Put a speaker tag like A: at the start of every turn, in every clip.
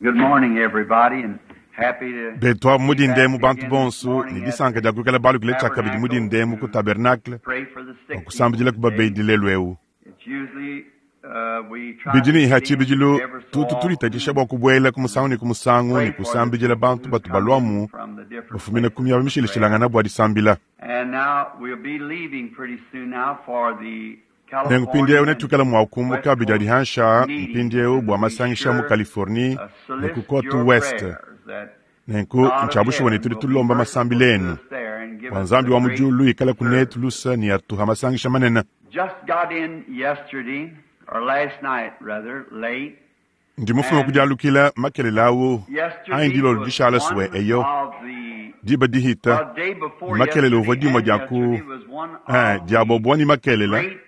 A: Good morning, everybody, and happy to
B: Betu
A: be
B: mudinde
A: back
B: mu bantu
A: again this
B: bonso
A: morning
B: ne
A: at
B: disanka
A: the
B: dia kuikala balukile tshiakabidi
A: tabernacle
B: mudinde mu ku
A: to
B: tabernacle
A: pray for the
B: bua
A: sick
B: kusambidila
A: people
B: ku
A: today.
B: babedi lelu eu.
A: It's usually we try to
B: Bidi ne
A: get
B: ha
A: in
B: tshibidilu
A: ever so
B: tutu
A: often
B: tulitatshisha bua kubuela ku musangu ne ku musangu
A: pray
B: ne
A: for the
B: kusambidila
A: people
B: bantu
A: who
B: batu
A: come in
B: baluamu
A: from the different
B: bafumina ku
A: places
B: miaba
A: for prayer.
B: mishilashilangana bua disambila.
A: And now we'll be leaving pretty soon now for the
B: Nenku mpindieu
A: California and
B: netuikala mua kumbuka
A: West
B: bidi
A: Coast
B: adihansha
A: meetings,
B: mpindieu
A: and
B: bua
A: be
B: masangisha mu
A: sure
B: Californie ne ku
A: solicit
B: Côte
A: your
B: Ouest.
A: prayers that
B: Nenku
A: God of
B: ntshiabushuwa ne
A: heaven
B: tudi
A: will be
B: tulomba
A: merciful
B: masambila
A: to
B: enu
A: us there and give
B: bua
A: us
B: Nzambi
A: a
B: wa mu
A: great
B: diulu ikala kunetu
A: service.
B: lusa ne atuha masangisha manene.
A: Just got in yesterday, or last night rather, late,
B: Ndi mufuma
A: and
B: kudialukila makelela awu ayi
A: yesterday
B: ndilolo
A: was
B: dishala suwe
A: one
B: eyo
A: of the,
B: diba dihita
A: well, day before
B: makelela uvua
A: yesterday
B: dimue
A: and
B: dia ku
A: yesterday was one
B: eh,
A: of
B: dia
A: the
B: bobua ni makelela
A: great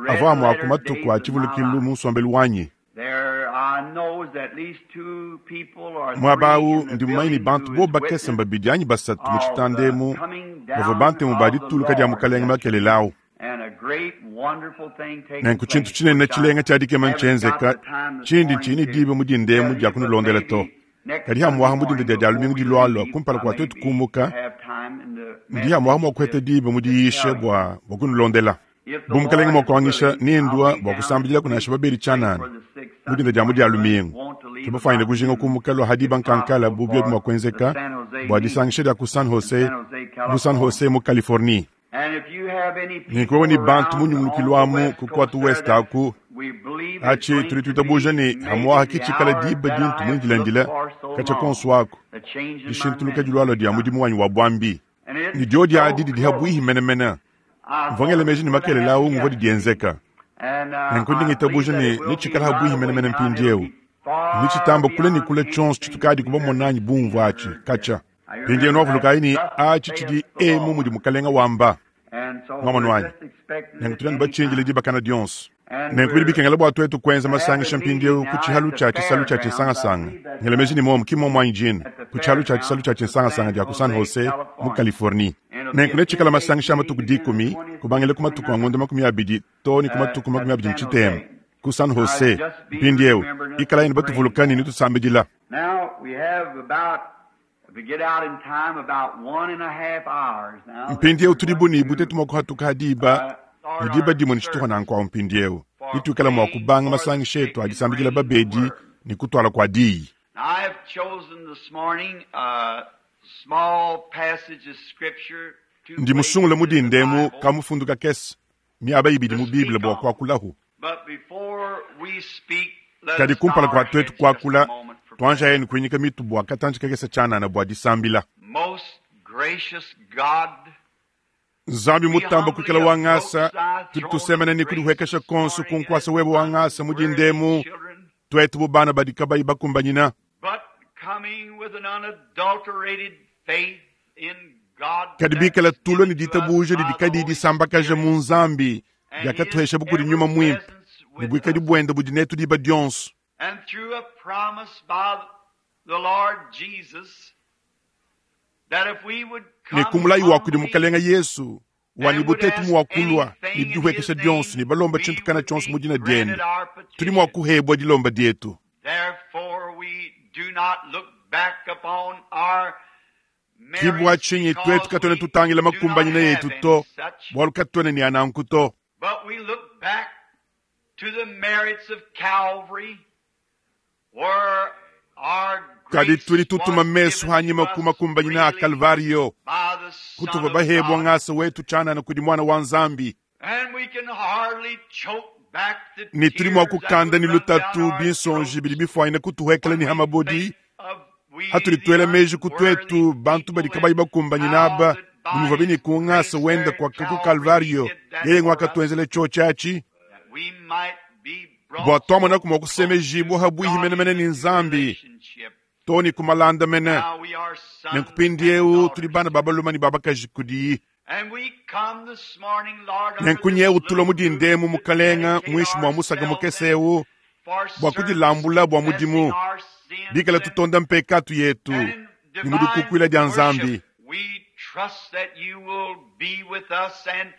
A: red
B: avua amue a ku
A: letter
B: matuku
A: days
B: a
A: of my
B: tshivulukilu
A: life.
B: mu nsombelu wanyi.
A: There, I knows at least two people or
B: Muaba
A: three
B: awu
A: in the
B: ndi mumanye ne
A: building
B: bantu
A: who
B: bo
A: is
B: bakese
A: witness
B: mbabidi anyi basatu mu
A: of the
B: tshitandemu
A: coming
B: bavua
A: down
B: bantemu ba
A: of the
B: dituluka dia
A: Lord
B: mukalenge
A: yesterday.
B: makelela awu.
A: And a great, wonderful thing taking
B: Nenku tshintu
A: place,
B: tshinene
A: which I
B: tshilenga tshiadikema
A: haven't got
B: ntshienzeka
A: the time this
B: tshindi
A: morning
B: tshini
A: to
B: diba mudindemu
A: tell
B: dia
A: you, but
B: kunulondela to.
A: maybe next
B: Kadi
A: Sunday
B: hamuaha mudinda
A: morning
B: dia dia
A: before
B: lumingu
A: we
B: dilualua
A: leave,
B: kumpala
A: I
B: kua
A: may
B: tuetu
A: be
B: kumuka
A: have time in the
B: ndi hamuaha
A: message
B: mua kuheta
A: to,
B: diba
A: to
B: mudiyisha
A: tell you.
B: bua bua kunulondela.
A: If the
B: Bu mukalenge
A: Lord
B: mua
A: is
B: kuangisha
A: willing, I'll
B: nindua
A: be
B: bua
A: down
B: kusambidila kunasha babedi
A: to pray
B: tshianana
A: for the sick
B: mudinda
A: Sunday
B: dia mudia
A: morning, but
B: lumingu.
A: want to leave
B: Tubafuanyine
A: about
B: kujinga
A: noon,
B: kumuka lua hadiba
A: if
B: nkankala
A: possible,
B: bu biobi
A: for
B: mua
A: the
B: kuenzeka
A: San Jose
B: bua
A: meeting
B: disangisha dia ku San
A: in
B: Jose
A: San Jose,
B: mu San
A: California.
B: Jose mu Californie.
A: And if you have any
B: Nenku wewe ni
A: people
B: bantu
A: around on
B: munyungulukilu
A: the
B: amu
A: West
B: ku
A: Coast
B: Côte
A: there
B: Ouest
A: that
B: aku
A: we believe is
B: achi
A: going
B: tuli
A: to
B: tuitabuja
A: be
B: ne
A: maybe
B: hamuaha
A: the
B: kitshikala
A: hour
B: diba
A: that
B: dintu
A: I have looked
B: mundilandila
A: for so
B: katshia
A: long,
B: konso aku
A: the change in my
B: dishintuluka
A: ministry
B: dilualua dia
A: come.
B: mudimu wanyi wa buambi.
A: And
B: Ni
A: it's
B: diodi
A: so
B: adi didi habwihi
A: close.
B: menemene.
A: I
B: Mvua
A: thought
B: ngela
A: it was
B: meji ne
A: going to
B: makelela awu
A: happen
B: nguvua
A: yesterday.
B: didienzeka.
A: And
B: Nenku ndi
A: I believe
B: ngitabuja
A: that
B: ne
A: it will be
B: nitshikala
A: right
B: habwihi
A: away
B: menemene
A: now, and it'll
B: mpindieu.
A: be far
B: Nitshitamba kule ne
A: beyond
B: kule tshionso
A: anything that
B: tshitukadi
A: we've ever
B: kubamonanyi
A: seen
B: bumvua
A: or
B: atshi
A: heard yet.
B: katshia.
A: I
B: Mpindieu
A: remember that
B: nwavulukayi ne
A: thus
B: atshi
A: saith
B: tshidi
A: the
B: emu mudi
A: Lord.
B: mukalenga wamba.
A: And so
B: Mwamonu
A: we're
B: wanyi.
A: just expecting
B: Nenku
A: it
B: tudi anu
A: any
B: batshindile
A: time.
B: dibakana dionso.
A: And
B: Nenku bidi
A: we're
B: bikengela bua tuetu kuenza
A: having
B: masangisha
A: a meeting
B: mpindieu ku
A: now
B: tshihalu
A: at the
B: tshia tshisalu tshia
A: fairgrounds. I
B: tshinsangasanga.
A: believe that's
B: Ngela meji ne momu ki momu anyi jina.
A: at the
B: Ku tshihalu tshia tshisalu
A: fairgrounds
B: tshia
A: of
B: tshinsangasanga
A: San
B: dia ku San
A: Jose,
B: Jose mu
A: California.
B: Californie.
A: And it'll be
B: Nenku
A: a
B: netshikala
A: 10-day
B: masangisha a
A: meeting
B: matuku
A: beginning the
B: dikumi
A: 20th
B: kubangila
A: to
B: ku matuku a
A: 29th
B: ngondo makumi abidi to ne ku matuku
A: at
B: makumi abidi ne
A: San
B: tshitema
A: Jose.
B: ku San
A: Now,
B: Jose.
A: just be
B: Mpindieu
A: remembering us
B: ikalayi ne
A: and praying
B: batuvulukani
A: for
B: ne
A: us.
B: tusambidila.
A: Now, we have about, if we get out in time, about 1.5 hours now that
B: Mpindieu
A: we're
B: tudi
A: going
B: buni
A: to
B: butetu mua kuhatuka hadiba
A: start
B: ne diba
A: our
B: dimue ne tshituha
A: service
B: nanku awu mpindieu
A: for
B: nituikala mua
A: praying
B: kubanga
A: for the
B: masangisha
A: sick
B: etu a
A: and
B: disambidila
A: bringing the
B: babedi
A: word.
B: ne kutuala kua diyi.
A: Now, I have chosen this morning a small passage of scripture, two
B: Ndi musungule
A: places in the
B: mudindemu
A: Bible,
B: kamufundu kakese miaba ibidi
A: to
B: mu Bible
A: speak
B: bua
A: on.
B: kuakulahu.
A: But before we speak, let
B: Kadi
A: us
B: kumpala
A: bow
B: kua
A: our
B: tuetu
A: heads just a
B: kuakula
A: moment for
B: tuanja
A: prayer.
B: yenu kuinyika mitu bua katantshi kakese tshianana bua disambila.
A: Most gracious God,
B: Nzambi
A: we
B: mutamba
A: humbly
B: kuikala
A: approach
B: wangasa
A: thy
B: tudi
A: throne of
B: tusemena ne
A: grace
B: kudihwekesha
A: this
B: konso
A: morning as
B: kunkuasa webe wangasa
A: unworthy
B: mudindemu
A: children,
B: tuetu bu bana badi kabayi bakumbanyina.
A: but coming with an unadulterated faith in God
B: Kadi
A: that
B: bikala
A: is
B: tulua ne
A: given to us
B: ditabuja
A: by
B: didi
A: the
B: kadiyi
A: Holy
B: disambakaja
A: Spirit
B: mu Nzambi
A: and His
B: diakatuhesha bukudi
A: ever
B: nyuma mwimpe
A: presence
B: ne
A: with
B: buikadi
A: us,
B: buenda budi netu diba dionso.
A: and through a promise by the Lord Jesus that if we would
B: Ne
A: come
B: kumulayi wa kudi
A: humbly
B: mukalenga Yesu wa
A: and
B: ne
A: would
B: butetu
A: ask
B: muwakulua ne
A: anything in His
B: dihwekesha dionso
A: name,
B: ne balomba
A: we
B: tshintu kana
A: would
B: tshionso
A: be
B: mu dina
A: granted
B: diende
A: our
B: tudi mua
A: petition.
B: kuhebwa dilomba dietu.
A: Therefore, we do not look back upon our
B: Ki bua
A: merits
B: tshinyi tuetu
A: because
B: katuena
A: we
B: tutangila
A: do not
B: makumbanyina
A: have
B: yetu
A: any
B: to
A: such,
B: bualu katuena ne ananku to.
A: but we look back to the merits of Calvary, where our
B: Kadi
A: grace
B: tudi tutuma
A: was
B: mesu
A: given to
B: hanyima ku
A: us
B: makumbanyina a
A: freely
B: Kalvario
A: by the Son
B: kutuva
A: of
B: bahebwa
A: God,
B: ngasa wetu tshianana kudi mwana wa Nzambi.
A: and we can hardly choke back the
B: Ne tudi mua
A: tears that
B: kukanda
A: would
B: ne
A: run down
B: lutatu
A: our
B: binsonji
A: throats
B: bidi bifuanyina kutuhekela
A: when
B: ne
A: we
B: hamabodi
A: think of we
B: hatudi
A: the
B: tuela meji ku
A: unworthy
B: tuetu bantu badi
A: people
B: kabayi
A: and
B: bakumbanyina
A: how
B: aba
A: that
B: bumuvua
A: by
B: bini
A: His
B: ku ngasa
A: grace
B: wenda
A: there
B: kwa
A: at
B: ku
A: Calvary He
B: Kalvario
A: did that
B: yeye
A: for us,
B: ngwakatuenzela tshio tshiatshi
A: that we might be
B: bua
A: brought
B: twamona
A: so
B: kumua
A: close to
B: kusemejibua habwihi
A: God
B: menemene
A: in
B: ne
A: a
B: Nzambi
A: relationship.
B: to ne kumalanda mene.
A: Now we are
B: Nenku
A: sons and
B: mpindieu tudi
A: daughters
B: bana
A: to
B: ba
A: Him.
B: baluma ne ba bakaji kudiyi.
A: And we come this morning, Lord, under
B: Nenku
A: this
B: nyewu tulua
A: little roof
B: mudindemu
A: to
B: mukalenga
A: dedicate
B: muinshi mua musaka
A: ourselves
B: mukese
A: and
B: ewu
A: for
B: bua
A: service,
B: kudilambula bua
A: confessing
B: mudimu
A: our sins
B: bikala
A: and,
B: tutonda mpekatu yetu
A: and in
B: ne mu
A: divine
B: dikukuila dia
A: worship.
B: Nzambi.
A: We trust that you will be with us and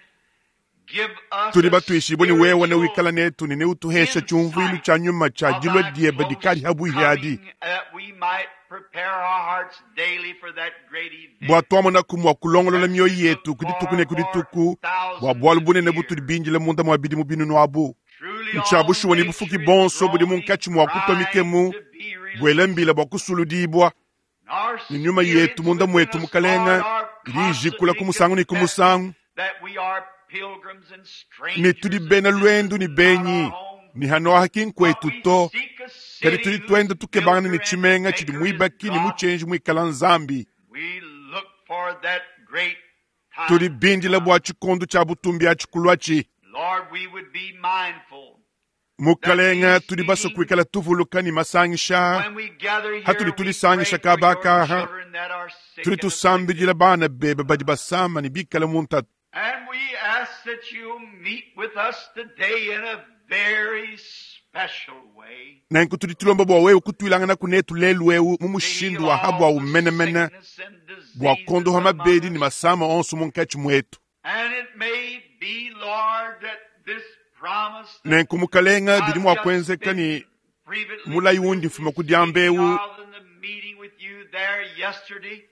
A: Give us
B: Tudi
A: a
B: batuishibue ne wewe
A: spiritual
B: newikala netu ne neutuhesha tshiumvuilu tshia nyuma tshia
A: of
B: dilua
A: thy
B: diebe
A: close
B: dikadi habuihi
A: coming, that we might prepare our hearts daily for that great event.
B: bua tuamonaku mua kulongolola mioyo yetu ku dituku ne ku dituku bua bualu bunene butudi bindile munda mua bidimu binunu abu.
A: Truly
B: Ntshia
A: all
B: bushuwa ne
A: nature
B: bufuki
A: is
B: bonso budi
A: groaning,
B: munkatshi mua kutua
A: crying
B: mikemu
A: to be released.
B: buela mbila bua kusuludibua.
A: Our
B: Ne nyuma yetu
A: spirits
B: munda
A: within
B: mwetu
A: us,
B: mukalenga
A: Lord, are
B: idi ijikula ku
A: constantly
B: musangu ne ku
A: confessing
B: musangu
A: that we are pilgrims and
B: ne
A: strangers
B: tudi
A: and
B: bena
A: this
B: luendu
A: is
B: ne
A: not
B: benyi
A: our home.
B: ne hanoaha ki
A: But
B: nkwetu
A: we
B: to
A: seek a
B: kadi
A: city
B: tudi
A: whose
B: tuenda tukebangana ne
A: builder and
B: tshimenga tshidi
A: maker is
B: muibaki ne
A: God.
B: mutshenji muikala Nzambi.
A: We look for that great
B: Tudi
A: time to
B: bindila
A: come.
B: bua tshikondo tshia butumbi atshi.
A: Lord, we would be mindful that
B: Mukalenga
A: these
B: tudi basue
A: meetings,
B: kuikala tuvuluka ne masangisha
A: when we gather here,
B: hatudi
A: we
B: tulisangisha
A: pray for your
B: kabakaha
A: children that are sick
B: tudi
A: and afflicted.
B: tusambidila bana bebe badi basama ne bikala mu ntatu.
A: And we ask that you'll meet with us today in a very special way
B: Nanku tudi tulomba bua wewe kutuilangana kunetu lelu eu mu
A: to heal
B: mushindu wa habwa
A: all the
B: umenemene
A: sickness and
B: bua
A: diseases
B: kondoha
A: among
B: mabedi ne
A: us.
B: masama onso munkatshi mwetu.
A: And it may be, Lord, that this promise that
B: Nanku mukalenga bidi
A: I've
B: mua
A: just
B: kuenzeka
A: been
B: ne
A: privately
B: mulayi wundi mfuma ku diamba
A: speaking
B: eu
A: of in the meeting with you there yesterday,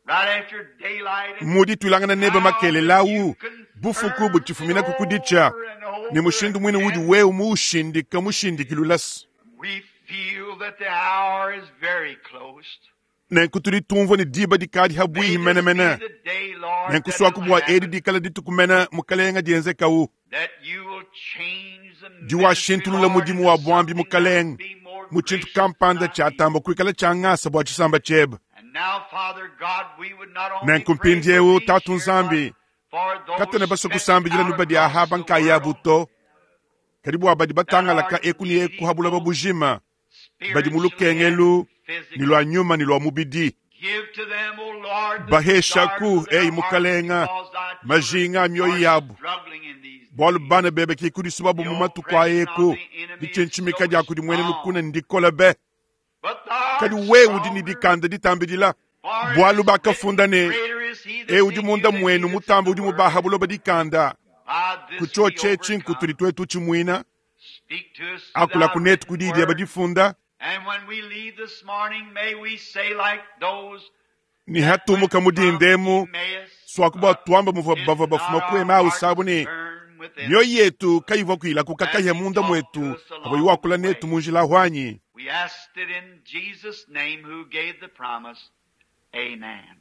A: right after daylight, and
B: mudi tuilangana nebe
A: how that
B: makelelawu
A: you
B: bufuku
A: confirmed it
B: butshifuminaku kuditsha
A: over and
B: ne
A: over
B: mushindu mwine udi
A: again.
B: wewe muushindika mushindikilulasi.
A: We feel that the hour is very close.
B: Nanku tudi tumvua ne diba dikadi
A: May
B: habuihi
A: this be
B: menemene.
A: the day, Lord,
B: Nanku
A: that
B: suaku
A: it'll
B: bua edi
A: happen,
B: dikala ditukumena mukalenga dienzekawu
A: that you will change the ministry,
B: diwashintulula
A: Lord,
B: mudimu
A: into
B: wa bwambi
A: something that'll
B: mukalenga
A: be more
B: mu tshintu
A: gracious to
B: kampanda
A: thy people.
B: tshiatamba kuikala tshiangasa bua tshisamba tshiebe.
A: And now, Father God, we would not only
B: Nanku
A: pray for
B: mpindiewu
A: these
B: tatu
A: here, but
B: Nzambi
A: for those
B: katwena basue
A: stretched
B: kusambidila
A: out
B: nuba dia
A: across
B: ahaba
A: the
B: nkayabu
A: world
B: to kadi bua badi
A: that
B: batangalaka
A: are
B: eku ne eku
A: needy
B: ha buloba
A: both
B: bujima badi mu
A: spiritually and
B: lukengelu ne
A: physically.
B: lua nyuma ne lua mubidi.
A: Give to them, O Lord, the desires
B: Baheshaku
A: of their
B: ei
A: hearts
B: mukalenga
A: because thy children
B: majinga a mioyo
A: are
B: yabu
A: struggling in these
B: bualu
A: days.
B: bana bebe ke kudisubabu
A: The
B: mu matuku
A: oppression of
B: aeku
A: the enemy is
B: ditshintshimika
A: so
B: dia kudi mwene lukuna
A: strong.
B: ndikola be
A: But thou
B: kadi
A: art
B: wewe udi ne
A: stronger,
B: dikanda ditambidila
A: for it
B: bualu
A: is written,
B: bakafunda ne
A: Greater is he
B: e
A: that's
B: udi
A: in you
B: munda
A: than he
B: mwenu
A: that's in
B: mutamba
A: the
B: udi
A: world.
B: mubaha buloba dikanda
A: By this we
B: kutshotshe tshinku tudi
A: overcome.
B: twetu tshimuina
A: Speak to us through
B: akula
A: thy
B: kunetu
A: written
B: kudi dieba
A: word.
B: difunda
A: And when we leave this morning, may we say like those
B: ni
A: that went
B: hatumuka
A: from
B: mudindemu
A: Emmaus,
B: swaku bua tuamba muvua
A: did
B: bavua
A: not
B: bafuma
A: our
B: ku Emau
A: hearts
B: sabu ne
A: burn within
B: mioyo
A: us
B: yetu kayivua kuilakuka
A: as
B: kahia
A: he
B: munda
A: talked to
B: mwetu
A: us
B: avo
A: along the
B: iwakula netu
A: way?
B: mu njila hwanyi.
A: We asked it in Jesus' name who gave the promise. Amen.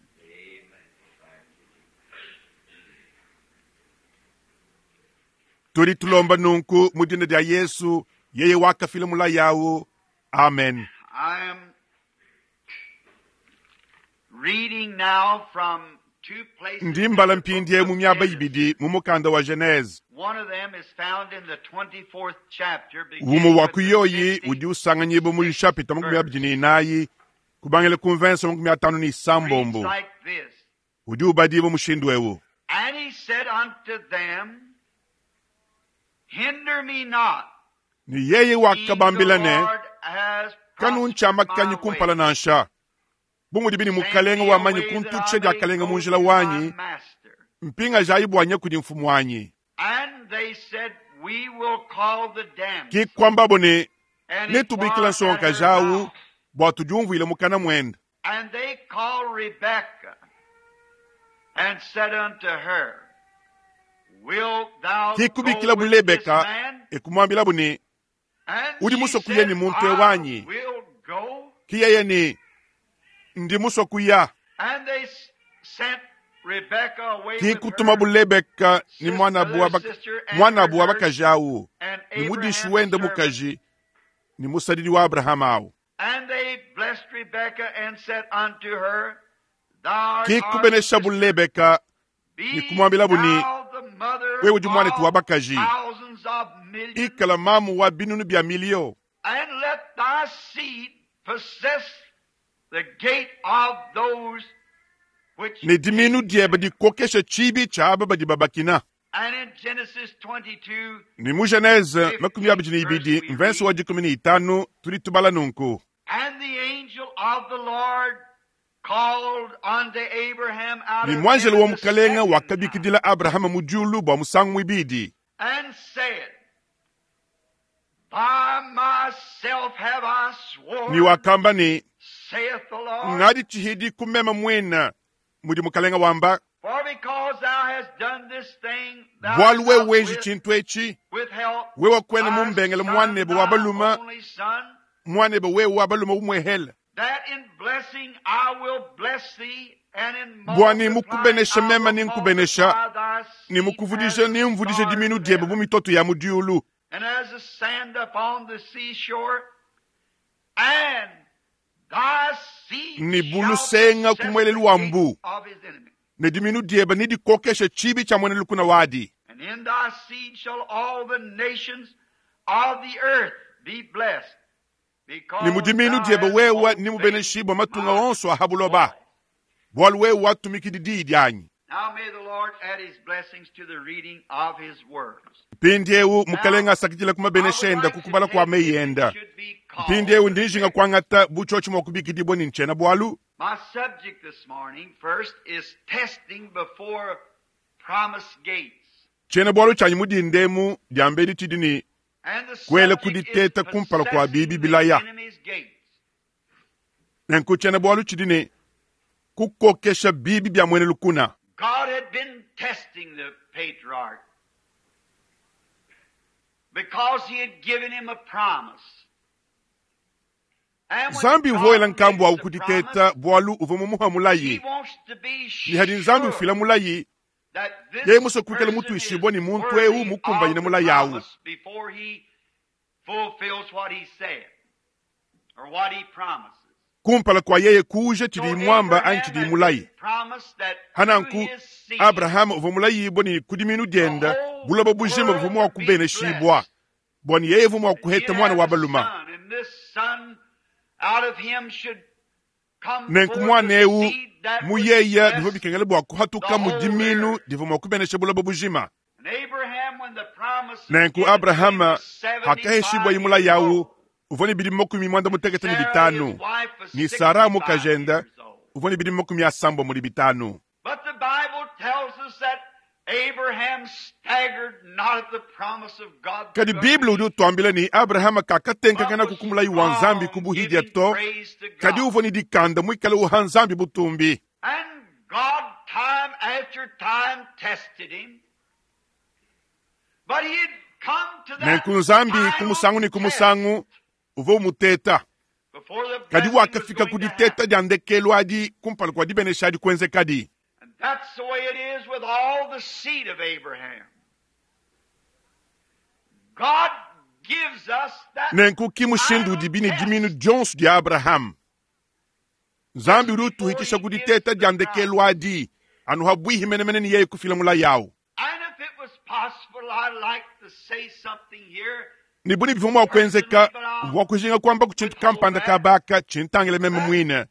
B: Tudi tulomba nunku mu dina dia Yesu yeye wakafila mulayawu. Amen.
A: I am reading now from two places
B: Ndi
A: in
B: mbala
A: the book
B: mpindie
A: of
B: mu miaba
A: Genesis.
B: ibidi mu mukanda wa Genese.
A: One of them is found in the 24th chapter,
B: Umu
A: beginning
B: wa
A: with the
B: kuyoyi udi
A: 56th
B: usanganyibwa mu chapita makumi
A: verse.
B: abidi ne inayi kubangila ku mvensa makumi atanu ne
A: Reads
B: isambombo
A: like this.
B: udi ubadibwa mushindu ewu.
A: And he said unto them, Hinder me not,
B: Ne yeye
A: seeing the
B: wakabambila ne
A: Lord has prospered
B: kanuntshiamakanyi
A: my
B: kumpala
A: way.
B: nansha bu mudi bini
A: Send
B: mukalenga
A: me
B: wamanyi
A: away that I
B: kuntutsha
A: may
B: diakalenga mu
A: go
B: njila
A: to my
B: wanyi
A: master.
B: mpinga jayi bwanya kudi mfumu wanyi.
A: And they said, We will call the
B: Ki
A: damsel
B: kwambabo ne
A: and
B: netubikila
A: inquire at
B: nsonga
A: her
B: jawu
A: mouth.
B: bua tudiumvuile mukana mwende.
A: And they called Rebekah and said unto her, Wilt thou
B: Ki
A: go
B: kubikila
A: with this
B: bulebeka
A: man?
B: ekumwambilabu ne
A: And
B: udi
A: she
B: musue kuya
A: said,
B: ne muntu
A: I
B: ewanyi.
A: will go.
B: Ki yeye ne ndi musue kuya.
A: And they sent Rebekah away
B: Ki
A: with
B: kutuma
A: her
B: bulebeka ni mwanabu
A: other
B: wa
A: sister and her
B: mwanabu wa
A: nurse
B: bakaji awu
A: and
B: ni mudishi
A: Abraham's
B: wende
A: servant.
B: mukaji ni musadidi wa Abrahamu awu.
A: And they blessed Rebekah and said unto her, Thou art
B: Ki
A: our
B: kubenesha
A: sister.
B: bulebeka ni
A: Be
B: kumwambilabu ni
A: thou the mother
B: wewe udi mwanetu wa
A: of
B: bakaji
A: thousands of millions,
B: ikala mamu wa binunu bya milio
A: and let thy seed possess the gate of those which
B: ne diminu
A: hate
B: diebe
A: them.
B: dikokesha tshibi tshia aba badi babakina.
A: And in Genesis 22,
B: Ni mu Genese makumi
A: 15th
B: abidi ne
A: verse,
B: ibidi
A: we
B: mvensi
A: read,
B: wa dikumi ne itanu tudi tubala nunku.
A: And the angel of the Lord called unto Abraham out
B: Ne
A: of
B: muanjelo wa
A: heaven the
B: mukalenga
A: second
B: wakabikidila Abrahama mu diulu bua musangu muibidi.
A: time, and said, By myself have I sworn,
B: Ne wakamba ne,
A: saith the Lord,
B: ngadi tshihidi kumema mwena mudi mukalenga wamba,
A: for because thou hast done this thing, thou
B: bwalu
A: hast
B: wewe
A: not
B: wenji tshintu etshi,
A: withheld
B: wewe kwena
A: thy
B: mumbengele
A: son,
B: mwanebe wa
A: thy
B: baluma,
A: only son,
B: mwanebe wewe wa baluma umwehele.
A: that in blessing I will bless thee, and in
B: Bwani
A: multiplying
B: mukubenesha
A: I
B: mema
A: will
B: ninkubenesha,
A: multiply thy
B: ni
A: seed as
B: mukuvudisha
A: the
B: nimvudisha
A: stars
B: diminu
A: of
B: diebe
A: heaven,
B: bu mitoto ya mudiulu.
A: and as the sand upon the seashore, and thy seed
B: Ni
A: shall
B: bulusenga
A: possess
B: kumwelelu
A: the
B: wa
A: gate
B: mbu.
A: of his enemy.
B: Ne diminu diebe nidikokesha chibi cha mwene lukuna wadi.
A: And in thy seed shall all the nations of the earth be blessed,
B: Ni
A: because
B: mudiminu
A: thou
B: diebe
A: hast
B: wewe ni
A: obeyed
B: mubeneshibwa matunga
A: my
B: onso ahabuloba.
A: voice.
B: Bwalu wewe watumikidi dii dyanyi.
A: Now may the Lord add his blessings to the reading of his words.
B: Mpindiewu mukalenga
A: Now,
B: asakidila
A: I would
B: kumabeneshenda
A: like to
B: kukubala kwa
A: take, if it
B: meyenda.
A: should be called
B: Mpindiewu ndinjinga
A: today.
B: kwangata buchochi mwa kubikidibwa ni nchena bwalu.
A: My subject this morning, first, is testing before promised gates.
B: Chena bwalu chanyi mudindemu dyambedi tidi ni
A: And the
B: kwele
A: subject is
B: kuditeta kumpala kwa bibi
A: possessing the
B: bilaya.
A: enemy's gates.
B: Nenku chena bwalu chidi ni kukokesha bibi bya mwene lukuna.
A: God had been testing the patriarch because he had given him a promise. And when
B: Nzambi uvoyela
A: God
B: nkambu
A: makes
B: awu
A: a
B: kuditeta
A: promise,
B: bwalu uva mumuha
A: he
B: mulayi.
A: wants to be
B: Ni hadi nzambi
A: sure
B: ufila mulayi,
A: that this
B: yeye muso kuikala
A: person
B: mutu
A: is
B: ishibwa ni muntu ewu
A: worthy
B: mukumbanyine
A: of the
B: mulayi awu.
A: promise before he fulfills what he said or what he promises.
B: Kumpala kwa yeye kuja
A: So
B: chidi mwamba anyi
A: Abraham
B: chidi
A: had
B: mulayi.
A: been promised that through
B: Hananku
A: his seed
B: Abrahamu uva mulayibwa ni kudiminu
A: the
B: dyenda
A: whole
B: buloba bujima
A: world
B: buva mwa
A: would be
B: kubeneshibwa.
A: blessed.
B: Bwani yeye vumu wa
A: That he'd
B: kuheta mwana
A: have
B: wa
A: a
B: baluma.
A: son, and this son out of him should come
B: Nenku
A: forth
B: mwana
A: a
B: ewu
A: seed that would
B: muyeya bivua
A: bless
B: bikengela bwa kuhatuka
A: the
B: mu
A: whole
B: diminu
A: earth.
B: divua mua kubenesha buloba bujima.
A: And Abraham, when the promise was
B: Nenku
A: given to him,
B: Abrahama
A: was 75
B: hakaheshibwa imula
A: years
B: yawu
A: old.
B: uvua ne bidimu makumi mwanda mutekete ne
A: Sarah, his
B: bitanu.
A: wife, was
B: Ni Sara
A: 65
B: mukajenda
A: years old.
B: uvua ne bidimu makumi asambwa muli bitanu.
A: But the Bible tells us that Abraham staggered not at the promise of God
B: Kadi
A: through
B: Biblia udi
A: unbelief,
B: utuambila ni Abrahama
A: but
B: kakatenkakana
A: was
B: kukumulayi wa nzambi
A: strong,
B: kubuhidya
A: giving
B: to
A: praise to
B: kadi
A: God.
B: uvua ni dikanda mwikale uha nzambi butumbi.
A: And God, time after time, tested him. But he had come to that
B: Nenku nzambi
A: final
B: kumusangu ni
A: test
B: kumusangu uvua umuteta.
A: before the
B: Kadi
A: blessing was
B: wakafika
A: going to
B: kuditeta
A: happen.
B: dya ndekelu adi kumpala kwa dibenesha adi kuenzekadi.
A: And that's the way it is with all the seed of Abraham. God gives us that
B: Nenku ki mushindu
A: final
B: udi bini diminu
A: test
B: dionso dia Abrahamu. Nzambi
A: just
B: udi
A: before
B: utuhitisha
A: he gives
B: kuditeta
A: the
B: dya ndekelu
A: promise.
B: adi anu habwihi menemene ni yeye kufila mulayi awu.
A: And if it was possible, I'd like to say something here
B: Ni buni bivua mua kuenzeka
A: personally, but I'll
B: bua kujinga kwamba ku tshintu
A: withhold
B: kampanda
A: that.
B: kabaka tshintangile meme
A: That
B: mwine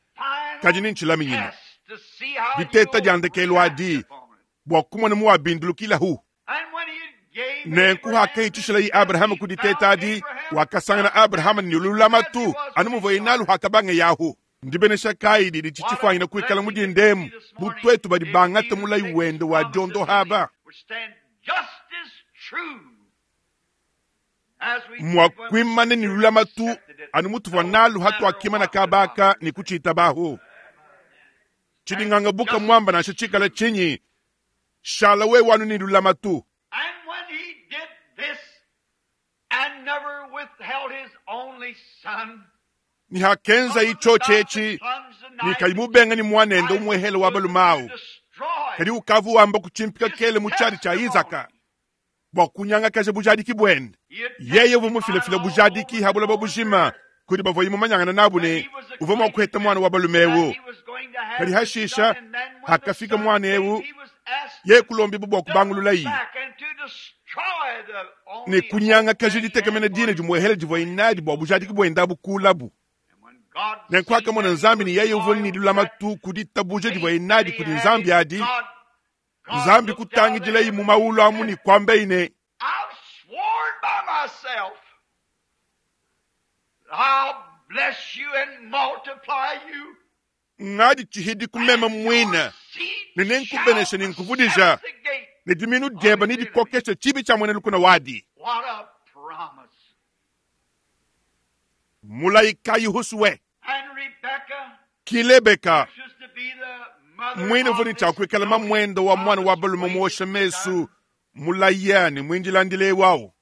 B: kadi
A: final
B: ni ntshilaminyinya.
A: test to see how
B: Diteta
A: you'll
B: dya ndekelu
A: react
B: adi
A: upon it.
B: bua kumona muwabindulukilahu.
A: And when he gave
B: Nenku
A: Abraham
B: hakahitshishila
A: this
B: yi
A: test,
B: Abrahama
A: he
B: kuditeta
A: found
B: adi
A: Abraham
B: wakasangana
A: faithful
B: Abrahama ni
A: as he
B: lulamatu
A: was
B: anu
A: when he
B: muvoye nalu
A: started.
B: hakabange yahu. Ndibenesha kayi didi
A: What a
B: tshitshifuanyina kuikala
A: blessing it would
B: mudindemu
A: be this morning
B: butwetu badi
A: if we
B: bangata
A: would
B: mulayi
A: take his
B: wende wa
A: promises
B: diondo
A: and
B: haba.
A: believe, would stand just as true as we did
B: Mwa
A: when we
B: kuimane ni
A: sincerely
B: lulamatu
A: accepted it,
B: anu mutuvua
A: no
B: nalu hatu
A: matter
B: akimana
A: what the
B: kabaka
A: doctor
B: ni
A: said.
B: kuchita bahu.
A: And
B: Chidinganga buka
A: just
B: mwamba
A: as
B: nansha chikala
A: true.
B: chinyi shala we wanu ni lulamatu.
A: And when he did this and never withheld his only son,
B: Ni hakenza
A: but was
B: icho
A: about to
B: chechi
A: plunge the
B: ni
A: knife
B: kayimubenga ni mwanende
A: into
B: umwehele
A: his
B: wa
A: bosom to
B: balumawu.
A: destroy
B: Kadi ukavu wamba kuchimpika
A: his
B: kele muchadi cha Isaka
A: testimony.
B: bua kunyangakaja bujadiki bwende.
A: He had
B: Yeye
A: testified
B: vumufilafila
A: all
B: bujadiki
A: over the
B: habulaba
A: whole
B: bujima
A: earth
B: kudi bavua imumanyangana nabu
A: that
B: ne
A: he was
B: uvua mua
A: acquainted
B: kuheta
A: with,
B: mwana wa
A: that
B: balumewu.
A: he was going to have
B: Kadi
A: this son,
B: hashisha
A: and then when the
B: hakafika
A: son
B: mwana
A: came,
B: ewu
A: he was asked
B: ye
A: to
B: kulombibu bua
A: double
B: kubangulula yi
A: back and to destroy the
B: ne
A: only hope
B: kunyangakaja
A: that he had
B: ditekemena
A: for
B: dina
A: his
B: dimuehele divua inadi bua bujadiki bwenda bukulabu.
A: And when God
B: Nenku
A: seen
B: akamona
A: that he
B: nzambi
A: was
B: ni yeye uvua ni
A: loyal to that
B: lulamatu kuditabuja divua
A: faith
B: inadi
A: that he
B: kudi
A: had
B: nzambi
A: in
B: adi
A: God, God
B: nzambi
A: looked out of
B: kutangidila yi
A: heaven
B: mu
A: and
B: mawulu amu
A: said,
B: ni kwamba ine
A: I've sworn by myself that I'll bless you and multiply you.
B: Ngaditshihi ku meme muine ne nenkubenesha ne nkuvudija ne dimiinu diebe nedikokeshe tshibi tshia muena lukuna wadi. Mulayi kayi huswe? Ki Lebeka muine uvua ne tshia kuikala mamuende wa muana wa balume muosha mesu mulaya ne muindilandile eu au.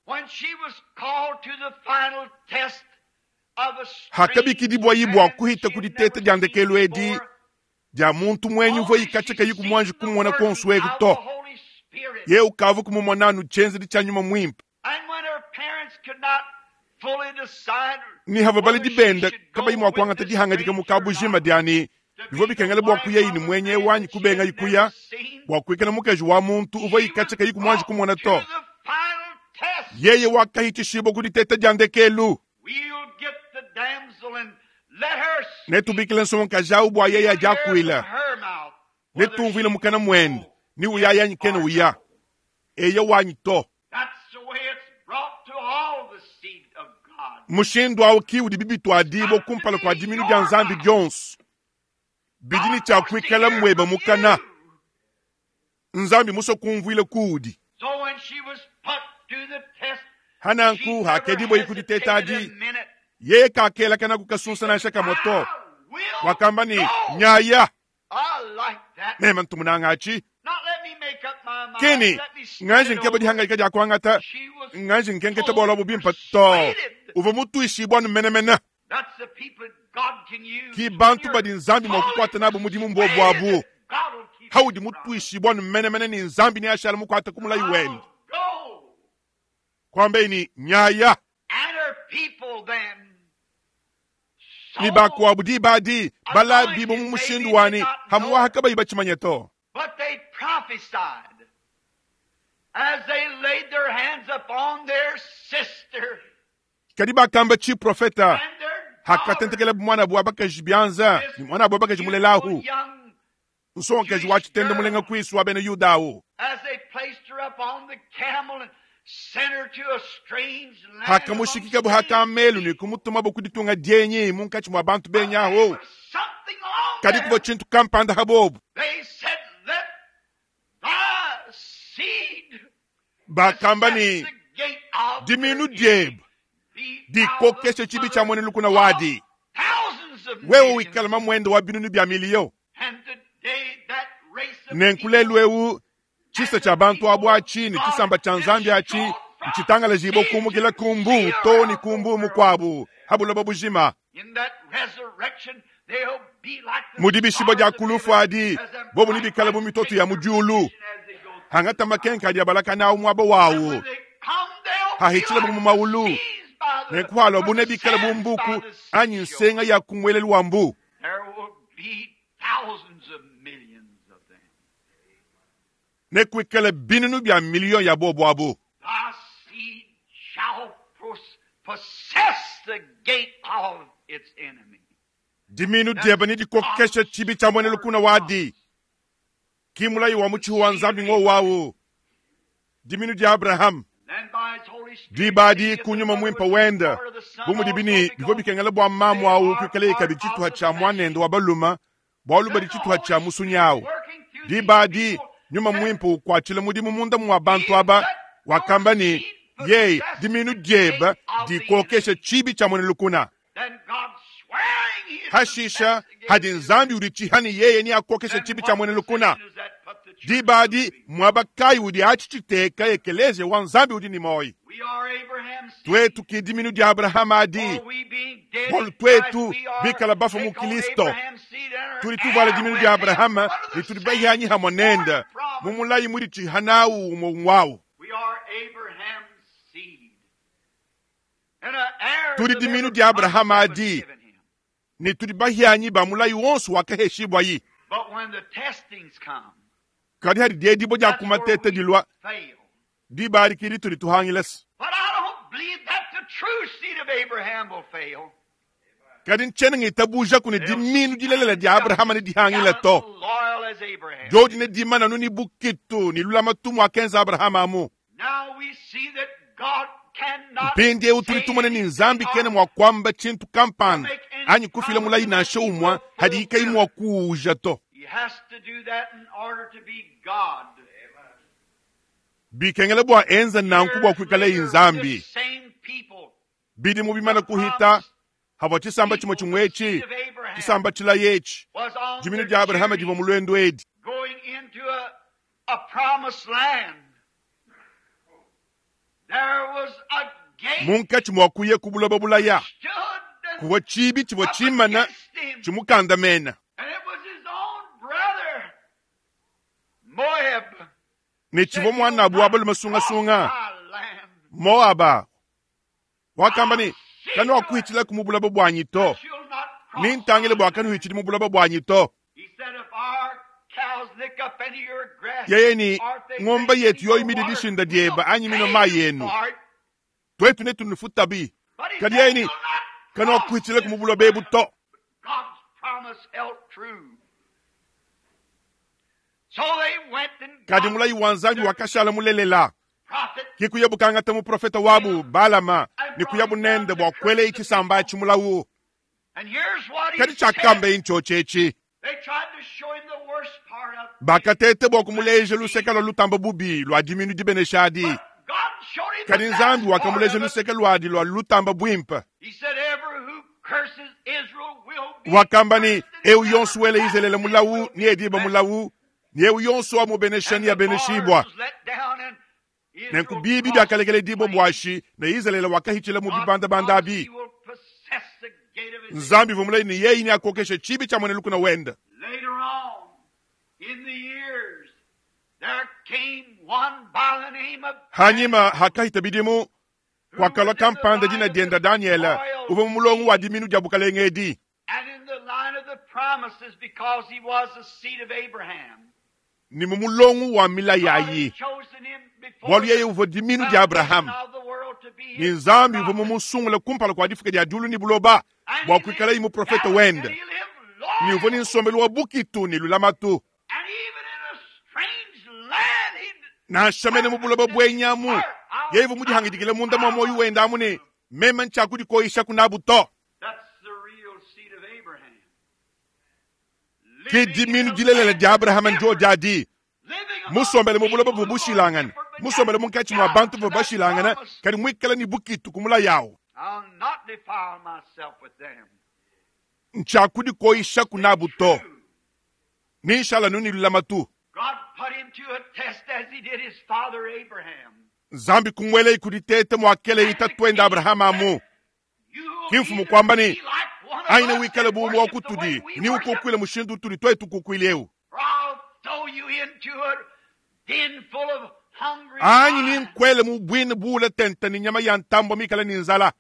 B: Hakabikidibuayi bua kuhita ku diteta dia ndekelu edi dia muntu muenyi uvua ikatshia kayi kumuanji kumona kuonso eku to, yeye ukavua kumumona anu tshienzedi tshia nyuma muimpe. Ne havua baledi bende kabayi mua kuangata dihangadika mu kabujima dia ne bivua bikengela bua kuyayi ne muenyi eu anyi kubengayi kuya bua kuikala mukaji wa muntu uvua ikatshia kayi kumuanji kumona to, yeye wakahitshishibua ku diteta dia ndekelu. Netubikile nsongakaji au bua yeye adiakuila, netumvuile mukana muende ni uyaya anyi kena uya, eya wanyi to. Mushindu au ki udi bibituadibua kumpala kua diminu dia Nzambi dionso bidi ne tshia kuikala muebe mukana. Nzambi musue kumvuila kuudi. Hananku hakedibua ku diteta adi, yeye kakelakana ku kasunsa nansha kamue to. Wakamba ne, Nyaya. Meme ntu munanga atshi. Keni nganji nkeba dihangadika dia kuangata, nganji nkenketa bualu abu bimpe to. Uvua mutuishibue anu menemene. Ki bantu badi Nzambi mua kukuata nabu mudimu mbobu abu. Haudi mutuishibue anu menemene ne Nzambi neashala mukuate ku mulayi wende. Kuambaye ne, Nyaya. Ne bakuabu diba adi balabibue mu mushindu wa ne hamuaha kabayi batshimanye to. Kadi bakamba tshiprofeta hakatentekelabu muanabu wa bakaji bianza ne muanabu wa bakaji mulelahu, nsongakaji wa tshitende mulenga kuisu wa bena Yuda au. Hakamushikikabu ha kamelu ne kumutumabu ku ditunga dienyi munkatshi mua bantu benyi aho, kadi kuvua tshintu kampanda ha bobu. Bakamba ne, Diminu diebe dikokeshe tshibi tshia muena lukuna wadi, wewe wikala mamuende wa binunu bia miliyo. Nenku lelu eu tshisa tshia bantu abu atshi ne tshisamba tshia Nzambi atshi ntshitangalajibue kumukila ku mbuu too ne ku mbuu mukuabu ha buloba bujima. Mu dibishibua dia ku lufu adi, bobu nebikale bu mitoto ya mu diulu, hangata makenka adi abalakana awu muaba wawu, hahitshilabu mu maulu, nenku haluabu nebikale bu mbuku anyi nsenga ya ku muelelu wa mbu. Nekuikale binunu bia miliyo ya bobu abu. Diminu diebe nedikokeshe tshibi tshia muena lukuna wadi. Ki mulayi wa mutshihu wa Nzambi ngowu awu. Diminu dia Abraham. Diba adi ku nyuma muimpe wende, bu mudibi ne bivua bikengela bua mamu awu kuikaleye kabidi tshituha tshia muanende wa balume, bualu badi tshituha tshia musunyi awu. Diba adi nyuma muimpe ukuatshila mudimu munda mua bantu aba, wakamba ne, Yeye, diminu diebe dikokeshe tshibi tshia muena lukuna. Hashisha hadi Nzambi uditshiha ne yeye neakokeshe tshibi tshia muena lukuna. Diba adi muaba kayi udi atshi tshiteka ekeleziya wa Nzambi udi ne muoyo? Tuetu ki diminu dia Abrahama adi, bualu tuetu bikala bafue mu Kilisto, tudi tuvuala diminu dia Abrahama ne tudi bahianyi hamue nende mu mulayi muditshiha nawu umue wawu. Tudi diminu dia Abrahama adi, ne tudi bahianyi ba mulayi wonso wakaheshibuayi. Kadi hadi diedibua dia ku mateta dilua, diba adi ki ditudi tuhangilase. Kadi ntshiena ngitabujaku ne diminu dilelela dia Abrahama nedihangile to. Diodi nedimane anu ne bukitu ne lulamatu muakenza Abrahama amu. Mpindieu tudi tumona ne Nzambi kena mua kuamba tshintu kampanda Anyi kufila mulayi nansha umue hadiyi kayi mua kuwuuja to. Bikengela bua enza nanku bua kuikalayi Nzambi. Bidimu bimane kuhita, havua tshisamba tshimue tshimue etshi, tshisamba tshilaya etshi, diminu dia Abrahama divua mu luendu edi. Munkatshi mua kuya ku buloba bulaya, kuvua tshibi tshivua tshimana tshimukandamena. Ne tshivua muanabu wa balume sungasunga, Moaba, wakamba ne, Kanuakuhitshilaku mu buloba buanyi to, nintangile bua kanuhitshidi mu buloba buanyi to. Yeye ne, Ngombe yetu yoyi midi dishinda dieba anyi minua mayi enu, tuetu netunufutabi. Kadi yeye ne, Kanuakuhitshilaku mu buloba ebu to. Kadi mulayi wa Nzambi wakashala mulelela. Ke kuyabu kangata muprofete wabu Balama ne kuyabu nende bua kuelayi tshisamba atshi mulawu. Kadi tshiakambaye ntshiotshi etshi. Bakateta bua kumuleja luseke lua lutamba bubi lua diminu dibenesha adi, kadi Nzambi wakamuleja luseke luadi lua lutamba buimpe. Wakamba ne, Eu yonso wela Izalele mulawu needibe mulawu, ne eu yonso wamubenesha neabeneshibua. Nenku bibi biakalekeledibua buashi, ne Izalele wakahitshila mu bibandabanda abi. Nzambi uvua mulaye ne yeye neakokeshe tshibi tshia muena lukuna wende. Hanyima hakahita bidimu, kuakalua kampanda dina dienda Danyele, uvua mu mulongo wa diminu dia bukalenge edi. Ne mu mulongo wa milayi ayi, bualu yeye uvua diminu dia Abrahama, ne Nzambi uvua mumusungule kumpala kua difuka dia diulu ne buloba bua kuikalaye muprofete wende, ne uvua ne nsombelu wa bukitu ne lulamatu. Nansha mene mu buloba buenyi amu, yeye uvua mudihangidikile munda mua muoyo wende amu ne, meme ntshiakudikoyishaku nabu to. Ke diminu dilelela dia Abrahama ndiodi adi. Musombele mu buloba buvua bushilangane, musombele munkatshi mua bantu bavua bashilangane, kadi muikale ne bukitu ku mulayi awu. Ntshiakudikoyishaku nabu to. Ninshala anu ne lulamatu. Nzambi kumuelayi ku diteta muakelayi tatuende Abrahama amu. Ki mfumu kuamba ne, Anyi newikale bu umue wa kutudi, ne ukukuile mushindu utudi tuetu kukuila eu. Anyi ninkuele mu buina buule tente ne nyama ya ntambue mikale ne nzala.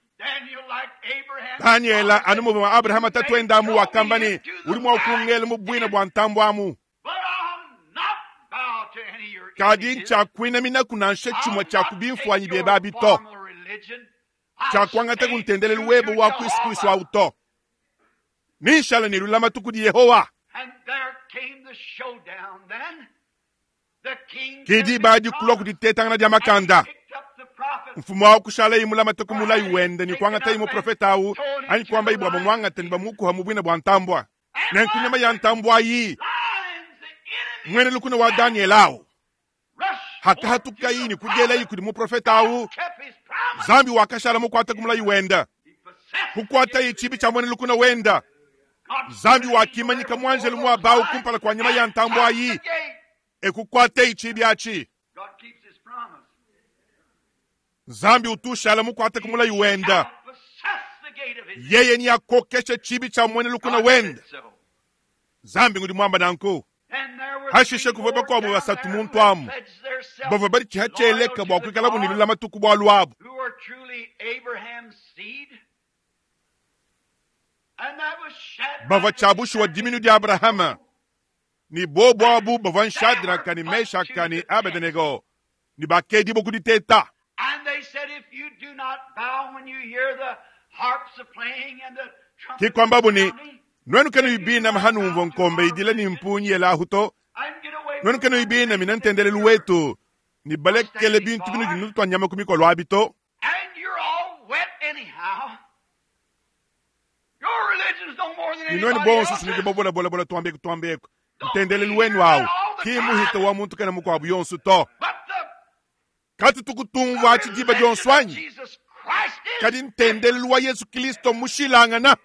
B: Danyela, anu muvua Abrahama tatuende amu, wakamba ne, Udi mua kungela mu buina bua ntambue amu. Kadi ntshiakuinaminaku nansha tshimue tshia ku bimfuanyi biebe abi to. Tshiakuangata ku ntendelelu webe wa kuisu kuisu au to. Ninshala ne lulamatu kudi Yehowa. Ke diba adi kulua ku ditetangana dia makanda. Mfumu au kushalaye mulamate ku mulayi wende ne kuangataye muprofete au anyi kuambaye bua bamuangate ne bamukuha mu buina bua ntambua. Nenku nyama ya ntambua ayi, muena lukuna wa Danyele au, hakahatukayi ne kudielayi kudi muprofete au, Nzambi wakashala mukuate ku mulayi wende, kukuataye tshibi tshia muena lukuna wende. Nzambi wakimanyika muanjelu muaba au kumpala kua nyama ya ntambua ayi, e kukuataye tshibi atshi. Nzambi utu ushala mukuate ku mulayi wende. Yeye neakokeshe tshibi tshia muena lukuna wende. Nzambi ngudi muamba nanku. Hashishe kuvua bakuabu basatu muntu amu bavua baditshiha tshieleka bua kuikalabu ne lulamatu ku bualu abu. Bavua tshia bushuwa diminu dia Abrahama, ne bobu abu bavua Shadraka ne Meshaka ne Abedenego, ne bakedibua ku diteta. Ke kuambabu ne, Nuenu kanuyi binama hanumvua nkombe idila ne mpungi yelahu to, nuenu kanuyi binamina ntendelelu wetu ne balekele bintu binudi nutua nyama ku mikolo abi to. Ne nuenu bonso nudi babolabolabola tuambeku tuambeku. Ntendelelu wenu awu ki muhita wa muntu kena mukuabu yonso to. Katutu kutumvua atshi diba dionso anyi? Kadi ntendelelu wa Yezu Kristo mmushilangana.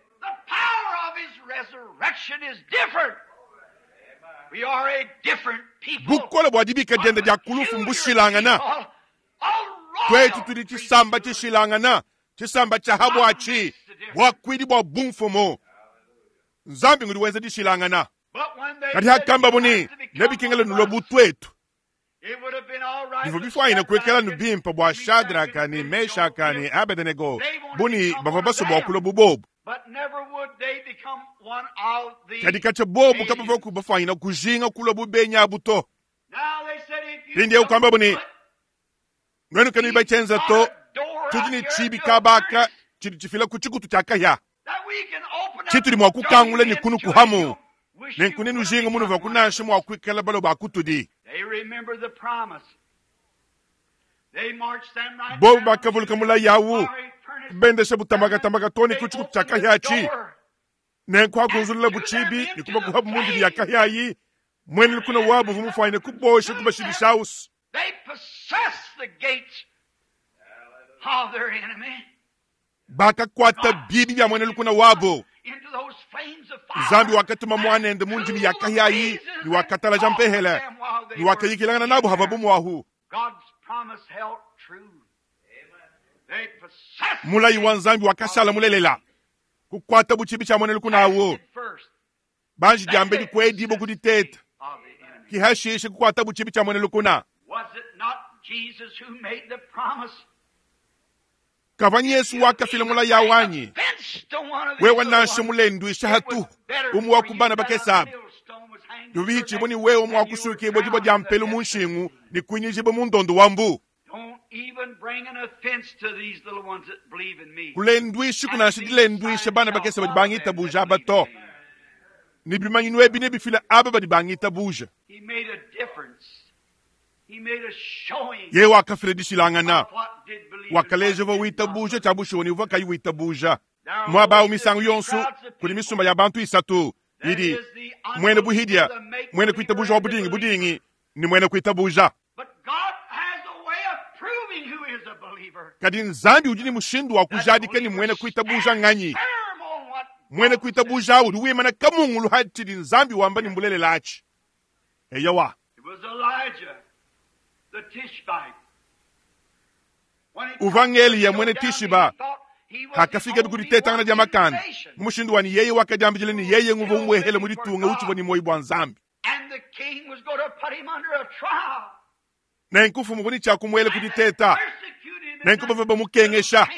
B: Bukole bua dibika diende dia ku lufu mbushilangana. Tuetu tudi tshisamba tshishilangana, tshisamba tshia ha buatshi, buakuidi bua bumfumu. Nzambi ngudi wenza dishilangana. Kadi hakambabo ne, Nebikengele nulue bu tuetu, bivua bifuanyine kuikala nu bimpe bua Shadraka ne Meshaka ne Abedenego bu ne bavua basue bua kulua bu bobu. Kadi katshia bobu kabavuaku bafuanyine kujinga kulua bu benyi abu to. Mpindieu kuambabu ne, Nuenu kanuyi batshienza to, tudi ne tshiibi kabaka tshidi tshifila ku tshikutu tshia kahia tshitudi mua kukangula ne kunukuhamu, nenku nenujinga munuvua kunansha mua kuikala balua ba kutudi. Bobu bakavuluka mulayi awu, kubendesha butamakatamaka too ne ku tshikutu tshia kahia atshi. Nenku hakunzululabu tshibi ne kubakuhabu mu ndimi ya kahia ayi, muena lukuna wabu uvua mufuanyine kubosha kubashidishawusu. Bakakuata bibi bia muena lukuna wabo. Nzambi wakatuma muanende mu ndimi ya kahia ayi ne wakatalaja mpehele ne wakayikilangana nabo havabo muahu. Mulayi wa Nzambi wakashala mulelela. Kukuata bu tshibi tshia muena lukuna awu. Banji diambedi kuedibua ku diteta, ki hashishe kukuatabu tshibi tshia muena lukuna. Kavua Yesu wakafila mulayi awu anyi? Wewe nansha mulenduisha hatuhu umue wa ku bana bakese aba, bivua bihitshibue ne wewe mua kusuikibua dibue dia mpelu mu nshingu ne kuinyijibua mu ndondo wa mbu. Kulenduishiku nansha dilenduisha bana bakese badi bangitabuja aba to, ne bimanyinu ebi nebifile aba badi bangitabuja. Yeye wakafila dishilangana, wakaleja uvua witabuja tshia bushuwa ne uvua kayi witabuja. Muaba au misangu yonso kudi misumba ya bantu isatu idi muena buhidia, muena kuitabuja wa budingi budingi ne muena kuitabuja. Kadi Nzambi udi ne mushindu wa kujadika ne muena kuitabuja nganyi. Muena kuitabuja udi wimana kamungulu ha tshidi Nzambi wamba ne mbulelela atshi. Eyowa. Uvua ng'Eliya muena Tishiba hakafikabi ku ditetangana dia makanda mu mushindu wa ne yeye wakadiambidila ne yeye nguvua umuehele mu ditunga utshivua ne muoyo bua Nzambi. Nenku mfumu uvua ne tshia kumuela ku diteta, nenku bavua bamukengesha.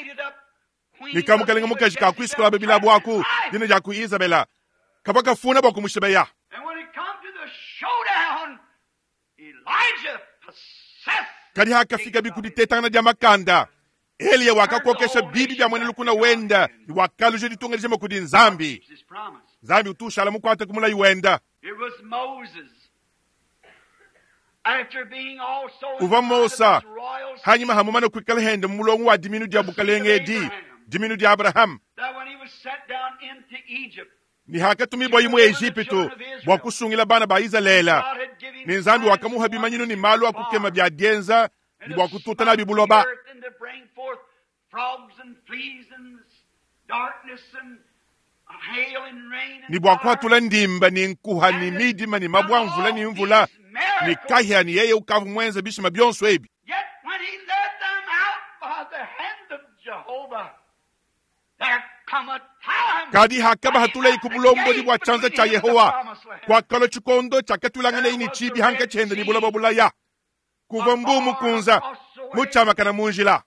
B: Ne kamukalenga mukaji ka kuisukula bilabu aku, dina dia ku Izabela, kavua kafuna bua kumushibeya. Kadi hakafikabi ku ditetangana dia makanda, Eliya wakakokesha bibi bia muena lukuna wenda ne wakaluja ditunga dijima kudi Nzambi. Nzambi utu ushala mukuate ku mulayi wenda. Uvua Mosa hanyima ha mumane kuikala hende mu mulongo wa diminu dia bukalenge edi, diminu dia Abrahama, ne hakatumibua mu Ejipitu bua kusungila bana ba Izalele, ne Nzambi wakamuha bimanyinu ne malu a kukema bia dienza ne bua kututa nabi buloba. Ne bua kuhatula ndimba ne nkuha ne midima ne mabua mvula ne mvula ne kahia, ne yeye ukavua muenze bishima bionso ebi. Kadi hakabahatuleye ku bulombodi bua tshianza tshia Yehowa, kuakalua tshikondo tshiakatuilanganeye ne tshibi hankatshi hende ne buloba bulaya, kuvua mbuu mukunza mutshiamakana mu njila.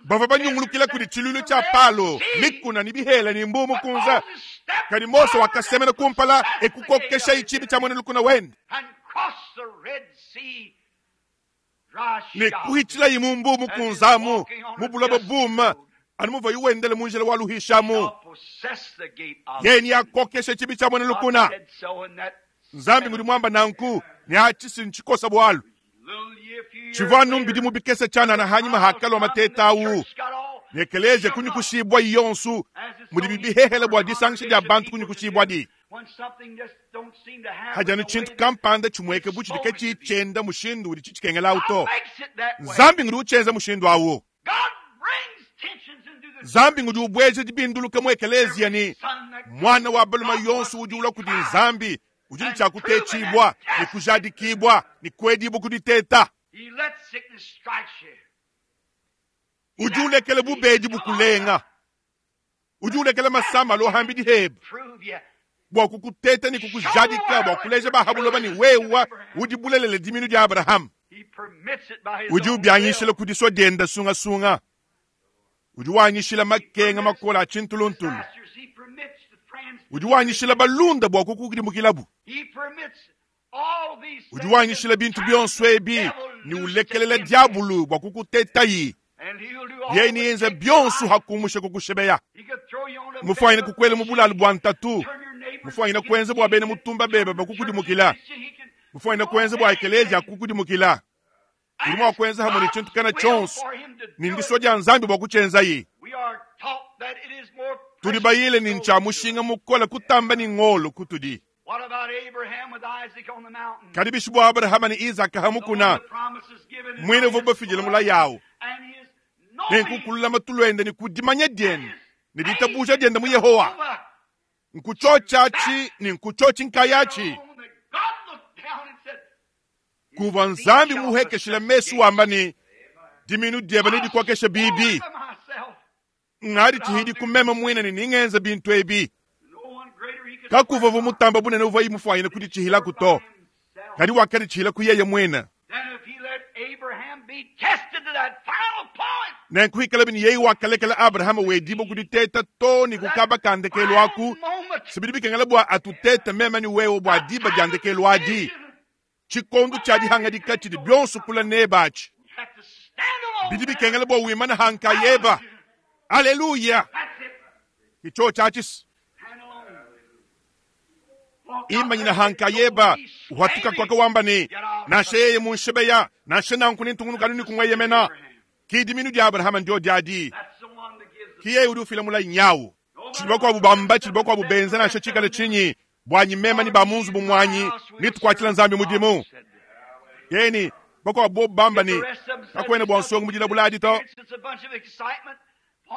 B: Bavua banyungulukila kudi tshiluilu tshia Palo, mikuna ne bihela ne mbuu mukunza. Kadi Mose wakasemena kumpala e kukokeshaye tshibi tshia muena lukuna wende ne kuhitshilayi mu mbuu mukunzamu mu buloba buuma anu muvuaye wendela mu njila wa luhishamu. Yeye neakokeshe tshibi tshia muena lukuna. Nzambi ngudi muamba nanku, ne atshi ntshikosa bualu. Tshivua anu bidimu bikese tshianana hanyima hakalua mateta au. Ne ekeleziya kunyukushibua yonso mudibi bihehele bua disangisha dia bantu kunyukushibua di. Hadi anu tshintu kampanda tshimueke bu tshidi katshiyi tshienda mushindu udi tshitshikengela awu to. Nzambi ngudi utshienza mushindu awu. Nzambi ngudi ubueja dibinduluka mu ekeleziya ne muana wa balume yonso udi ulua kudi Nzambi udi ne tshia kutetshibua ne kujadikibua ne kuedibua ku diteta. Udi ulekela bubedi bukulenga. Udi ulekela masama alua hambidi hebe bua kukuteta ne kukujadika bua kuleja ba ha buloba ne wewa udi bulelela diminu dia Abrahama. Udi ubianyishila ku disua dienda sungasunga. Udi wanyishila makenga makole a tshintuluntulu. Udi wanyishila balunda bua kukudimukilabu. Udi wanyishila bintu bionso ebi ne ulekelela diabulu bua kukutetayi. Yeye neyenze bionso hakumusha kukushebeya. Mufuanyine kukuela mu bulalu bua ntatu. Mufuanyine kuenza bua bena mutumba bebe bakukudimukila. Mufuanyine kuenza bua ekelezia kukudimukila. Udi mua kuenza hamwe ne tshintu kana tshionso ne ndisua dia Nzambi bua kutshienzayi. Tudi bayile ne ntshia mushinga mukole kutamba ne ngolo kutudi. Kadi bishi bua Abrahama ne Izaka ha mukuna, muine uvua bafidile mulayi awu, nenku kululama tuluende ne ku dimanya diende ne ditabuja diende mu Yehowa, nkutshotshatshi ne nkutshiotshi nkayatshi kuvua Nzambi muhekeshile mesu wamba ne, diminu diebe nedikokeshe bibi. Ngadi tshihidi ku meme muine ne ningenza bintu ebi. Kakuvua vu mutamba bunene uvua imufuanyine kuditshihilaku to, kadi wakaditshihila ku yeye muine. Nenku hikalabi ne yeye wakalekela Abrahama wedibua kuditeta to ne ku kaba ka ndekelu aku, se bidi bikengela bua atutete meme ne wewe bua diba dia ndekelu adi. Tshikondo tshia dihangadika tshidi bionso kula nebe atshi. Bidi bikengela bua wimane ha nkayeba. Aleluya! Ke tshiotshi atshi. Imanyina ha nkayeba, uhatuka kwaka wamba ne, nansha yeye munshebeya, nansha nanku nentungunuka anu ne kumueyemena. Ki diminu dia Abrahama ndio diadi. Ki yeye udi ufila mulayi nyawu. Tshidi bakuabu bamba, tshidi bakuabu benza, nansha tshikale tshinyi, buanyi meme ne ba mu nzubu muanyi netukuatshila Nzambi mudimu. Yeni bakuabu bobu bamba ne, kakuena bua nsongo mu dilabula adi to.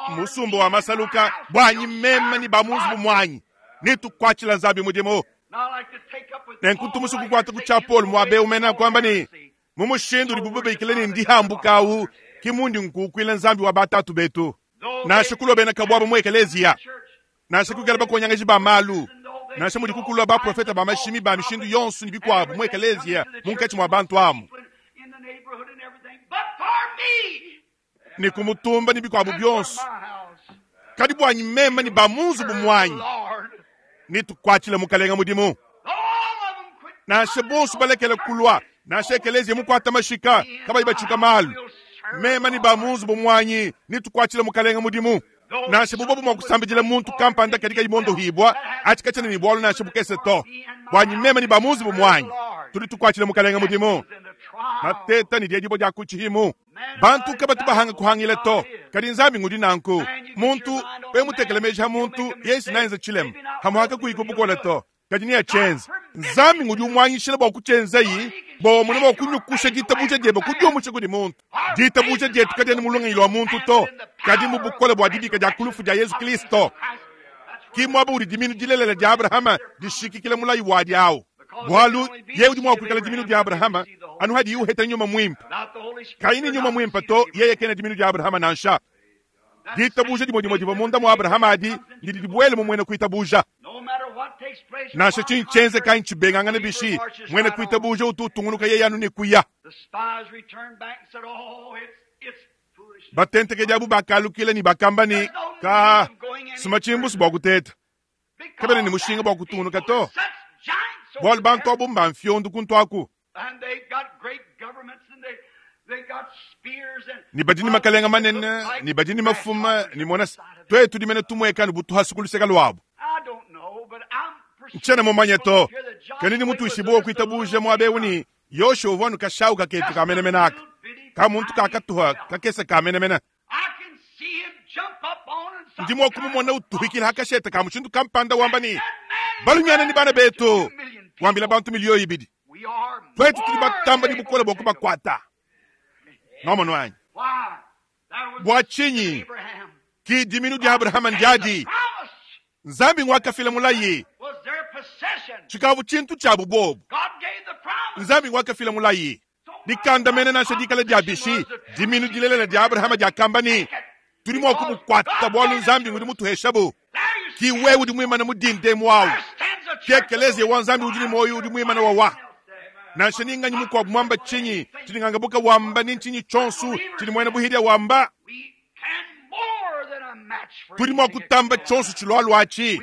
B: Musumba wa masaluka, buanyi meme ne ba mu nzubu muanyi netukuatshila Nzambi mudimu. Nenku ntu musue kukuata ku tshia Paulo muaba eu mena kuamba ne, mu mushindu udibu babikila ne ndihambuka au, ke mundi nkukuila Nzambi wa batatu betu. Nansha kulua bena kabuabu mu ekeleziya, nansha kuikala bakonyangaji ba malu, nansha mudi kukulua baprofete ba mashimi ba mishindu yonso ne bikuabu mu ekeleziya munkatshi mua bantu amu ne ku mutumba ne bikuabu bionso, kadi buanyi meme ne ba mu nzubu muanyi netukuatshile Mukalenga mudimu. Nansha bonso balekele kulua, nansha ekeleziya mukuata mashika kabayi batshuka malu, meme ne ba mu nzubu muanyi netukuatshile Mukalenga mudimu. Nansha bubobu mua kusambidila muntu kampanda kadi kayi mondohibua, atshi katshiena ne bualu nansha bukese to. Buanyi meme ne ba mu nzubu muanyi, tudi tukuatshila Mukalenga mudimu. Mateta ne diedibua dia ku tshihimu. Bantu kabatu bahanga kuhangila to, kadi Nzambi ngudi nanku. Muntu we mutekele meji ha muntu, yeye naenza tshilema, hamuhaka kuyi ku bukole to, kadi neatshienze. Nzambi ngudi umuanyishila bua kutshienzayi, bua wamona mua kunyukusha ditabuja diebe kudiumusha kudi muntu. Ditabuja dietu kadiena mu lungenyi lua muntu to, kadi mu bukole bua dibika dia ku lufu dia Yezu Kristo. Ki muaba udi diminu dilelela dia Abrahama dishikikila mulayi wadi au. Bualu yeye udi mua kuikala diminu dia Abrahama anu hadiye uheta nyuma muimpe. Kayi ne nyuma muimpe to, yeye kena diminu dia Abrahama nansha. Ditabuja dimue dimue divua munda mua Abrahama adi didi dibuele mu muena kuitabuja. Nansha tshinyi tshienzeka anyi tshibengangane bishi, muena kuitabuja utu utungunuka yeye anu ne kuya. Batentekedi abu bakalukila ne bakamba ne, Ka, suma tshimbusu bua kuteta. Kabena ne mushinga bua kutungunuka to, bualu bantu abu mbamfiondu kuntu aku. Ne badi ne makalenga manene, ne badi ne mafuma, ne mona, tuetu tudi mene tumueka anu bu tuhasu ku luseke luabu. Ntshiena mumanye to, kadi ndi mutuishibue wa kuitabuja muaba eu ne, Yoshua uvua anu kashawu kaketu ka menemene aka, ka muntu kakatuha kakese ka menemene. Ndi mua kumumona utuhikila hakasheta ka mushindu kampanda wamba ne, Balumiana ne bana betu, wambila bantu miliyo ibidi. Twetu tudi batamba ne bukole bua kubakuata. Nwamonu anyi? Bua tshinyi? Ki diminu dia Abrahama ndiadi. Nzambi ngwakafila mulayi. Tshikavu tshintu tshiabu bobu. Nzambi ngwakafila mulayi. Dikandamena nansha dikala dia bishi, diminu dilelela dia Abrahama diakamba ne, Tudi mua kubukuata bualu Nzambi ngudi mutuheshabu. Ki wewe udi muimane mu dinda emu awu. Ki ekeleziya wa Nzambi udi ne muoyo udi muimane wawa. Nansha ni nganyi mukuabu muamba tshinyi, tshidi ngangabuka wamba ni ntshinyi tshionso tshidi muena buhidia wamba, tudi mua kutamba tshionso tshilualua atshi.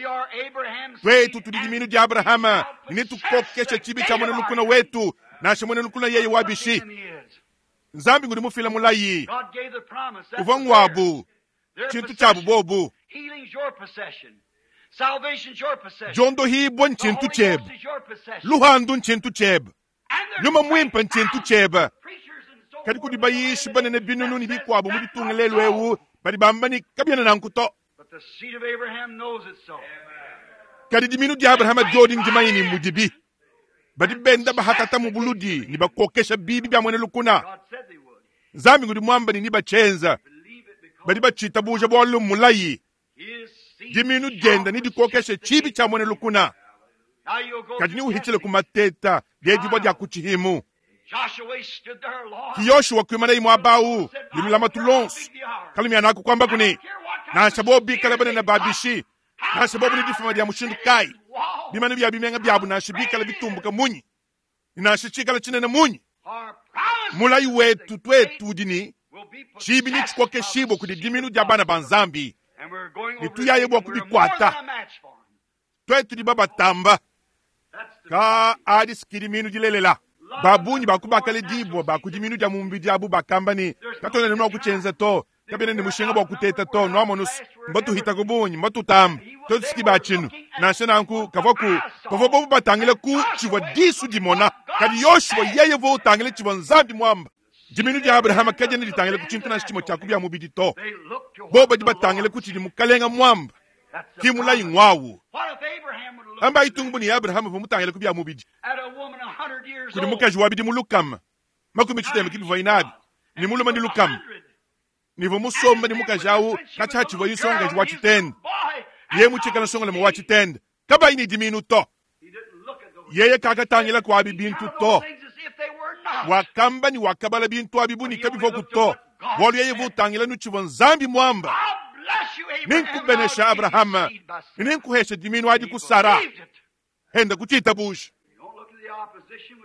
B: Tuetu tudi diminu dia Abrahama ne netukokeshe tshibi tshia muena lukuna wetu, nansha muena lukuna yeye wa bishi. Nzambi ngudi mufila mulayi uvua nguabu tshintu tshiabu bobu. Diondohibua ntshintu tshiebe, luhandu ntshintu tshiebe, nyuma muimpe ntshintu tshiebe. Kadi kudi bayishi banene binunu ne bikuabu mu ditunga lelu eu badi bamba ne, kabiena nanku to. Kadi diminu dia Abrahama diodi ndimanye ne mudibi. Badi benda bahatata mu buludi ne bakokesha bibi bia muena lukuna. Nzambi ngudi muamba ne nibatshienza. Badi batshitabuja bualu mmulayi. Diminu dienda nedikokeshe tshibi tshia muena lukuna. Kadi neuhitshile ku mateta diedibua dia ku tshihimu. Ki Yoshua kuimanayi muaba au ne lulamatu luonso. Kalumianaku kuambaku ne, nansha bobu bikale banene ba bishi, nansha bobu ne difuma dia mushindu kayi, bimanu bia bimenga biabu nansha bikale bitumbuka munyi, ne nansha tshikale tshinene munyi, mulayi wetu tuetu udi ne, tshibi netshikokeshibue kudi diminu dia bana ba Nzambi, ne tuyaye bua kubikuata. Tuetu tudi babatamba. Ka adi si diminu dilelela. Ba bungi ba ku bakaledibua ba ku diminu dia mu mubidi abu bakamba ne, Katuena ne mua kutshienza to, kabiena ne mushinga bua kuteta to. Nuamonu, mbatuhita ku bungi, mbatutamba. Tuetu si ba tshinu. Nansha nanku, kavua ku pavua bobu batangila ku tshivua disu dimona, kadi Yoshua yeye uvua utangila tshivua Nzambi muamba. Diminu dia Abrahama kadiena ditangila ku tshintu nansha tshimue tshia ku bia mubidi to. Bobu badi batangila ku tshidi Mukalenga muamba. Ki mulayi ngwawu. Amba itungu bu ne Abrahama uvua mutangila ku bia mubidi. Kudi mukaji wa bidimu lukama, makumi tshitema ki bivuaye nabi, ne mulume ne lukama. Ne uvua musombe ne mukaji awu katshia hatshivuaye nsongakaji wa tshitende. Yeye mutshikale nsongalume wa tshitende, kabayi ne diminu to. Yeye kakatangila ku abi bintu to. Wakamba ne wakabala bintu abi bu ne kabivuaku to, bualu yeye uvua utangila nu tshivua Nzambi muamba. Nenkubenesha Abrahama, ne nenkuhesha diminu adi ku Sara. Enda ku tshitabuja.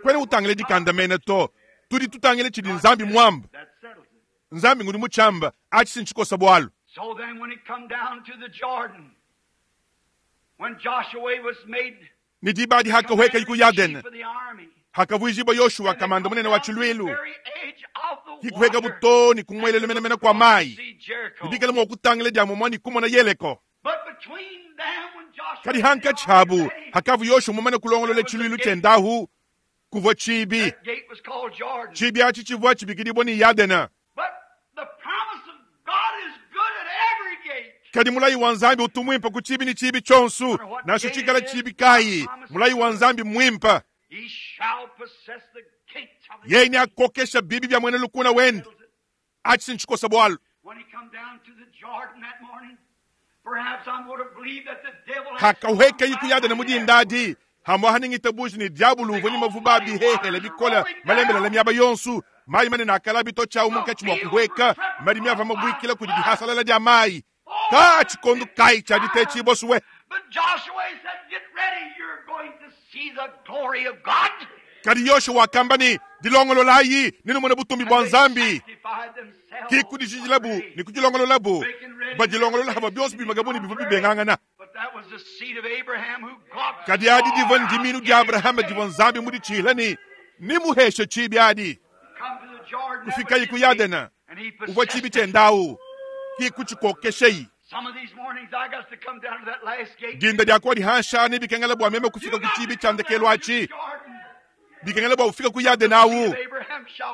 B: Kuena utangila dikandamena to. Tudi tutangila tshidi Nzambi muamba. Nzambi ngudi mutshiamba, atshi si ntshikosa bualu. Ne diba adi hakahuekayi ku Yadene, hakavuijibua Yoshua kamanda munene wa tshiluilu, hikuhekabu to ne ku muelelu menamena kua mai, ne bikale mua kutangila dia mumua ne kumona Yeleko. Kadi hankatshi habu, hakavua Yoshua mumane kulongolola tshiluilu tshiendahu, kuvua tshibi. Tshibi atshi tshivua tshibikidibua ne Yadene. Kadi mulayi wa Nzambi utu muimpe ku tshibi ne tshibi tshionso, nansha tshikala tshibi kayi. Mulayi wa Nzambi mmuimpe. Yeye neakokesha bibi bia muena lukuna wende. Atshi si ntshikosa bualu. Hakahuekayi ku Yadene mu dinda adi, hamuaha ne ngitabuji ne diabulu uvua ne mavuba a bihehele bikole malembelele miaba yonso, mayi manene akala bitotshi awu munkatshi mua kuhueka, madimi avua mabuikila kudi dihasalala dia mayi. Ka tshikondo kayi tshia ditetshibua suwe? Kadi Yoshua wakamba ne, Dilongololayi, nenumone butumbi bua Nzambi. Ki kudijijilabu ne kudilongololabu, badilongolola havua bionso bimakabu ne bivua bibengangana. Kadi adi divua ndiminu dia Abrahama divua Nzambi muditshihila ne nemuheshe tshibi adi. Kufikayi ku Yadena, uvua tshibi tshiendawu, ki kutshikokesheyi. Dinda dia kuadi hansha ne bikengela bua meme kufika ku tshibi tshia ndekelu atshi, bikengela bua ufika ku Yadena awu.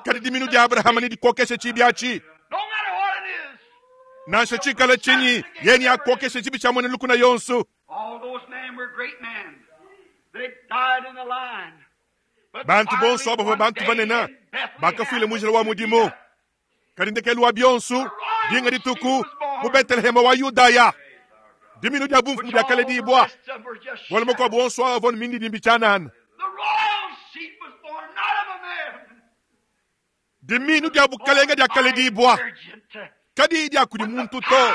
B: Kadi diminu dia Abrahama nedikokeshe tshibi atshi. Nansha tshikala tshinyi, yeye neakokeshe tshibi tshia muena lukuna yonso. Bantu bonso aba bavua bantu banene bakafuila mu njila wa mudimu. Kadi ndekelu wa bionso, dinga dituku mu Beteleheme wa Yudaya, diminu dia bumfumu diakaledibua. Bualu makuabu onso aa avua ne mindidimbi tshianana. Diminu dia bukalenge diakaledibua, kadiyi dia kudi muntu to,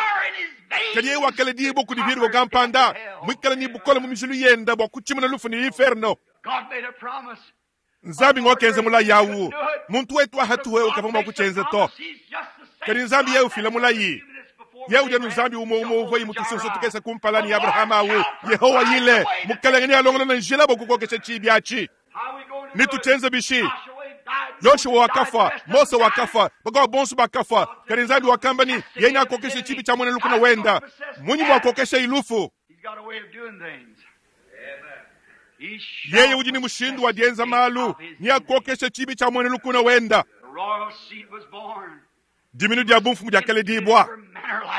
B: kadi yeye wakaledibua kudi virgo kampanda muikale ne bukole mu mijilu yende bua kutshimuna lufu ne inferno. Nzambi ngokenza mulayi awu. Muntu wetu wa hatuhu kavua mua kutshienza to. Kadi Nzambi yeye ufila mulayi. Yeye udi anu Nzambi umue umue uvua mutusunsa tukese kumpala ne Abrahama awu. Yehowa yile, Mukalenge nealongolole njila bua kukokesha tshiibi atshi. Netutshienze bishi? Yoshua wakafua, Mose wakafua, bakuabu bonso bakafua. Kadi Nzambi wakamba ne, yeye neakokeshe tshiibi tshia muena lukuna wenda. Munyi muakokesha ilufu? Yeye udi ne mushindu wa dienza malu, neakokeshe tshiibi tshia muena lukuna wenda. Diminu dia bumfumu diakaledibua.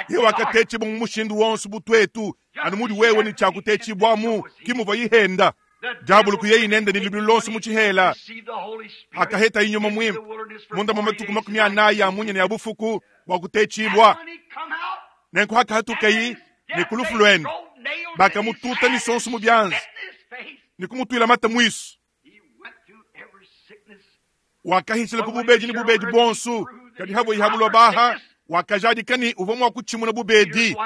B: Yeye wakatetshibua mu mushindu wonso bu tuetu, anu mudi wewe ne tshia kutetshibuamu, ke muvua ihenda. Diabolo kuyeyi nende ne lubilu luonso mu tshihela, akaheta nyuma muimpe munda mwa matuku 40 a munya ne a bufuku bua kutetshibua. Nenku hakahatukeyi ne ku lufu luende, bakamututa misonso mu bianza ne kumutuila mata muisu. Wakahitshila ku bubedi ne bubedi buonso, kadi havua ihabulua baha, wakajadika ne uvua mua kutshimuna bubedi.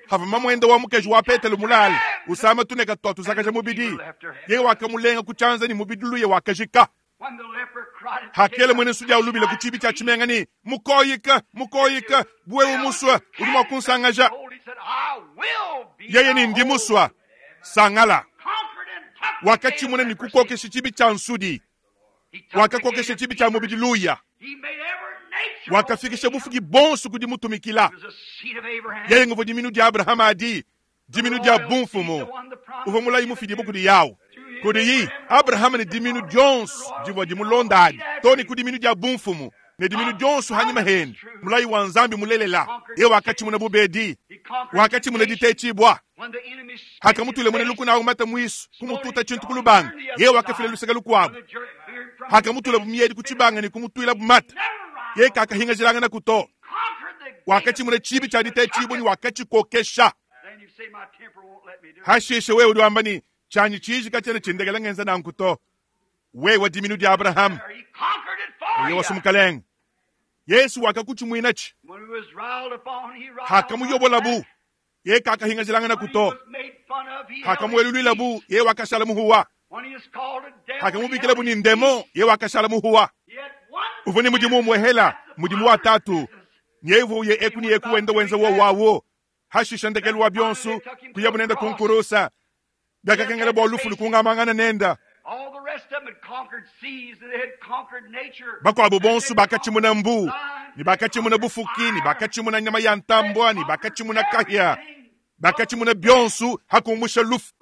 B: Havua mamuende wa mukeji wa Petelo mulale usama tuneka tua tuzakaja mubidi, yeye wakamulenga ku tshianza ne mubidi luye wakajika. Hakela muena nsudi awu lubila ku tshibi tshia tshimenga ne, Mukoyika, mukoyika, buwewe musua, udi mua kunsangaja. Yeye ne, ndi musua, sangala. Wakatshimuna ne kukokesha tshibi tshia nsudi. Wakakokesha tshibi tshia mubidi luya. Wakafikisha bufuki bonso ku dimutumikila. Yeye nguvua diminu dia Abrahama adi, diminu dia bumfumu. Uvua mulayi mufidibue kudi Yawu. Kudiyi, Abrahama ne diminu dionso divua dimulonda adi, too ne ku diminu dia bumfumu, ne diminu dionso hanyima hende, mulayi wa Nzambi mulelela. Yeye wakatshimuna bubedi, wakatshimuna ditetshibua. Hakamutule muena lukuna awu mata muisu, kumututa tshintu ku lubanga, yeye wakafila luseke lukuabu. Hakamutula bu miedi ku tshibanga ne kumutuila bu mata, yeye kakahingajilangana ku to. Wakatshimuna tshibi tshia ditetshibua ne wakatshikokesha. Hashishe wewe udi wamba ne, tshianyi tshiji katshiena tshindekela ngenza nanku to. Wewe diminu dia Abrahama, uye wasu mukalenge. Yesu wakakutshimuinatshi. Hakamuyobolabu, yeye kakahingajilangana ku to. Hakamueluluilabu, yeye wakashala muhuwa. Hakamubikilabu ni ndemo, yeye wakashala muhuwa. Uvua ne mudimu umuehela, mudimu wa tatu. Yeye uvua uye eku ne eku wenda wenza wo wawo. Hashisha ndekelu wa bionso, kuyabu nenda kunkurusa. Biakakengela bua lufu lukungamangana nenda. Bakuabu bonso bakatshimuna mbu, ne bakatshimuna bufuki, ne bakatshimuna nyama ya ntambua, ne bakatshimuna kahia, bakatshimuna bionso hakumusha lufu.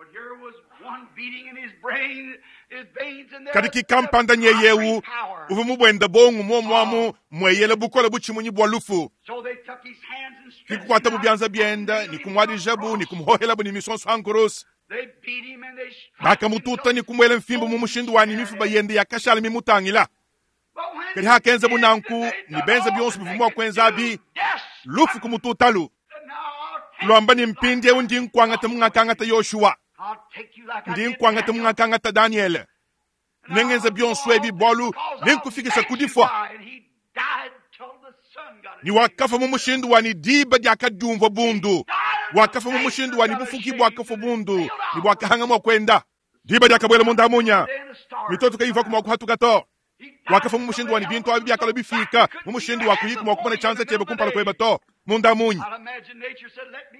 B: Kadi ki kampanda nyeyewu uvua mubuenda bongo muomuamu mueyela bukole butshimunyi bua lufu. Kikukuatabu bianza bienda ne kumuadijabu ne kumuhohelabu ne misonso ankurusa. Bakamututa ne kumuela mfimbu mu mushindu wa ne mifuba yende yakashala mimutangila. Kadi hakenzabu nanku ne benza bionso bivua mua kuenzabi, lufu kumututalu. Luamba ne mpindieu ndi nkuangata mungakangata Yoshua, ndi nkuangata mungakangata Daniele. Nengenza bionso ebi bualu nenkufikisha ku difua. Ni wakafa mu mushindu wa ni diba diakadiumvua bundu. Wakafa mu mushindu wa ni bufuki bwakafua bundu, ni bwakahanga mua kwenda. Diba diakabuela munda munya, mitoto kayivua mua kuhatuka to. Wakafa mu mushindu wa ni bintu abi biakalua bifika mu mushindu wa kuyika mua kumona tshianza tshiebe kumpala kueba to. Munda munya.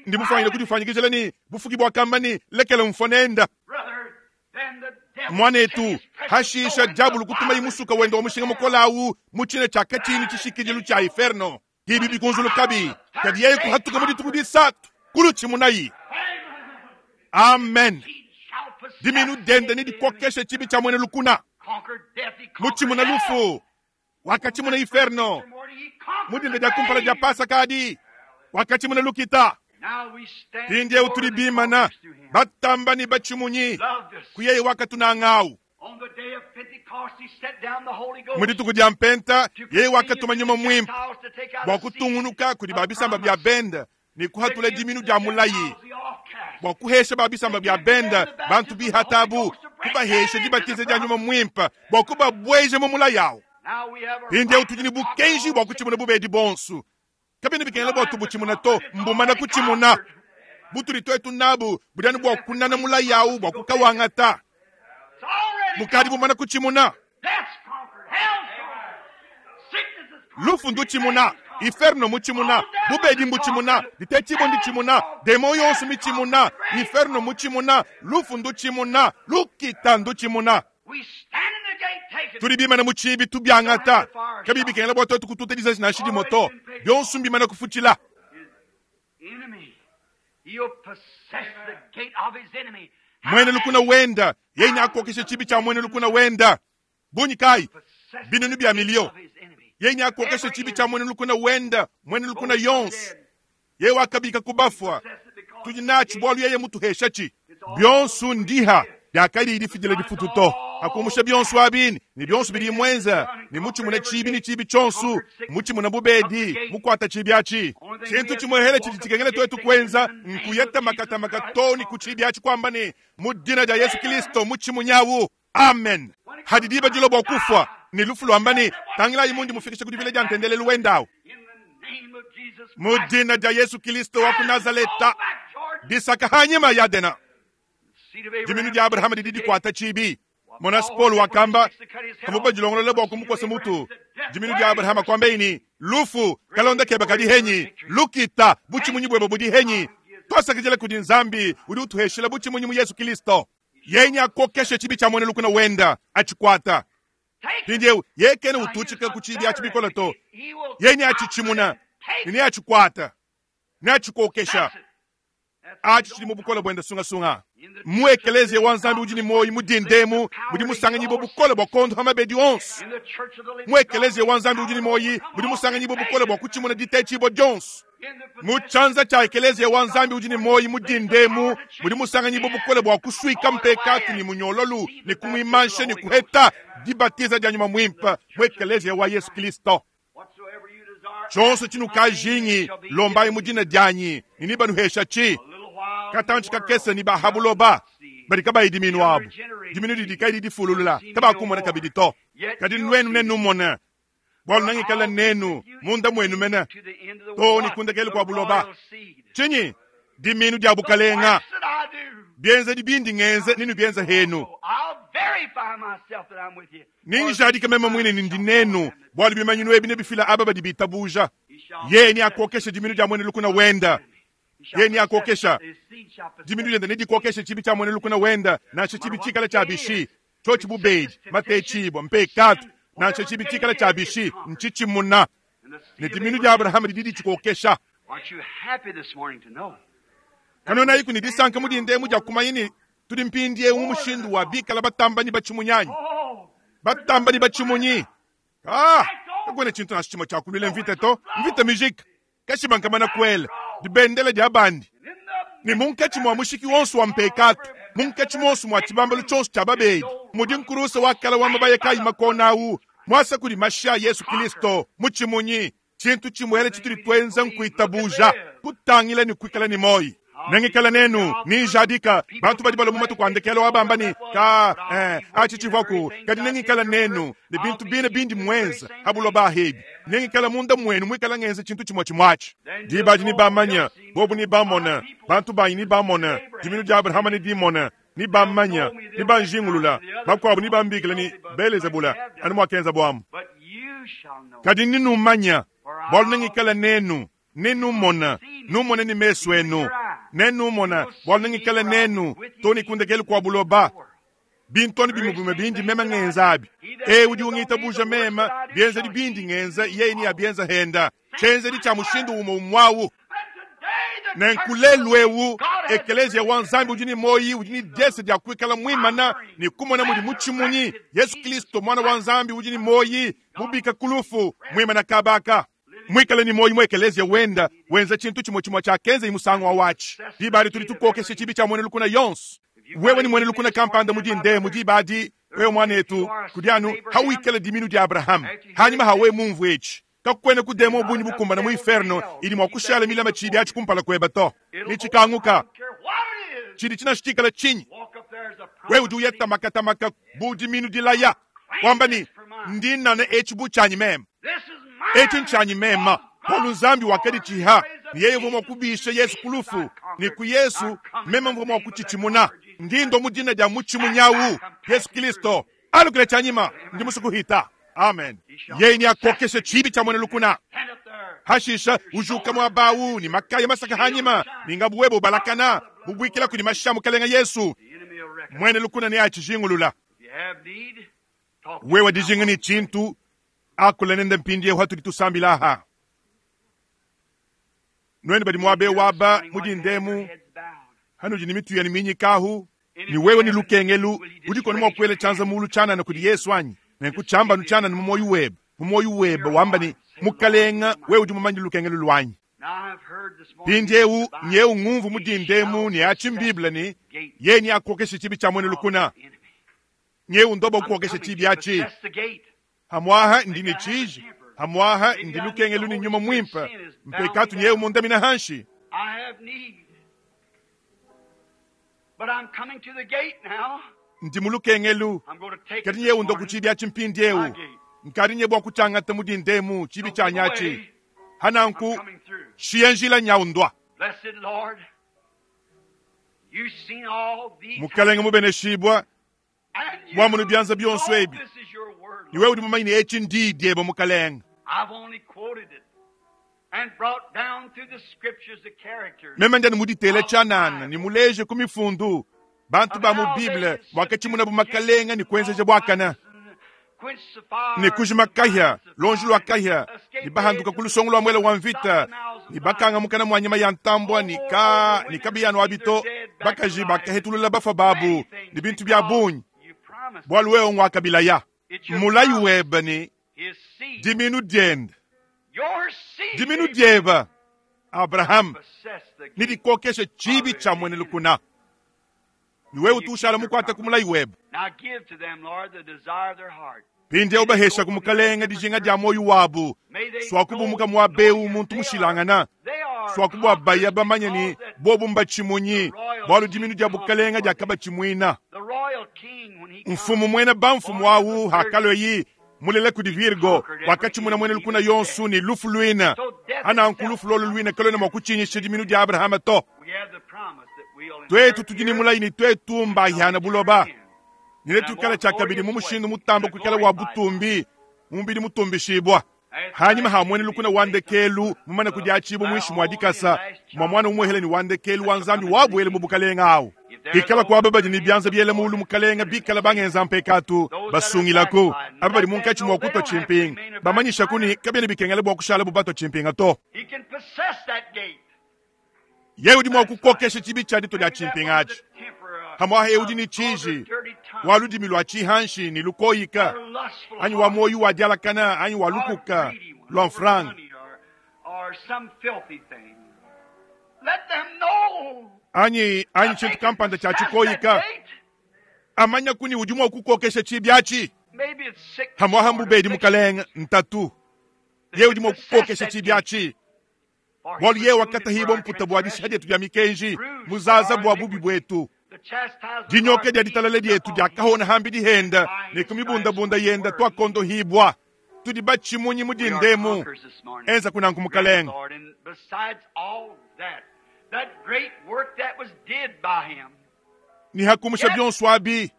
B: Ndi mufanyile kudifanyikijila ni bufuki bwakamba ni lekela mfonenda. Mwanetu, hashisha diabulu kutuma imusuka wenda wa mushinga mukola awu mu tshina tshia katshini tshishikidilu tshia inferno. Bibi bikunzulu kabi, kadi yeye kuhatuka mu dituku disatu, kulutshimunayi. Amen. Diminu diende ne dikokesha tshibi tshia muena lukuna. Mutshimuna lufu, wakatshimuna inferno. Mu dinda dia kumpala dia Pasaka adi, wakatshimuna lukita. Mpindieu tudi bimana, batamba ne batshimunyi, ku yeye wakatunangawu. Mu dituku dia Mpenta, yeye wakatuma Nyuma Muimpe bua kutungunuka kudi ba bisamba bia bende ne kuhatula diminu dia mulayi, bua kuhesha ba bisamba bia bende bantu bihatabu, kubahesha dibatiza dia Nyuma Muimpe bua kubabueja mu mulayi awu. Mpindieu tudi ne bukenji bua kutshimuna bubedi bonso. Kabiena bikengela bua tubutshimuna to, mbumana kutshimuna. Butudi tuetu nabu budi anu bua kunana mulayi awu bua kukawangata. Bukadi bumana kutshimuna. Lufu ndutshimuna, inferno mutshimuna, bubedi mbutshimuna, ditetshibua nditshimuna, demon yonso mitshimuna, inferno mutshimuna, lufu ndutshimuna, lukita ndutshimuna. Tudi bimana mu tshibi tubiangata, kabiyi bikengela bua tuetu kututa dizazi nansha dimue to, bionso mbimana kufutshila. Muena lukuna wenda yeye neakokeshe tshibi tshia muena lukuna wenda bungi kayi? Binunu bia miliyo. Yeye neakokeshe tshibi tshia muena lukuna wenda, muena lukuna yonso. Yeye wakabika ku bafua, tudi natshi bualu yeye mutuheshatshi. Bionso ndiha diakadi difidila difutu to. Akumusha bionso abi ne bionso bidi muenza ne mutshimuna tshibi ne tshibi tshionso, mutshimuna bubedi, mukuata tshibi atshi. Tshintu tshimuehele tshidi tshikengela tuetu kuenza nkuyeta makatamaka to ne ku tshibi atshi kuamba ne, mu dina dia Yesu Kristo mutshimunyawu. Amen. Hadi diba dilua bua kufua ne lufu luamba ne, tangilayi mundi mufikisha ku dibila dia ntendelelu wendawu. Mu dina dia Yesu Kristo wa ku Nazaleta, disaka hanyima Yadena. Diminu dia Abrahama didi dikuata tshibi. Mona Paul wakamba, kavua badilongolola bua kumukosa mutu. Diminu dia Abrahama kuambaye ne, lufu kalonda keba kadi henyi, lukita butshimunyi buebe budi henyi. Tuasakidila kudi Nzambi udi utuheshila butshimunyi mu Yesu Kristo. Yeye neakokeshe tshibi tshia muena lukuna wenda, atshikuata. Mpindieu yeye kena ututshika ku tshibi atshi bikole to. Yeye neatshitshimuna ne neatshikuata, neatshikokesha. Atshi tshidi mu bukole buende sungasunga. Mu ekeleziya wa Nzambi udi ne muoyo mu dindemu mudi musanganyibua bukole bua kondopa mabedi onso. Mu ekeleziya wa Nzambi udi ne muoyo mudi musanganyibua bukole bua kutshimuna ditetshibua dionso. Mu tshianza tshia ekeleziya wa Nzambi udi ne muoyo mu dindemu mudi musanganyibua bukole bua kusuika mpekatu ne munyololu ne kumuimansha ne kuheta dibatiza dia Nyuma Muimpe mu ekeleziya wa Yesu Kristo. Tshionso tshinukajingi lombayi mu dina dianyi ne nebanuheshatshi. Katantshi kakese ne ba ha buloba badi kabayi diminu abu, diminu didi kayi didifululula, kabakumona kabidi to. Kadi nuenu nenumone, bualu nengikale nenu munda muenu mene too ne kundekelu kua buloba. Tshinyi? Diminu dia bukalenga. Bienzedi bindi ngenza nenubienza henu. Nenjadike meme muine ne ndi nenu, bualu bimanyinu ebi nebifila aba badi bitabuja. Yeye neakokeshe diminu dia muena lukuna wenda. Yeye neakokesha diminu diende, nedikokeshe tshibi tshia muena lukuna wenda, nansha tshibi tshikale tshia bishi, tshiotshi bubedi, matetshibua, mpekatu, nansha tshibi tshikale tshia bishi, ntshitshimuna. Ne diminu dia Abrahama didi ditshikokesha. Kanuenayiku ne disanka mu dinda emu dia kumanya ne tudi mpindieu mu mushindu wa bikala batamba ne batshimunyi anyi? Batamba ne batshimunyi. Ah, kakuena tshintu nansha tshimue tshia kuluila mvita to. Mvita mijika. Kashiba nkamana kuela dibendela dia bandi. Ne munkatshi mua mushiki wonso wa mpekatu, munkatshi muonso mua tshibambalu tshionso tshia babedi, mudi nkurusa wa kala wa mabaya kayi makona awu, muasa kudi mashi a Yesu Kristo, mutshimunyi. Tshintu tshimuele tshitudi tuenza nkuitabuja, kutangila ne kuikala ne muoyo. Nengikale nenu, ninjadika. Bantu badi balua mu matuku a ndekelu aba bamba ne, Ka, eh, atshi tshivuaku, kadi nengikale nenu, ne bintu bine bindi muenza ha buloba ahebi. Nengikale munda muenu muikala ngenza tshintu tshimue tshimue atshi. Diba adi nebamanye, bobu nebamone, bantu banyi nebamone, diminu dia Abrahama nedimone, nebammanye, nebanjingulula, bakuabu nebambikile ne, Belezebula, anu muakenzabu amu. Kadi nenumanye, bualu nengikale nenu, nenumone, numone ne mesu enu, nenumone, bualu nengikale nenu too ne ku ndekelu kua buloba. Bintu anu bimue bimue bindi meme ngenza abi. Eu udi ungitabuja meme, bienzedi bindi ngenza yeye neabienza henda, tshienzedi tshia mushindu umue umue au. Nenku lelu eu ekeleziya wa Nzambi udi ne muoyo udi ne diese dia kuikala muimana ne kumona mudi mutshimunyi Yesu Kristo Muana wa Nzambi udi ne muoyo mubika ku lufu muimana kaba aka. Muikale ne muoyo mu ekeleziya wenda wenza tshintu tshimue tshimue tshiakenzaye musangu awu atshi. Diba adi tudi tukokesha tshibi tshia muena lukuna yonso. Wewe ne muena lukuna kampanda mu dindemu diba adi, wewe muanetu, kudi anu hawikala diminu dia Abrahama. Hanyima ha wewe mumvue etshi, kakuena ku demon bungi bukumbana mu inferno idi mua kushala milama tshibi atshi kumpala kuebe to. Netshikanguka. Tshidi tshinansha tshikala tshinyi? Wewe udi uya tamakatamaka bu diminu dilaya, wamba ne, Ndi nnana etshi bu tshianyi meme. Etshi ntshianyi meme. Bualu Nzambi wakaditshiha ne yeye uvua mua kubisha Yesu ku lufu, ne ku Yesu meme mvua mua kutshitshimuna. Ndi ndua mu dina dia mutshimunyi au, Yesu Kilisto. Alukile tshianyima, ndi musue kuhita. Amen. Yeye neakokeshe tshibi tshia muena lukuna. Hashisha ujuka muaba au ne makaya masaka hanyima, ne ngabu webe ubalakana, mubuikila kudi mashi a Mukelenge Yesu. Muena lukuna neatshijingulula. Wewe dijinga ne tshintu, akula nende mpindieu hatudi tusambila aha. Nuenu badi muaba eu aba mu dindemu, hanudi ne mitu yenu minyikahu, ne wewe ne lukengelu, udikona mua kuela tshianza mulu tshianana kudi Yesu anyi? Nenku tshiambanu tshianana mu muoyo webe, mu muoyo webe wamba ne, Mukalenga, wewe udi mumanye lukengelu luanyi. Mpindieu nyeu ngumvu mu dindemu ne atshi m'Bible ne, yeye neakokeshe tshibi tshia muena lukuna. Nyeu ndoba kukokesha tshibi atshi. Hamuaha ndi ne tshiji, hamuaha ndi lukengelu ne nyuma muimpe, mpekatu nyeu mundamina hanshi. Ndi mu lukengelu, kadi nyeu ndo ku tshibi atshi mpindieu. Nkadi nye bua kutshiangata mu dindemu tshibi tshianyi atshi. Hananku shiya njila nyau ndua. Mukalenge mubeneshibua, wamonu bianza bionso ebi, ne wewe udi mumanye ne etshi ndi diebe Mukalenge. Meme ndi anu muditele tshianana ne muleje ku mifundu bantu ba mu Bible muakatshimunabu makalenga ne kuenzeja buakana ne kujima kahia lonji lua kahia ne bahanduka ku lusongo lua muele wa mvita ne bakanga mukana mua nyama ya ntambua ne ka ne kabiyanu abi to bakaji bakahetulula bafua babu ne bintu bia bungi bualu wewe nguakabilaya mulayi webe ne diminu diende diminu diebe Abraham ne dikokeshe tshibi tshia muena lukuna ne wewe utu ushala mukuate ku mulayi webe. Mpindieu bahesha ku Mukalenge dijinga dia muoyo wabu, suakubumuka muaba eu muntu mushilangana, suaku bua baya bamanye ne bobu mbatshimunyi, bualu diminu dia bukalenge diakabatshimuina. Mfumu muena bamfumu au hakalue mulela kudi Virgo wakatshimuna muena lukuna yonso ne lufu luina. Ananku lufu lolo luina kaluena mua kutshinyisha diminu dia Abrahama to. Tuetu tudi ne mulayi ne tuetu mbahiana buloba, ne netuikale tshiakabidi mu mushindu mutambe kuikala wa butumbi mu mubidi mutumbishibua. Hanyima ha muena lukuna wa ndekelu mumane kudiatshibua muinshi mua dikasa mua muana umuehele ne wa ndekelu wa Nzambi wabuele mu bukalenge awu. Ikala ku aba badi ne bianza biela mulu, Mukalenge, bikala bangenza mpekatu, basungilaku aba badi munkatshi mua kutua tshimpinga, bamanyishaku ne kabiena bikengela bua kushalabu batua tshimpinga to. Yeye udi mua kukokesha tshibi tshia ditua dia tshimpinga atshi. Hamuaha yeye udi ne tshiji wa ludimi lua tshihanshi ne lukoyika, anyi wa muoyo wa dialakana, anyi wa lukuka lua mfranga, anyi anyi tshintu kampanda tshia tshikoyika. Amanya kuni udi mua kukokesha tshibi atshi. Hamuaha mbubedi Mukalenge ntatu, yeye udi mua kukokesha tshibi atshi. Bualu yeye wakatahibua mputa bua dishiha dietu dia mikenji, muzaza bua bubi buetu. Dinyoka dia ditalala dietu diakahona hambidi henda, ne ku mibundabunda yenda tuakondohibua. Tudi batshimunyi mu dindemu. Enza kunanku Mukalenge. Ne hakumusha bionso abi,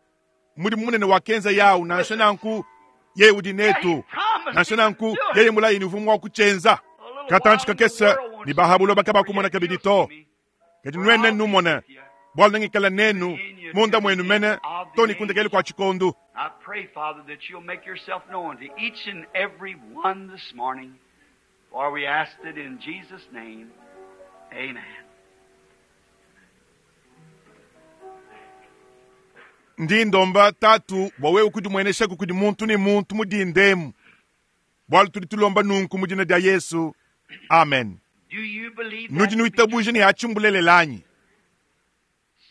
B: mudimu munene wakenza yawu, nansha nanku yeye udi netu, nansha nanku yeye mulayi ne uvua mua kutshienza. Katantshi kakese ne ba buloba kabakumona kabidi to, kadi nuenu nenumone, bualu nengikale nenu munda muenu mene to ne ku ndekelu kua tshikondu.
A: I pray, Father, that you'll make yourself known to each and every one this morning, for we ask it in Jesus' name. Amen.
B: Ndi ndomba Tatu bua wewe kudimueneshaku kudi muntu ne muntu mu dindemu. Bualu tudi tulomba nunku mu dina dia Yesu. Amen. Nudi nuitabuja ne atshi mbulelela anyi?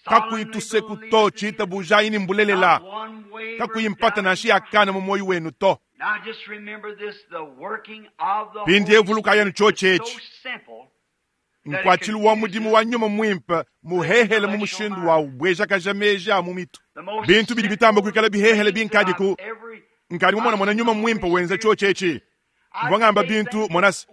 B: Kakuyi tuseku to, tshitabujayi ne mbulelela. Kakuyi mpata nansha yakana mu muoyo wenu to. Mpindieu vulukayi anu tshiotshi etshi. Nkuatshilu wa mudimu wa nyuma muimpe muhehele mu mushindu wa ubuejakaja meji a mu mitu. Bintu bidi bitamba kuikala bihehele binkadiku nkadi mumonamona nyuma muimpe wenza tshiotshi etshi. Mvua ngamba bintu monase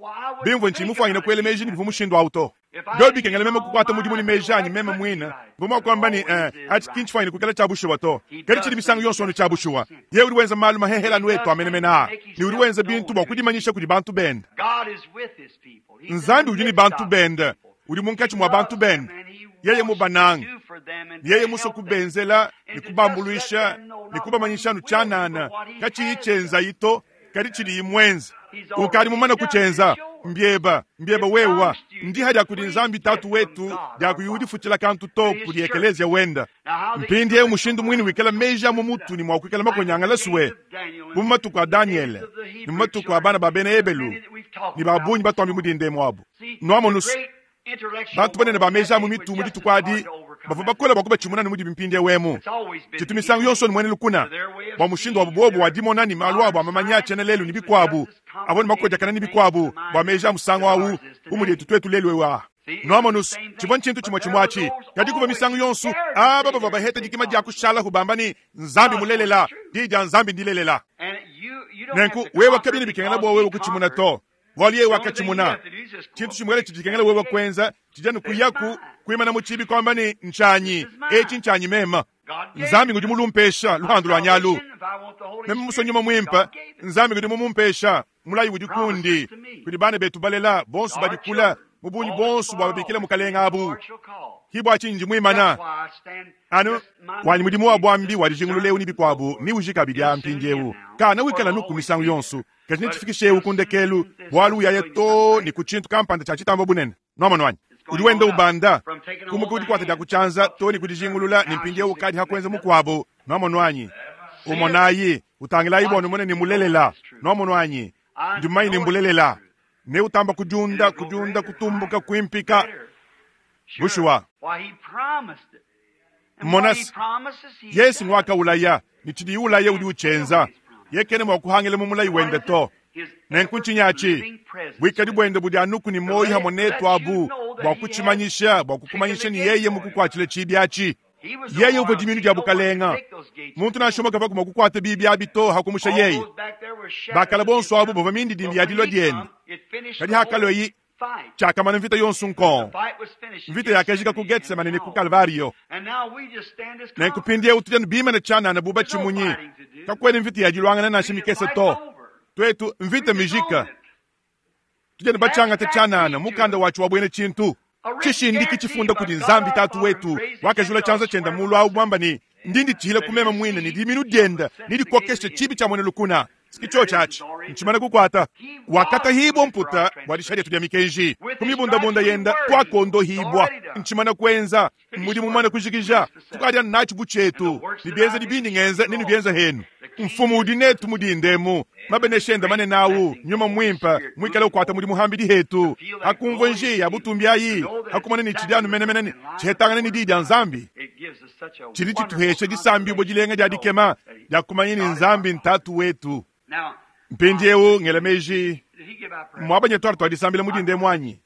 B: bimvua ntshiyi mufuanyine kuela meji ne bivua mushindu awu to. Biobi bikengela meme kukuata mudimu ne meji anyi meme muine, mvua mua kuamba ne, eh, atshi ki ntshifuanyine kuikala tshia bushuwa to. Kadi tshidi misangu yonso anu tshia bushuwa. Yeye udi wenza malu mahehele anu etu a menemene aa, ne udi wenza bintu bua kudimanyisha kudi bantu bende. Nzambi udi ne bantu bende, udi munkatshi mua bantu bende. Yeye mubanange, yeye musue kubenzela ne kubambuluisha ne kubamanyisha anu tshianana, katshiyi tshienzayi to, kadi tshidiyi muenze. Ukadi mumane kutshienza. Mbieba, mbieba wewa. Ndiha dia kudi Nzambi Tatu wetu dia kuyi udifutshila kantu to kudi ekelezia wenda. Mpindieu mushindu muine wikala meji a mu mutu ne mua kuikala makonyangala sue bu mu matuku a Danyele ne mu matuku a bana ba bena Ebelu ne ba bungi batuambi mu dinda emu abu. Nuamonus, bantu banene ba meji a mu mitu mu dituku adi bavua bakole bua kubatshimuna ne mudibi mpindieu emu. Tshitu misangu yonso ne muena lukuna bua mushindu wabu bobu wa dimona ne malu abu a mamanya a tshiena lelu ne bikuabu avua ne makodiakana ne bikuabu bua meji a musangu au bu mudi etu tuetu lelu eu aa. Nuamonus, tshivua ntshintu tshimue tshimue atshi, kadi kuvua misangu yonso aba bavua baheta dikima dia kushalahu bamba ne, Nzambi mulelela, diyi dia Nzambi ndilelela. Nenku wewe kabiena bikengela bua wewe kutshimuna to, bualu yeye wakatshimuna. Tshintu tshimue tshidi tshikengela wewe kuenza tshidi anu kuyaku kuimana mu tshibi kuamba ne, Ntshianyi etshi, ntshianyi meme. Nzambi ngudi mulumpesha luhandu lua nyalu. Meme musue nyuma muimpe, Nzambi ngudi mumumpesha. Mulayi udi kundi, kudi bana betu balela bonso badi kule mu bungi bonso bua babikila mukalenge abu. Ki bua tshinyi ndi muimana anu wanyi mudimu wa buambi wa dijingulula eu ne bikuabu ni uji kabidi a mpindieu kana wikala nuku misangu yonso, kadi netshifikishe eu ku ndekelu, bualu uyaya too ne ku tshintu kampanda tshia tshitamba bunene. Nuamonu anyi? Udi wenda ubanda kumuka ku dikuata dia ku tshianza too ne ku dijingulula ne mpindieu ukadi ha kuenza mukuabu. Nuamonu anyi? Umonayi, utangilayi bua numone ne mulelela. Nuamonu anyi? Ndi mumanye ne mbulelela. Ne utamba kudiunda, kudiunda, kutumbuka, kuimpika. Bushuwa. Mona se, Yesu nguakaulaya, ne tshidiye ulaya udi utshienza. Yeye kena mua kuhangila mu mulayi wende to. Nenku ntshinyi atshi? Buikadi buende budi anuku ne muoyo hamue netu abu bua kutshimanyisha, bua kukumanyisha ne yeye mukukuatshile tshibi atshi. Yeye uvua dimiinu dia bukalenga. Muntu nansha umue kavua mua kukuata bibi abi to hakumusha yeye. Bakala bonso abu bavua mindidimbi ya dilua diende. Kadi hakalueyi, tshiakamana mvita yonso nkong. Mvita yakajika ku Getsemane ne ku Kalvario. Nenku mpindieu tudi anu bimane tshianana bu batshimunyi. Kakuena mvita ya diluangana nansha mikese to. Tuetu, mvita mijika. Tudi anu batshiangate tshianana, mukanda watshi wa buena tshintu. Tshishindiki tshifunda kudi Nzambi Tatu wetu, wakajula tshianza tshienda mulu awu muamba ne, Ndi nditshihila ku meme muine ne diminu dienda nedikokeshe tshibi tshia muena lukuna. Ki tshiotshi atshi, ntshimane kukuata. Wakatahibua mputa bua disha dietu dia mikenji, ku mibundabunda yenda tuakondohibua. Ntshimane kuenza mudimu mumane kujikija, tukadi anu natshi bu tshietu, ne bienzedi bindi ngenza nenubienze henu. Mfumu udi netu mu dinda emu, mabenesha ende manene awu, Nyuma Muimpe muikale ukuata mudimu hambidi hetu, hakumvua njiya ya butumbi ayi, hakumona ne tshidi anu menemene ne tshihetangana ne Diyi dia Nzambi. Tshidi tshituhesha disambibua dilenga dia dikema dia kumanya ne Nzambi n'Tatu wetu. Mpindieu ngela meji, muabanya tuarte tua disambila mu dinda emu anyi?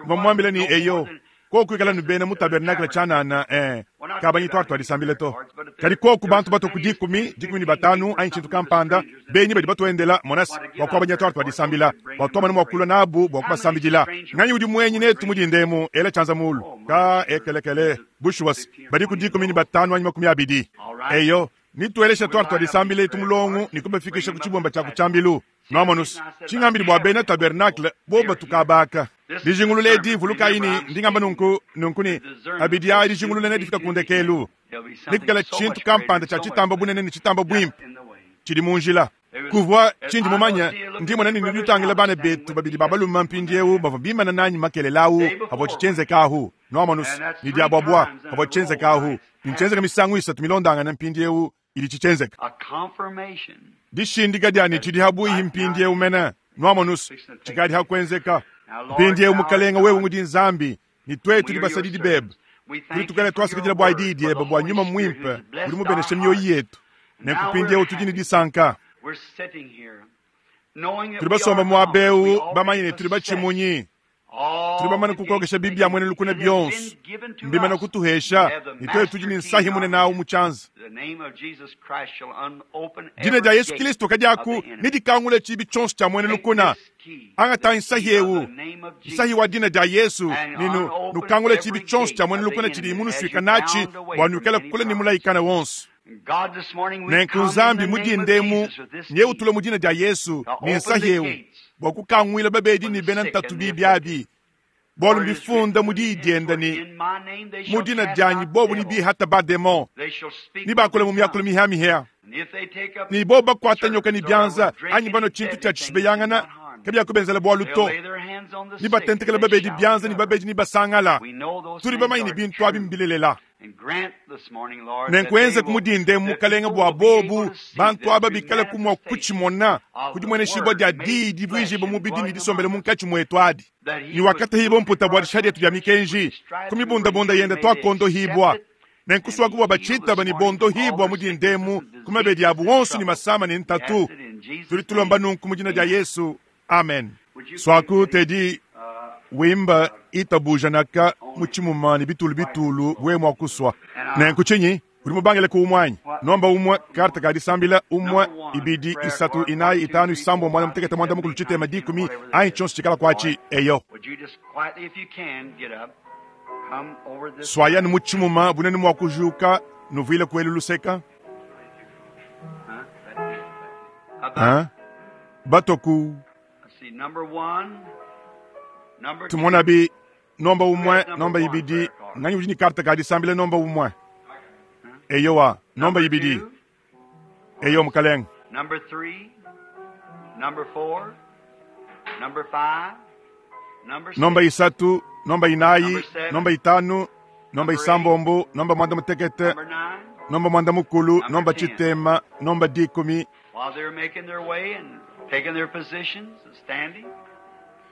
B: Mvua mmuambila ne, Eyo, koku ikala ne bena mu tabernakle tshianana, eh, kabanyi tuarte tua disambila to. Kadi koku bantu batue ku dikumi, 15 anyi tshintu kampanda, benyi badi batuendela, mona se, bua kuabanya tuarte tua disambila, bua tuamona mua kulua nabu bua kubasambidila. Nganyi udi muenyi netu mu dinda emu? Ela tshianza mulu. Ka ekelekele. Bushuwa se, badi ku 15 anyi 20. Eyo, nituelesha tuarte tua disambila etu mulongo ne kubafikisha ku tshibumba tshia ku tshiambilu. Nuamonus, tshingambidi bua bena tabernakle bobu batukabaka. Dijingulula edi, vulukayi ne, ndi ngamba nunku, nunku ne, abidi aa dijingulula nedifika ku ndekelu. Nekuikala tshintu kampanda tshia tshitamba bunene ne tshitamba buimpe tshidi mu njila. Kuvua tshindi mumanye, ndi mona ne nudi nutangila bana betu babidi ba balume mpindieu bavua bimana nanyi makelela awu avua tshienzeka ahu. Nuamonus, ne diabuabua avua tshienzeka ahu. Ne ntshienzeka misangu isatu milondangane mpindieu. Idi tshitshienzeka. Dishindika dia ne tshidi habuihi mpindieu mene, nwamonus, tshikadi hakuenzeka. Mpindieu Mukalenga, wewe ngudi Nzambi, ne tuetu tudi basadidi bebe. Tudi tukala tuasakidila bua diyi diebe, bua nyuma muimpe udi mubenesha mioyo yetu. Nenku mpindieu tudi ne disanka. Tudi basomba muaba eu bamanye ne tudi batshimunyi. Tudi bamane kukokesha bibi bia muena lukuna bionso. Mbimane kutuhesha, ne tuetu tudi ne nsahi munene awu mu tshianza. Dina dia Yesu Kristo kadiaku nedikangule tshibi tshionso tshia muena lukuna. Angata nsahi eu, nsahi wa dina dia Yesu, ne nukangule tshibi tshionso tshia muena lukuna tshidi munusuika natshi, bua nuikale kule ne mulayikana wonso. Nenku Nzambi mu dinda emu neutule mu dina dia Yesu ne nsahi eu bua kukanguila babedi ne bena ntatu bibi abi, bualu mbifunda mu diyi diende ne, mu dina dianyi bobu ne bihata bademon, ne bakula mu miakulu mihamihia, ne bobu bakuata nyoka ne bianza anyi banua tshintu tshia tshishibeyangana, kabiakubenzela bualu to, ne batentekela babedi bianza ne babedi ne basangala. Tudi bamanye ne bintu abi mbilelela. Nenku enze ku mudinda emu, Mukalenge, bua bobu bantu aba bikale ku mua kutshimona ku dimueneshibua dia diyi divuijibua mubidi ne disombele munkatshi muetu adi. Ne wakatehibua mputa bua dishiha dietu dia mikenji, ku mibundabunda yende tuakondohibua. Nenku suaku bua batshitaba ne bondohibua mu dinda emu ku mabedi abu onso ne masama ne ntatu. Tudi tulomba nunku mu dina dia Yesu. Amen. Suaku Teddy wimba itabuja naka mu tshimuma ne bitulu bitulu wewe mua kusua. Nenku tshinyi? Udi mubangile ku umue anyi? Nomba umue, karte ka disambila, umue, ibidi, isatu, inayi, itanu, isambombo, muanda mutekete, muanda mukulu, tshitema, dikumi, anyi tshionso tshikala kuatshi. Eyo. Suayanu mu tshimuma bunene mua kujuka, nuvuile kuelu luseka. Ha? Batoku. Tumonabi nomba umue, nomba ibidi, nganyi udi ne karte ka disambila nomba umue? Eyowa, nomba ibidi. Eyo, Mukalenge.
A: Number 3, number 4, number 5, number 6,
B: Nomba isatu, nomba inayi, nomba itanu, nomba isambombo, nomba muanda mutekete,
A: number 9.
B: nomba muanda mukulu, nomba tshitema, nomba dikumi.
A: While they're making their way and taking their positions and standing,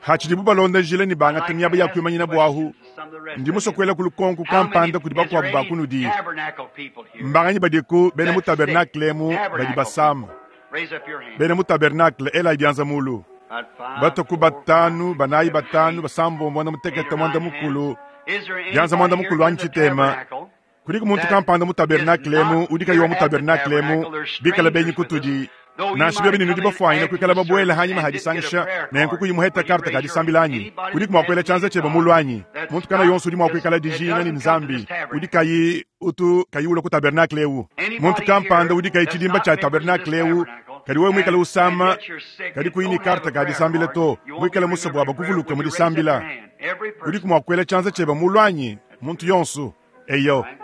B: Hatshidibu balonda njila ne
A: I'd
B: bangata
A: like
B: miaba
A: to
B: ya
A: ask
B: kuimanyina
A: some
B: buahu,
A: questions to some of the rest
B: ndi
A: of you.
B: musokuela ku lukonko
A: How many,
B: kampanda kudi
A: is there
B: bakuabu ba
A: any
B: kunudi.
A: tabernacle people here
B: Mbanganyi badiku bena mu
A: that's sick?
B: tabernacle emu badi
A: Tabernacle
B: basama.
A: people. Raise up your hand.
B: Bena mu tabernacle elayi bianza mulu.
A: About 5,
B: Batoku
A: 4, 5,
B: batanu,
A: 6,
B: banayi
A: 7,
B: batanu,
A: 8,
B: basambombo, muanda
A: 8
B: mutekete,
A: or
B: muanda
A: 9 hands.
B: mukulu,
A: Is there
B: bianza muanda
A: anybody here
B: mukulu
A: in
B: anyi
A: the
B: tshitema.
A: tabernacle
B: Kudiku muntu
A: that
B: kampanda mu
A: is
B: tabernacle emu
A: not
B: udi kayi wa
A: here
B: mu
A: at the
B: tabernacle emu,
A: tabernacle? They're
B: bikala benyi
A: strangers with us.
B: kutudi.
A: Though you
B: Nansha
A: might
B: biobi ne
A: have
B: nudi
A: come in
B: bafuanyine
A: after
B: kuikala
A: the
B: babuela
A: service
B: hanyima
A: and didn't get a
B: hadisangisha,
A: prayer
B: nenku
A: card,
B: kuyi muheta
A: would you
B: karte ka
A: raise your hand?
B: disambila anyi?
A: Anybody
B: Kudiku
A: that
B: mua
A: has
B: kuela
A: need
B: tshianza
A: of
B: tshiebe
A: God,
B: mulu anyi?
A: that's
B: Muntu kana
A: not
B: yonso udi mua
A: just
B: kuikala
A: it
B: dijinga ne
A: doesn't come to this
B: Nzambi, udi
A: tabernacle.
B: kayi utu kayi ulua ku tabernacle eu. Muntu
A: Anybody
B: kampanda
A: here
B: udi kayi
A: that's
B: tshidimba
A: not
B: tshia
A: members of this
B: tabernacle eu,
A: tabernacle
B: kadi wewe muikale
A: and and
B: usama,
A: yet you're sick
B: kadi
A: and
B: kuyi ne
A: don't have
B: karte
A: a
B: ka
A: prayer
B: disambila
A: card,
B: to,
A: you won't be
B: muikale musue bua
A: remembered in prayer.
B: bakuvuluke
A: Would
B: mu
A: you raise up your
B: disambila.
A: hand? Every
B: Udiku
A: person.
B: mua kuela tshianza tshiebe mulu anyi? Muntu yonso. Eyo.
A: Right?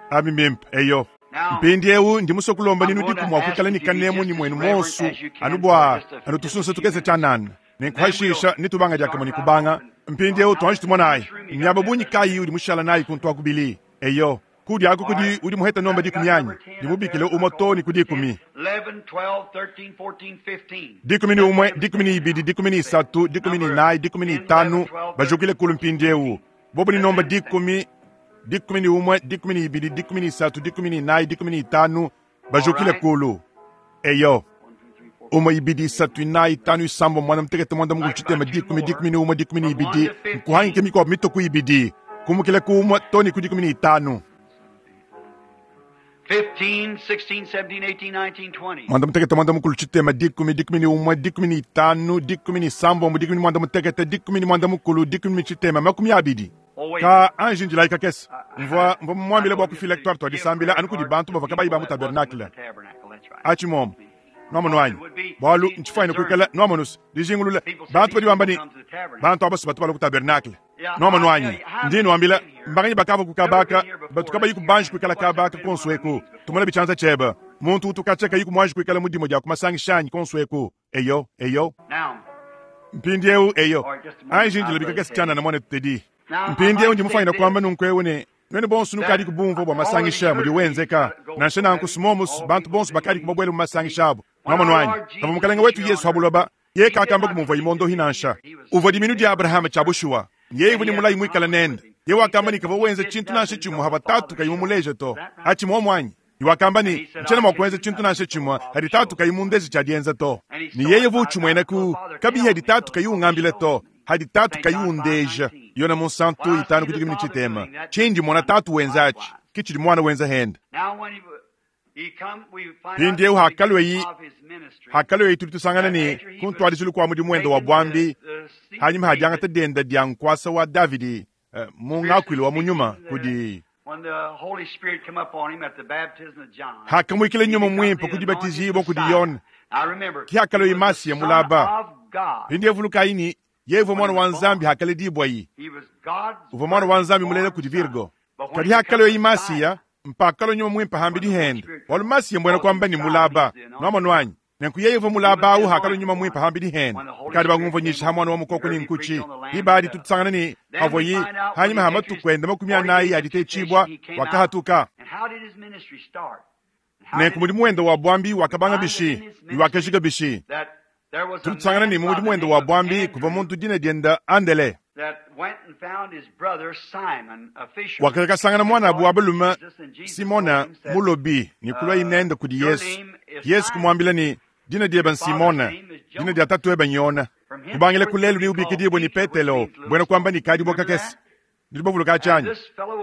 B: Abi mbimpe. Eyo.
A: Now,
B: Mpindieu ndi musue kulomba
A: I'm
B: ne
A: going
B: nudiku
A: to
B: mua
A: ask
B: kuikala ne
A: if you be
B: kanemu
A: just
B: ne
A: as
B: muenu
A: reverent
B: monsu
A: as you
B: anu
A: can for
B: bua
A: just a
B: anu
A: just a
B: tusunsa
A: few
B: tukese
A: minutes.
B: tshianana.
A: And then we'll
B: Nenkuhashisha nitubanga diakamue ne
A: start right
B: kubanga.
A: off and
B: Mpindieu
A: how
B: tuanji tumonayi.
A: much room you got
B: Miaba
A: left?
B: bungi kayi udi mushala nayi kuntu akubili. Eyo. Kudi aku
A: All
B: kudi
A: right.
B: udi muheta nomba
A: Now you
B: dikumi
A: got
B: anyi.
A: number 10 up
B: Ndimubikile
A: there. I
B: umue
A: call
B: to ne ku
A: 10,
B: dikumi.
A: 11, 12, 13, 14, 15.
B: Dikumi ne
A: Let
B: umue,
A: them
B: dikumi ne
A: stand
B: ibidi,
A: now.
B: dikumi ne
A: Say
B: isatu, dikumi ne
A: number
B: inayi, dikumi ne
A: 10, 11,
B: itanu,
A: 12,
B: bajukile
A: 13,
B: kulu
A: 14,
B: mpindieu.
A: 15.
B: Bobu ne
A: Let
B: nomba
A: them stand.
B: dikumi, dikumi ne umue, dikumi ne ibidi, dikumi ne isatu, dikumi ne inayi, dikumi ne itanu,
A: All
B: bajukile
A: right.
B: kulu. Eyo.
A: 1, 2, 3, 4, 5,
B: Umue,
A: 6,
B: ibidi,
A: 7, 8,
B: isatu,
A: 9,
B: inayi,
A: 10, 11.
B: itanu, isambo, muanda mutekete, muanda mukulu,
A: Like about
B: tshitema,
A: two
B: dikumi,
A: more
B: dikumi ne umue, dikumi ne
A: from 1
B: ibidi,
A: to
B: nkuhangike
A: 15.
B: mikuabu mitoku ibidi, kumukila ku umue to ne ku dikumi ne itanu.
A: 15, 16, 17, 18, 19, 20.
B: Muanda mutekete, muanda mukulu, tshitema, dikumi, dikumi ne umue, dikumi ne itanu, dikumi ne isambombo, dikumi ne muanda mutekete, dikumi ne muanda mukulu, dikumi ne tshitema, makumi abidi.
A: Oh, wait a
B: Ka
A: minute.
B: anji njilayi kakese.
A: I,
B: Mvua mvua
A: I
B: mumuambile bua
A: told you
B: kufila
A: to
B: twarte twa
A: give
B: disambila
A: prayer
B: anu kudi
A: cards
B: bantu
A: to
B: bavua kabayi
A: people
B: ba mu
A: that wasn't with
B: tabernacle.
A: the tabernacle. That's right.
B: Achi momo. Nwamonu
A: Because
B: anyi.
A: it would be
B: Bualu ntshifuanyine kuikala
A: discernment.
B: nwamonus dijingulula
A: People say
B: bantu
A: these
B: badi bamba
A: people
B: ne
A: come to the tabernacle.
B: bantu abasu batu bala ku tabernacle.
A: Yeah,
B: Nwamonu
A: I'll tell
B: anyi.
A: you, how
B: Ndi
A: many
B: nwambila
A: been here?
B: mbanganyi bakava ku
A: Never been
B: kabaka
A: here
B: batu
A: before.
B: kabayi
A: Let's see your
B: kubanji
A: hands.
B: kuikala
A: Nobody's ever
B: kabaka
A: been in one of
B: konso
A: our
B: eku.
A: meetings before.
B: Tumona bichanza cheba. Muntu utukacha kayi kumwanji kuikala mudimo dia kumasangishanyi konso eku. Eyo, eyo.
A: Now,
B: Mpindieu eyo.
A: all right, just a moment,
B: Anji
A: our
B: njila
A: brother
B: bikakese
A: Teddy.
B: tshianana mwana tutedi.
A: Now, I'd
B: Mpindieu
A: like
B: ndi
A: to say
B: mufuanyine
A: this.
B: kuamba nunku eu ne Nuenu bonso nukadiku bumvue bua masangisha mudi wenzeka. Nansha nanku smomus bantu bonso bakadiku babuele mu masangisha abu. Nwamonu anyi? Pavua Mukalenge wetu Yesu ha buloba, yeye kakamba kumuvua imondohi nansha. Uvua diminu dia Abrahama tshia bushuwa. Yeye uvua ne mulayi muikale nende. Yeye wakamba ne kavua wenza tshintu nansha tshimue havua Tatu kayi mumuleje to. Atshi muomu anyi? Ne wakamba ne, Ntshiena mua kuenza tshintu nansha tshimue hadi Tatu kayi mundeje tshia dienza to. Ne yeye uvua utshimuenaku, kabiyi hadi Tatu kayi ungambila to, hadi Tatu kayi undeja. Yona Munsantu itanu ku dikumi ne tshitema. Tshindi mmona Tatu wenza atshi, ke tshidi Muana wenza hende. Mpindieu hakalueyi, hakalueyi tudi tusangana ne, ku ntuadijilu kua mudimu wende wa buambi, hanyima ha diangata diende dia nkuasa wa Davidi mu ngakuilu wa mu nyuma kudi hakamuikila Nyuma Muimpe ku dibatijibua kudi Yone, ke hakalueyi Masiya mulaba. Mpindieu vulukayi ne, yeye uvua Muana wa Nzambi hakaledibuayi. Uvua Muana wa Nzambi mulela kudi Virgo. Kadi hakalueyi Masiya, mpakalua Nyuma Muimpe hambidi hende, bualu Masiya mbuena kuamba ne mulaba. Nuamonu anyi? Nenku yeye uvua mulaba awu hakalua Nyuma Muimpe hambidi hende. Kadi bangumvua nyisha ha muana wa mukoko ne nkutshi. Diba adi tutusangana ne havuayi hanyima ha matuku ende makumi anayi a ditetshibua, wakahatuka. Nenku mudimu wende wa buambi wakabanga bishi ne wakajika bishi? Tudi tusangana ne mu mudimu wende wa buambi kuvua muntu dina diende Andele. Wakakasangana muanabu wa balume Simona mulobi ne kuluaye nende kudi Yesu. Yesu kumuambila ne, Dina diebe n'Simona, dina dia tatuebe n'Yona. Kubangila ku lelu neubikidibue ne Petelo, mbuena kuamba ne kadibua kakese. Nudi bavuluka atshi anyi?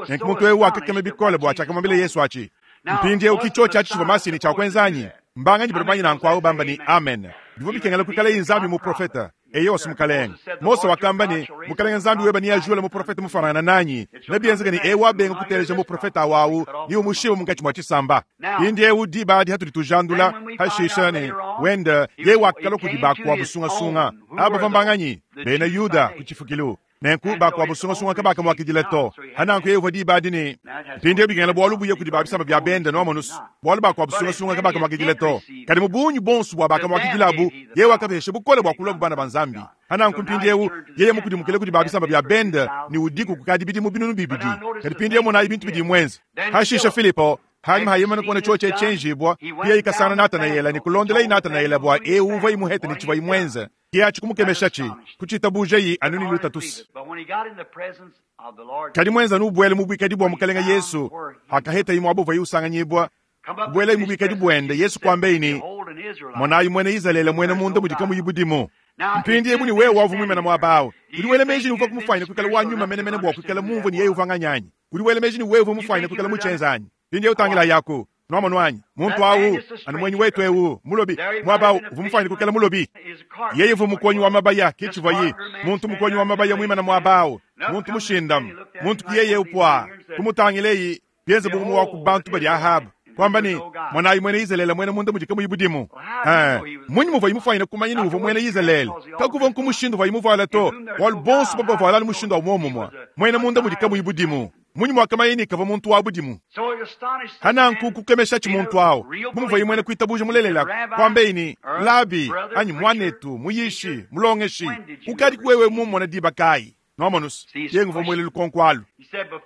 B: Nenku muntu eu wakakema bikole bua tshiakamuambila Yesu atshi. Mpindieu ki tshiotshi atshi tshivua Masiya ne tshia kuenza anyi? Mbanganyi badi bamanye nanku awu bamba ne, Amen. Bivua bikengela kuikalaye Nzambi muprofete. Eyowa, Mukalenge. Mose wakamba ne, Mukalenge Nzambi webe neajule muprofete mufuanangane nanyi. Nebienzeke ne, eu wabenga kuteleja muprofete awu awu, neumushibe munkatshi mua tshisamba. Mpindieu diba adi hatudi tujandula, hashisha ne, wenda, yeye wakalua kudi bakuabu sungasunga. Aba bavua mbanganyi? Bena Yuda ku tshifukilu. Nenku bakuabu sungasunga kabakamuakidila to. Hananku yeye uvua diba adi ne, Mpindieu bikengela bualu buye kudi ba bisamba bia bende, nuamonus, bualu bakuabu sungasunga kabakamuakidila to. Kadi mu bungi buonso bua bakamuakidilabu, yeye wakapesha bukole bua kuluabu bana ba Nzambi. Hananku mpindieu yeye mukudimukile kudi ba bisamba bia bende ne udiku kukadi bidimu binunu bibidi. Kadi mpindieu monayi bintu bidiye muenze. Hashisha Filipo, hanyima ha yeye kuona tshiotshi tshienjibua, yeye ikasangana Natanaela ne kulondelaye Natanaela bua eu uvua imuhete ne tshivua imuenze. Ke atshi kumukemeshatshi, kutshitabujayi anu ne lutatusi. Kadi muenza anu ubuele mu buikadi bua Mukalenge Yesu, hakahetayi muaba uvuaye usanganyibua, kubuelayi mu buikadi buende, Yesu kuambeyi ne, Monayi muena Izalele muena munda mudi kamuyi budimu. Mpindieu ne wewe wavua muimane muaba awu, udi wela meji ne uvua kumufuanyina kuikala wa nyuma menemene bua kuikala mumvue ne yeye uvua nganyi anyi? Udi wela meji ne wewe uvua mufuanyine kuikala mutshienza anyi? Mpindieu tangilayi aku. Nwamonu anyi? Muntu awu, anu muenyi wetu eu, mulobi, muaba awu, uvua mufuanyine kuikala mulobi. Yeye uvua mukonyi wa mabaya, ke tshivuaye. Muntu mukonyi wa mabaya muimane muaba awu, muntu mushindame. Muntu ki yeye upua. Kumutangileyi, bienze bu umue wa ku bantu badi Ahaba. Kuamba ne, Monayi muena Izalele muena munda mudi kamuyi budimu. Ee, mmunyi muvuaye mufuanyine kumanya ne uvua muena Izalele? Kakuvua nku mushindu uvuaye muvuala to, bualu bonso bavua bavuala anu mushindu wa muomumue. Muena munda mudi kamuyi budimu. Mmunyi muakamanya ne kavua muntu wa budimu? Hananku kukemeshatshi muntu awu, bu muvuaye muena kuitabuja mulelela, kuambeyi ne, Labi, anyi muanetu, muyishi, mulongeshi, ukadiku wewe mummona diba kayi? Nwamonus, yeye nguvua muele lukonko alu.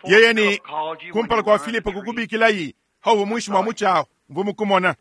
B: Yeye ne, Kumpala kua Filipo kukubikilayi, hauvua muinshi mua mutshi awu, mvua mukumona.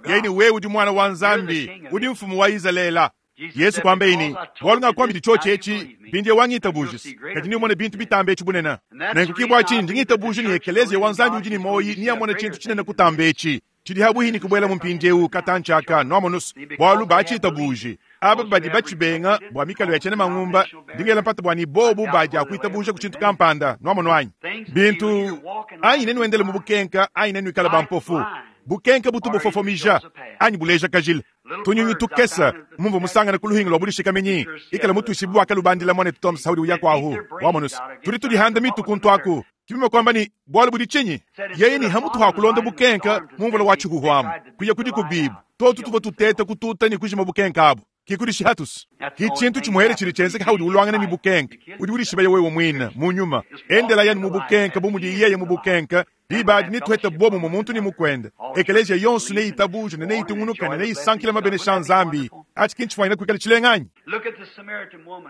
B: Yeye ne, Wewe udi Muana wa Nzambi, udi Mfumu wa Izalele. Yesu kuambeyi ne, Bualu ngakuambidi tshiotshi etshi, mpindieu wangitabujis, kadi neumone bintu bitambe etshi bunene. Nenku ke bua tshinyi ndi ngitabuja ne Ekeleziya wa Nzambi udi ne muoyi neamone tshintu tshinene kutamba etshi tshidi habuihi ne kubuelamu mpindieu katantshi aka, nuamonus, bualu batshitabuji aba badi batshibenga bua mikalu ya tshiena mangumba. Ndi ngela mpata bua ne bobu badi akuitabuja ku tshintu kampanda, nuamonu anyi? Bintu anyi nenuendele mu bukenka anyi nenuikale bampofu. Bukenka butu bufofomija anyi buleja kajila. Tunyunyi tukese mumvua musangane ku luhingu lua budishikaminyi ikala mutuishibue bua kalubandila muanetu Tom Saudi uya kuahu wamonus. Tudi tudihanda mitu kuntu aku. Kibima kuamba ne, bualu budi tshinyi? Yeye ne hamutu ha kulonda bukenka mu mvula wa tshihuhu amu, kuya kudi kubibu. Tuotu tuvua tuteta kututa ne kujima bukenka abu. Ki kudishihatus. Ki tshintu tshimuele tshidi tshienzeka haudi uluangana ne bukenka. Udi udishibaya wewe muine, mu nyuma. Endela yanu mu bukenka bu mudi yeye mu bukenka. Diba adi netuhete buobumue muntu ne mukuende. Ekeleziya yonso neitabuje ne neitungunuke ne neisankile mabenesha a Nzambi. Atshi ki ntshifuanyine kuikala tshilenga anyi?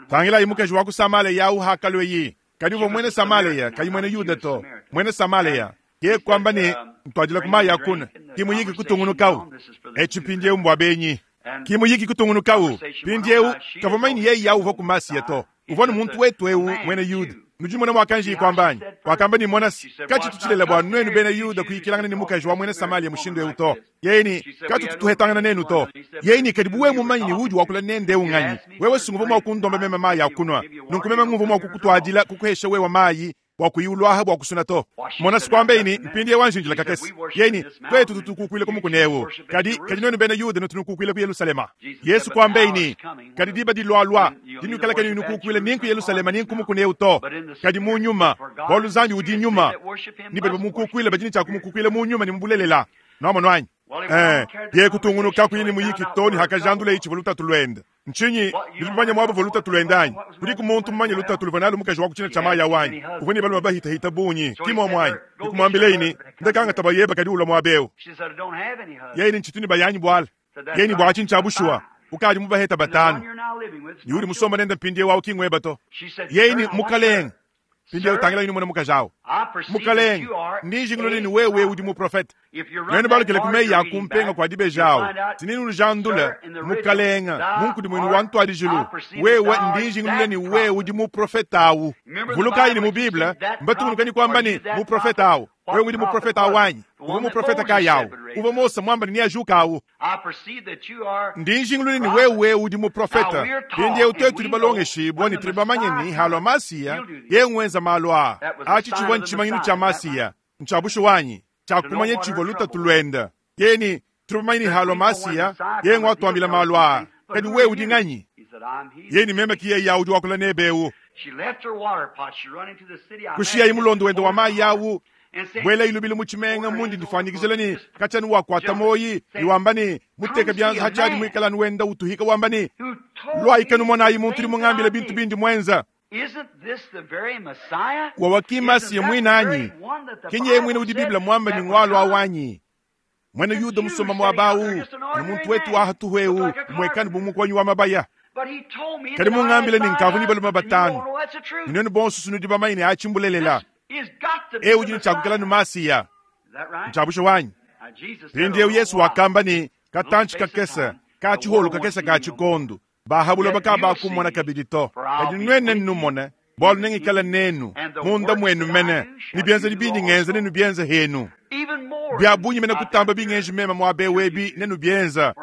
B: Tangilayi mukaji wa ku Samaleya au hakalueyi. Kadi uvua muena Samalea, kayi muena Yuda to, muena Samalea. Yeye kuamba ne, Ntuadila ku mayi a kunua. Ki muyiki kutungunukawu. Etshi mpindieu mbua benyi. Ki muyiki kutungunukawu. Mpindieu, kavua mumanye ne yeye uvua ku Masiya to. Uvua ne muntu wetu eu, muena Yuda. Nudi numona muakanjiye kuamba anyi? Wakamba ne, Mona se, katshitu tshilela bua nuenu bena Yuda kuyikilangana ne mukaji wa muena Samalia mushindu eu to. Yeye ne, Katutu tuhetangana nenu to. Yeye ne, Kadi bu wewe mumanye ne udi wakula nende eu nganyi, wewe sunguvua mua kundomba meme mayi a kunua. Nunku meme nguvua mua kukutuadila, kukuhesha wewe mayi, bua kuyi uluaha bua kusuna to. Mona sikwambe ne, mpindieu anji kakese. Yeye ne, Tuetu tutu kukuila ku mukuna eu, kadi kadi nuenu bena Yuda nutu nukukuila ku Yelusalema. Yesu kuambe ne, kadi diba dilualua dinuikala kenu nukukuila ni ku Yelusalema ni ku mukuna eu to, kadi mu nyuma, bualu Nzambi udi nyuma, ni badi bamukukuila badi ne tshia kumukukuila mu nyuma ne mu bulelela. Nuamonu anyi? Ye kutungunuka kuyi ne muyiki to ne hakajandula itshivua lutatu luende. Ntshinyi nudi bamanye muaba uvua lutatu luende anyi? Kudiku muntu mumanye lutatu luvua nalu mukaji wa ku tshina tshia mayi awu anyi? Uvua ne balume bahitahita bungi, ki muomu anyi? Nikumuambileyi ne, ndakangata bayeba kadi ulua muaba eu. Yeye ne ntshitu ne bayanyi buala. Yeye ne bua atshi ntshia bushuwa. Ukadi mubaheta batanu. Ne udi musomba nende mpindieu awu ki ngweba to. Yeye ne mukalenge. Mpindieu tangila yini mukaji awu. Mukalenge, ndi njingulule ne wewe udi muprofete. Nuenu balukile ku meyi a kumpenga kua dibeji awu. Tinini lujandula mukalenge munkudimuinu wa ntuadijilu. Wewe ndi njingulule ne wewe udi muprofete awu. Vulukayi ne mu Bible mbatungunuka ni kuamba ne muprofete awu. Wewe udi muprofete awu anyi? Uvua muprofete kayi awu? Uvua Mose muamba ne neajuka awu. Ndi njingulule ne wewe udi muprofete. Mpindieu tuetu tudi balongeshibua ne tudi bamanye ne halua Masiya ye ngwenza malu aa. Atshi tshivua ntshimanyinu tshia Masiya, ntshia bushuwa anyi? Tshia kumanya tshivua lutatu luende. Yeye ne tudi bamanye ne halua Masiya ye ngwatuambila malu aa. Kadi wewe udi nganyi? Yeye ne meme ki yeye udi wakula nebe eu. Kushiyayi mulondo wende wa mayi awu, buela ilubile mu tshimenga mundi ndifuanyikijila ne katshia wakuata moyi iwamba ne muteka bianza hatshiadi muikala wenda utuhika wamba ne lwayi numonayi muntu udi mungambile bintu bindi mwenza. Wawakimasiya mwinanyi kinye mwine udi Biblia mwamba ni ngwalwa wanyi mwene Yuda musoma mwabawu ni muntu wetu wa hatuhweu mwekani bumukwanyi wa mabaya. Kadi mungambile ni nkavu ni balume batanu ninenu bonso sunudi bamanye ne achimbulelela. Eu udi ntshiakukela ni Masiya ntshiabusha wanyi. Mpindieu Yesu wakamba ni katantshi kakese ka tshiholu kakese ka tshikondo bahabula bakabakumona kabidi to. Kadi nwene nnumone bualu nengikala nenu munda mwenu mene ni bienza bindi ngenza nenu bienza henu bia bunyi mene kutamba bingenji mema mwabe webi nenu bienza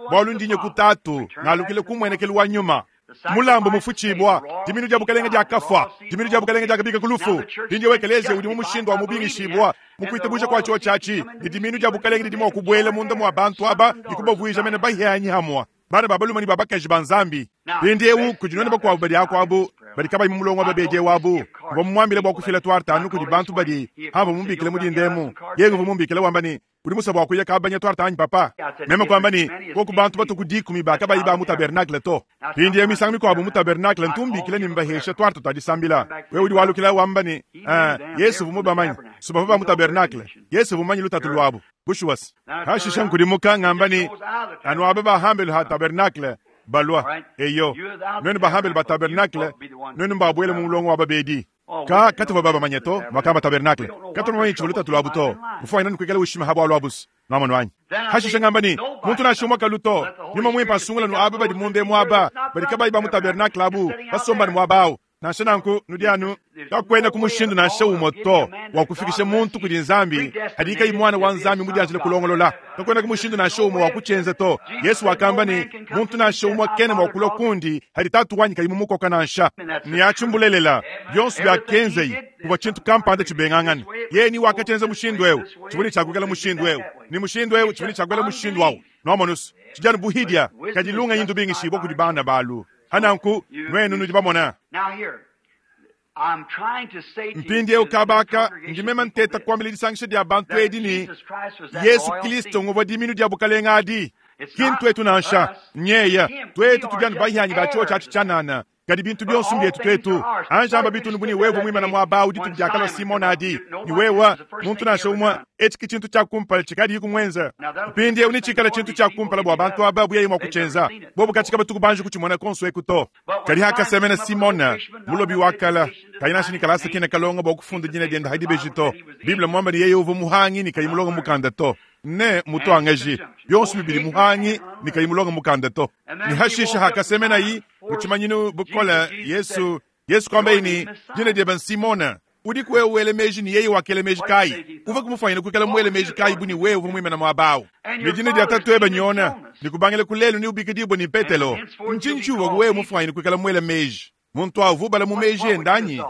B: bualu ndinye kutatu ngalukile kumwenekelu wa nyuma. Mulambo mufuchibwa diminu dia bukalenge dia kafwa diminu dia bukalenge dia kabika kulufu mpindieu ekelezia udi mu mushindu wa mubingishibwa mukuitabuja kwa chio chachi ni diminu dia bukalenge didi mua kubuela munda mwa bantu aba dikubavuija mene bahianyi hamwa bana babaluma ni babakaji ba Nzambi. Mpindieu kudi bakuabu badi akuabu badi kabayi mu mulongo wa babedi wabu mvua mumuambile bua kufila tuartanu kudi bantu badi hamba mumbikile mudindemu. Yeye mvua mumbikile wamba ni udi musa bua kuya kabanya tuarta anyi papa. Meme kuamba ni koku bantu batu ku dikumi bakabayi ba mu tabernacle to. Mpindieu misangu mikuabu mu tabernacle ntumbikile ni mbahesha tuarta tuadisambila. Wewe udi walukila wamba ni Yesu mvua mubamanyi subava ba mu tabernacle Yesu mvua mumanyi lutatu lwabu. Bushuwas hashisha nkudimuka ngamba ni anu aba bahambele ha tabernacle balwa eyo nwenu bahambele ba tabernacle nwenu mbabwele mu mulongo wa babedi ka katuva baba manye to makamba tabernacle katuva manye tshivua lutatu lwabu to mufanya nanu ushima habwa lwabusi nwamonu wanyi. Hashisha ngamba ni muntu nashumwa kaluto nyuma mwimpa asungula nu aba badi munde mwaba badi kabayi ba mu tabernacle abu basomba ni mwabawu nansha nanku nudianu kakwenda kumushindu nansha umwe to wa kufikisha muntu kudi Nzambi hadika mwana wa Nzambi mudianjile kulongolola kakwenda kumushindu nansha umwe wa kuchenza to. Yesu wakamba ni muntu nansha umwe kene mwa kulwa kundi hadi tatu wanyi kayi mumukoka nansha ni achimbulelela byonso bya kenzei kuva chintu kampanda chibengangana ye ni wakachenza mushindu eu chibuli chakukela mushindu eu ni mushindu eu chibuli chakukela mushindu wawu nomonus chijanu buhidia kadilunga yindu bingishibo kudi bana balu hananku nwenu nudi bamona. Mpindieu kabaka ndimema nteta kuambila disangisha dia bantu edi ni Yesu Kristo nguvua diminu dia bukalenga adi kintu etu nansha nyeya twetu tudianu bahianyi ba chio tshiatshi tshianana. Kadi bintu bionso mbietu tuetu. Anji amba bitundu bu ne wewe muimane muaba au dituku diakalua Simona adi, ne wewe, muntu nansha umue, etshi ke tshintu tshia kumpala tshikadiyi kumuenza. Mpindieu netshikale tshintu tshia kumpala bua bantu aba bu yeye mua kutshienza. Bobu katshi kabatuku banji kutshimona konso eku to. Kadi hakasemena Simona, mulobi wa kala, kayi nansha ne kalasa kena kalonga bua kufunda dina diende ha dibeji to. Bible mmuamba ne yeye uvua muhangi ne kayi mulonga mukanda to. Ne mutuangaji, bionso bibidi muhangi ne kayi mulonga mukanda to. Ne hashishe hakasemenayi mu tshimanyinu bukole, Yesu, Yesu kuambaye ne, Dina diebe n'Simona. Udiku wewe wela meji ne yeye wakela meji kayi? Uvua kumufuanyina kuikala muele meji kayi bu ne wewe uvua muimane muaba au? Ne dina dia tatuebe n'Yona, ne kubangila ku lelu neubikidibue ne Petelo. Ntshinyi tshiuvua wewe mufuanyine kuikala muele meji? Muntu au uvua ubala mu meji ende anyi?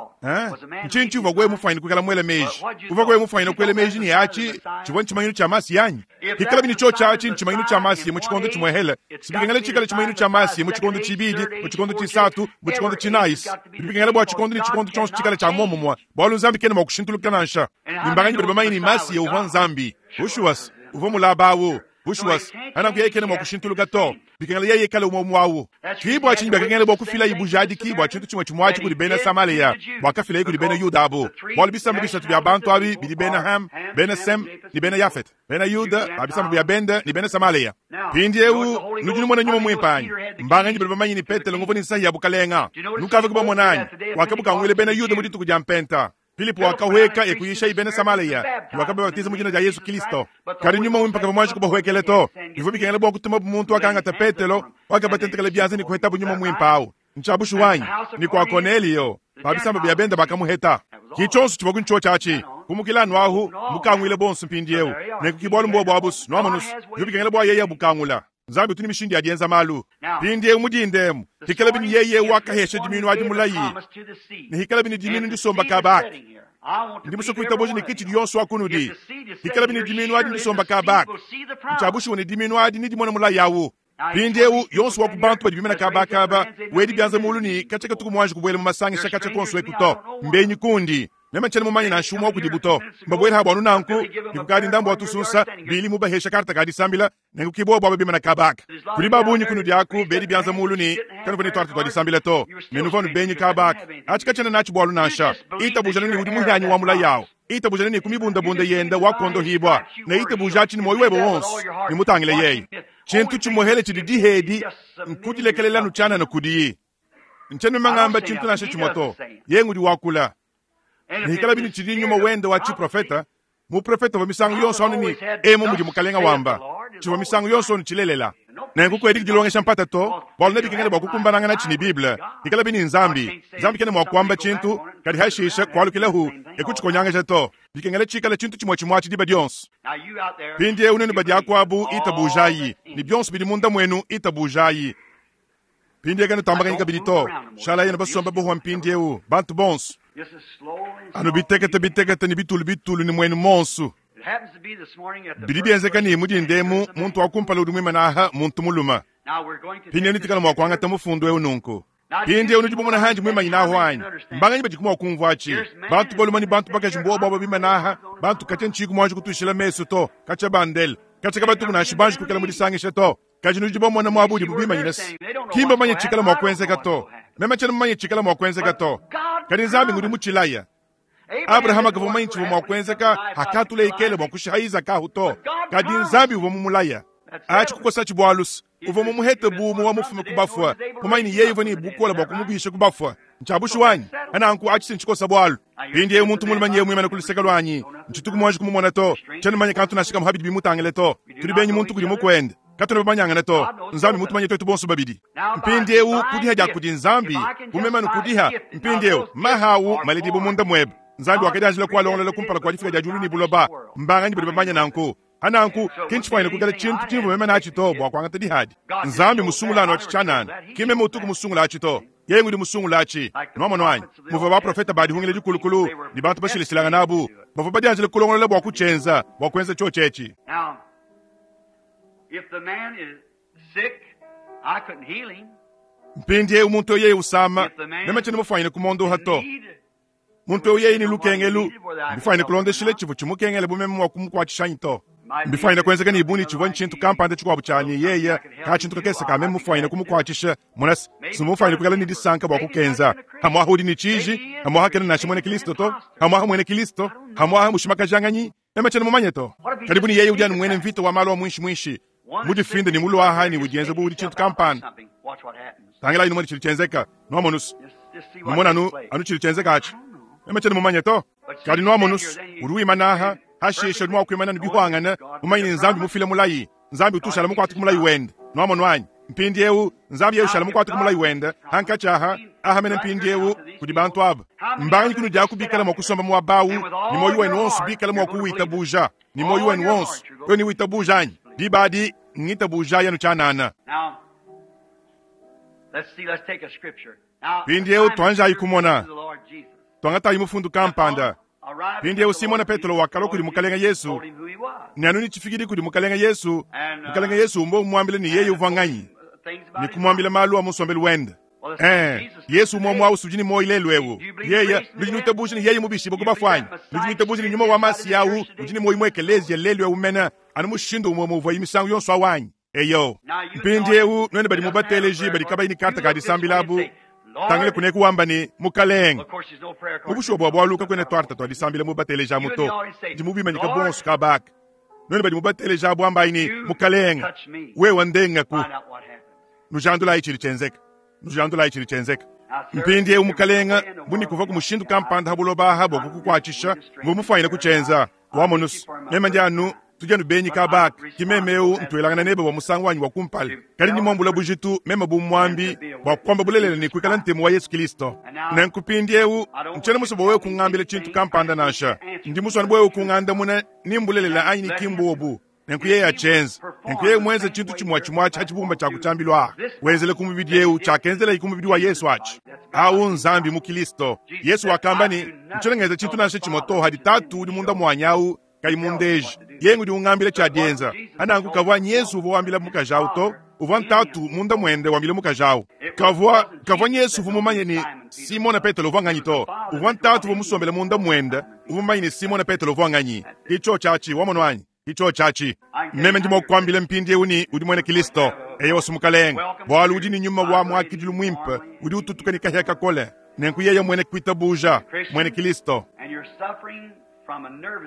B: Ntshinyi tshiuvua wewe mufuanyine kuikala muele meji? Uvua wewe mufuanyine kuela meji ne atshi tshivua ntshimanyinu tshia Masiya anyi? Hikalabi ne tshiotshi atshi ntshimanyinu tshia Masiya mu tshikondo tshimuehele, sibikengela tshikale tshimanyinu tshia Masiya mu tshikondo tshibidi, mu tshikondo tshisatu, mu tshikondo tshinayi. Bidi bikengela bua tshikondo ne tshikondo tshionso tshikale tshia muomumue, bualu Nzambi kena mua kushintuluka nansha. Ne mbanganyi badi bamanye ne Masiya uvua Nzambi? Bushuwa, uvua mulaba au. Bushuwa, nanku yeye kena mua kushintuluka to. Bikengela yeye ikale umue umue au. Ki bua tshinyi biakakengela bua kufilayi bujadiki bua tshintu tshimue tshimue atshi kudi bena Samalea buakafilaye kudi bena Yuda abu, bualu bisamba bisatu bia bantu abi bidi bena Ham, bena Sem ne bena Yafete, bena Yuda ba bisamba bia bende ne bena Samalea. Mpindieu nudi numona nyuma muimpe anyi? Mbanganyi badi bamanye ne Petelo nguvua ne nsahi ya bukalenga? Nukavua kubamona anyi? Wakabukanguila bena Yuda mu dituku dia Mpenta. Filipo wakahueka e kuyishaye bena Samalea ne wakababatiza mu dina dia Yezu Kristo. Kadi nyuma muimpe kavua muanji kubahuekela to. Bivua bikengela bua kutumabu muntu wakangata Petelo, wakabatentekela bianza ne kuhetabu nyuma muimpe au. Ntshia bushuwa anyi? Ne kua Konelio, ba bisamba bia bende bakamuheta. Ki tshionso tshivua ku ntshiotshi atshi. Kumukila anu ahu, mukanguile bonso mpindieu. Nenku ki bualu mbuobu abu's, nuamonu's, bivua bikengela bua yeye abukangula. Nzambi utu ne mishindu ya dienza malu. Mpindieu mu dinda emu, hikalabi ne yeye wakahesha diminu adi mulayi, ne hikalabi ne diminu ndisomba kaba aka, ndi musue kuitabuja ne kitshidi yonso wa kunudi, hikalabi ne diminu adi ndisomba kaba aka, ntshia bushuwa ne diminu adi nedimone mulayi awu. Mpindieu yonso wa ku bantu badi bimana kaba aka aba, wedi bianza mulu ne katshia katuku muanji kubuela mu masangisha katshia konso eku to. Mbenyi kundi. Meme tshiena mumanye nansha umue wa kudibu to. Mbabuele abu anu nanku, ne kukadi ndambu wa tusunsa, Billy mubahesha karte ka disambila, nenku ki bobu aba bimana kaba aka. Kudi ba bungi kunudi aku bedi bianza mulu ne kanuvua ne tuarte tua disambila to, ne nuvua anu benyi kaba aka. Atshi katshiena natshi bualu nansha. Itabujanu ne udi muhianyi wa mulayi awu. Itabujanu ne ku mibundabunda yenda wakondohibua, ne itabuja atshi ne muoyo webe wonso, ne mutangile yeye. Tshintu tshimuehele tshidi dihedi nkudilekelela anu tshianana kudiyi. Ntshiena meme ngamba tshintu nansha tshimue to, yeye ngudi wakula. Ne hikalabi ne tshidi nyuma wende wa tshiprofeta, muprofeta uvua misangu yonso anu ne emu mudi Mukalenga wamba, tshivua misangu yonso anu tshilelela. Nenku kuediki dilongesha mpata to, bualu nebikengele bua kukumbananganatshi ne Bible. Hikalabi ne Nzambi, Nzambi kena mua kuamba tshintu, kadi hashisha kualukilahu e kutshikonyangaja to. Bikengela tshikale tshintu tshimue tshimue atshi diba dionso. Mpindieu nuenu badi akuabu, itabujayi, ne bionso bidi munda muenu, itabujayi. Mpindieu kanutambakanyi kabidi to. Shalayi anu basombe buhuwa mpindieu, bantu bonso. Anu bitekete bitekete ne bitulu bitulu ne muenu monso. Bidi bienzeka ne mu dinda emu muntu wa kumpala udi muimane aha muntu mulume. Mpindieu netuikale mua kuangata mufundu eu nunku. Mpindieu nudi bumona handi muimanyine ahu anyi? Mbanganyi badiku mua kumvua atshi? Bantu balume ne bantu bakaji mbuobu aba bimane aha, bantu katshia ntshiyiku muanji kutuishila mesu to, katshia bandele, katshia kabatuku nansha banji kuikala mu disangisha to. Kadi nudi bamona muaba udibu bimanyine se, ki mbamanye tshikala mua kuenzeka to. Meme tshiena mumanye tshikala mua kuenzeka to, kadi Nzambi ngudi mutshilaya. Abrahama kavua mumanye tshivua mua kuenzeka hakatula Ikele bua kushiha Izaka ahu to, kadi Nzambi uvua mumulaya. Atshi kukosatshi bualu se, uvua mumuhete bu umue wa mufume ku bafue, mumanye ne yeye uvua ne bukole bua kumubisha ku bafue. Ntshia bushuwa anyi? Nanku atshi si ntshikosa bualu. Mpindieu muntu mulume nyeye muimane ku luseke luanyi, ntshituku muanji kumumona to, tshiena mumanye kantu nansha kamue pa bidi bimutangile to. Tudi benyi muntu kudi mukuende, katuena bamanyangane to. Nzambi mmutumanye tuetu bonso babidi. Mpindieu ku diha dia kudi Nzambi, bu meme anu kudiha, mpindieu maha au maledibue munda muebe. Nzambi wakadianjila kualongolola kumpala kua difika dia diulu ne buloba. Mbanganyi badi bamanye nanku? Pananku, ki ntshifuanyine kuikala tshintu tshimvua meme natshi to bua kuangata dihadi. Nzambi musungula anu atshi tshianana, ki meme utuku musungula atshi to. Yeye ngudi musungula atshi. Nuamonu anyi? Muvua baprofete ba dihungila dikulukulu ne bantu bashilashilangane abu, bavua badianjile kulongolola bua kutshienza, bua kuenza tshiotshi etshi. Mpindieu muntu eu yeye usama, meme tshiena mufuanyine kumondoha to. Muntu eu yeye ne lukengelu, mbifuanyine kulondeshila tshivua tshimukengele bu meme mua kumukuatshisha anyi to. Mbifwanyine kwenzeka ne buni tshivua ntshintu kampanda tshikuabu tshia ne yeye ka tshintu kakese ka meme mufwanyine kumukuatshisha. Mona se, simufwanyine kuikala ne disanka bua kukenza. Hamwaha udi ne tshiji, hamwaha kena nansha muena Kristo to, hamwaha muena Kristo, hamwaha mushimakajangani, meme tshiena mumanye to. Kadi buni yeye udi anu muena mvita wa malu a muinshi muinshi, mudifinde ne muluaha ne udienza bu udi tshintu kampanda. Tangilayi numone tshidi tshienzeka, nuamonu se, numone anu, anu tshidi tshienzeka atshi. Meme tshiena mumanye to. Kadi nuamonu se, udi wimana aha, hashishe udi mua kuimana ne bihwangana, mumanye ne Nzambi mufile mulayi. Nzambi utu ushala mukuate ku mulayi wende. Nuamonu anyi? Mpindieu, Nzambi yeye ushala mukuate ku mulayi wende, hankatshi aha, aha mene mpindieu, kudi bantu aba. Mbanganyi kunudi aku bikala mua kusomba muaba awu, ne muoyo wenu wonso bikala mua kuwitabuja, ne muoyo wenu wonso, wewe ne witabuja anyi? Diba adi, ngitabujayi anu tshianana. Mpindieu tuanjayi kumona. Tuangatayi mufundu kampanda. Mpindieu Simona Petelo wakalua kudi Mukalenge Yesu, ne anu ne tshifikidi kudi Mukalenge Yesu, Mukalenge Yesu umvua umuambila ne yeye uvua nganyi, ne kumuambila malu a mu nsombelu wende. Ee, Yesu umue umue au udi ne muoyo lelu eu. Yeye, nudi nuitabuja ne yeye mubishibue ku bafue anyi? Nudi nuitabuja ne nyuma wa Masiya au udi ne muoyo mu ekeleziya lelu eu mene, anu mushindu umue umue uvuaye misangu yonso au anyi? Eyo. Mpindieu, nuenu badi mu bateleji badi kabayi ne karte ka disambila abu, tangila kuneku wamba ne, Mukalenge. Mu bushuwa bua bualu kakuena tuarte tua disambila mu bateleji amu to. Ndi mubimanyika bonso kaba aka. Nuenu badi mu bateleji abu ambayi ne, Mukalenge, wewe ndengaku. Nujandulayi tshidi tshienzeka. Nujandulayi tshidi tshienzeka. Mpindieu, Mukalenge, bu ne kuvuaku mushindu kampanda ha buloba aha bua kukukuatshisha, mvua mufuanyine kutshienza. Wamonus, meme ndi anu tudi anu benyi kaba aka, ki meme eu ntuelangana nebe bua musangu wanyi wa kumpala, kadi ndi muambula bujitu meme bu muambi bua kuamba bulelela ne kuikala ntemu wa Yesu Kristo. Nenku mpindieu ntshiena musue bua wewe kungambila tshintu kampanda nansha. Ndi musue anu bua wewe kungandamuna ni mbulelela anyi ni ki mbuobu. Nenku yeye atshienze. Nenku yeye muenze tshintu tshimue tshimue atshi ha tshibumba tshia ku tshiambilu aha, wenzele ku mubidi eu tshiakenzelaye ku mubidi wa Yesu atshi. Au Nzambi mu Kilisto. Yesu wakamba ne, Ntshiena ngenza tshintu nansha tshimue to hadi Tatu udi munda muanyi au kayi mundeje. Yeye ngudi ungambila tshia dienza. Ananku kavua Yesu uvua wambila mukaji au to, uvua Ntatu munda muende wambila mukaji au. Kavua, kavua Yesu uvua mumanye ne Simona Petelo uvua nganyi to, uvua Ntatu uvua musombele munda muende uvua mumanye ne Simona Petelo uvua nganyi. Ke tshiotshi atshi, wamonu anyi? Ke tshiotshi atshi. Meme ndi mua kukuambila mpindieu ne udi muena Kristo. Eyowa, Mukalenge, bualu udi ne nyuma wa muakidilu muimpe udi ututuka ne kahia kakole. Nenku yeye muena kuitabuja, muena Kristo.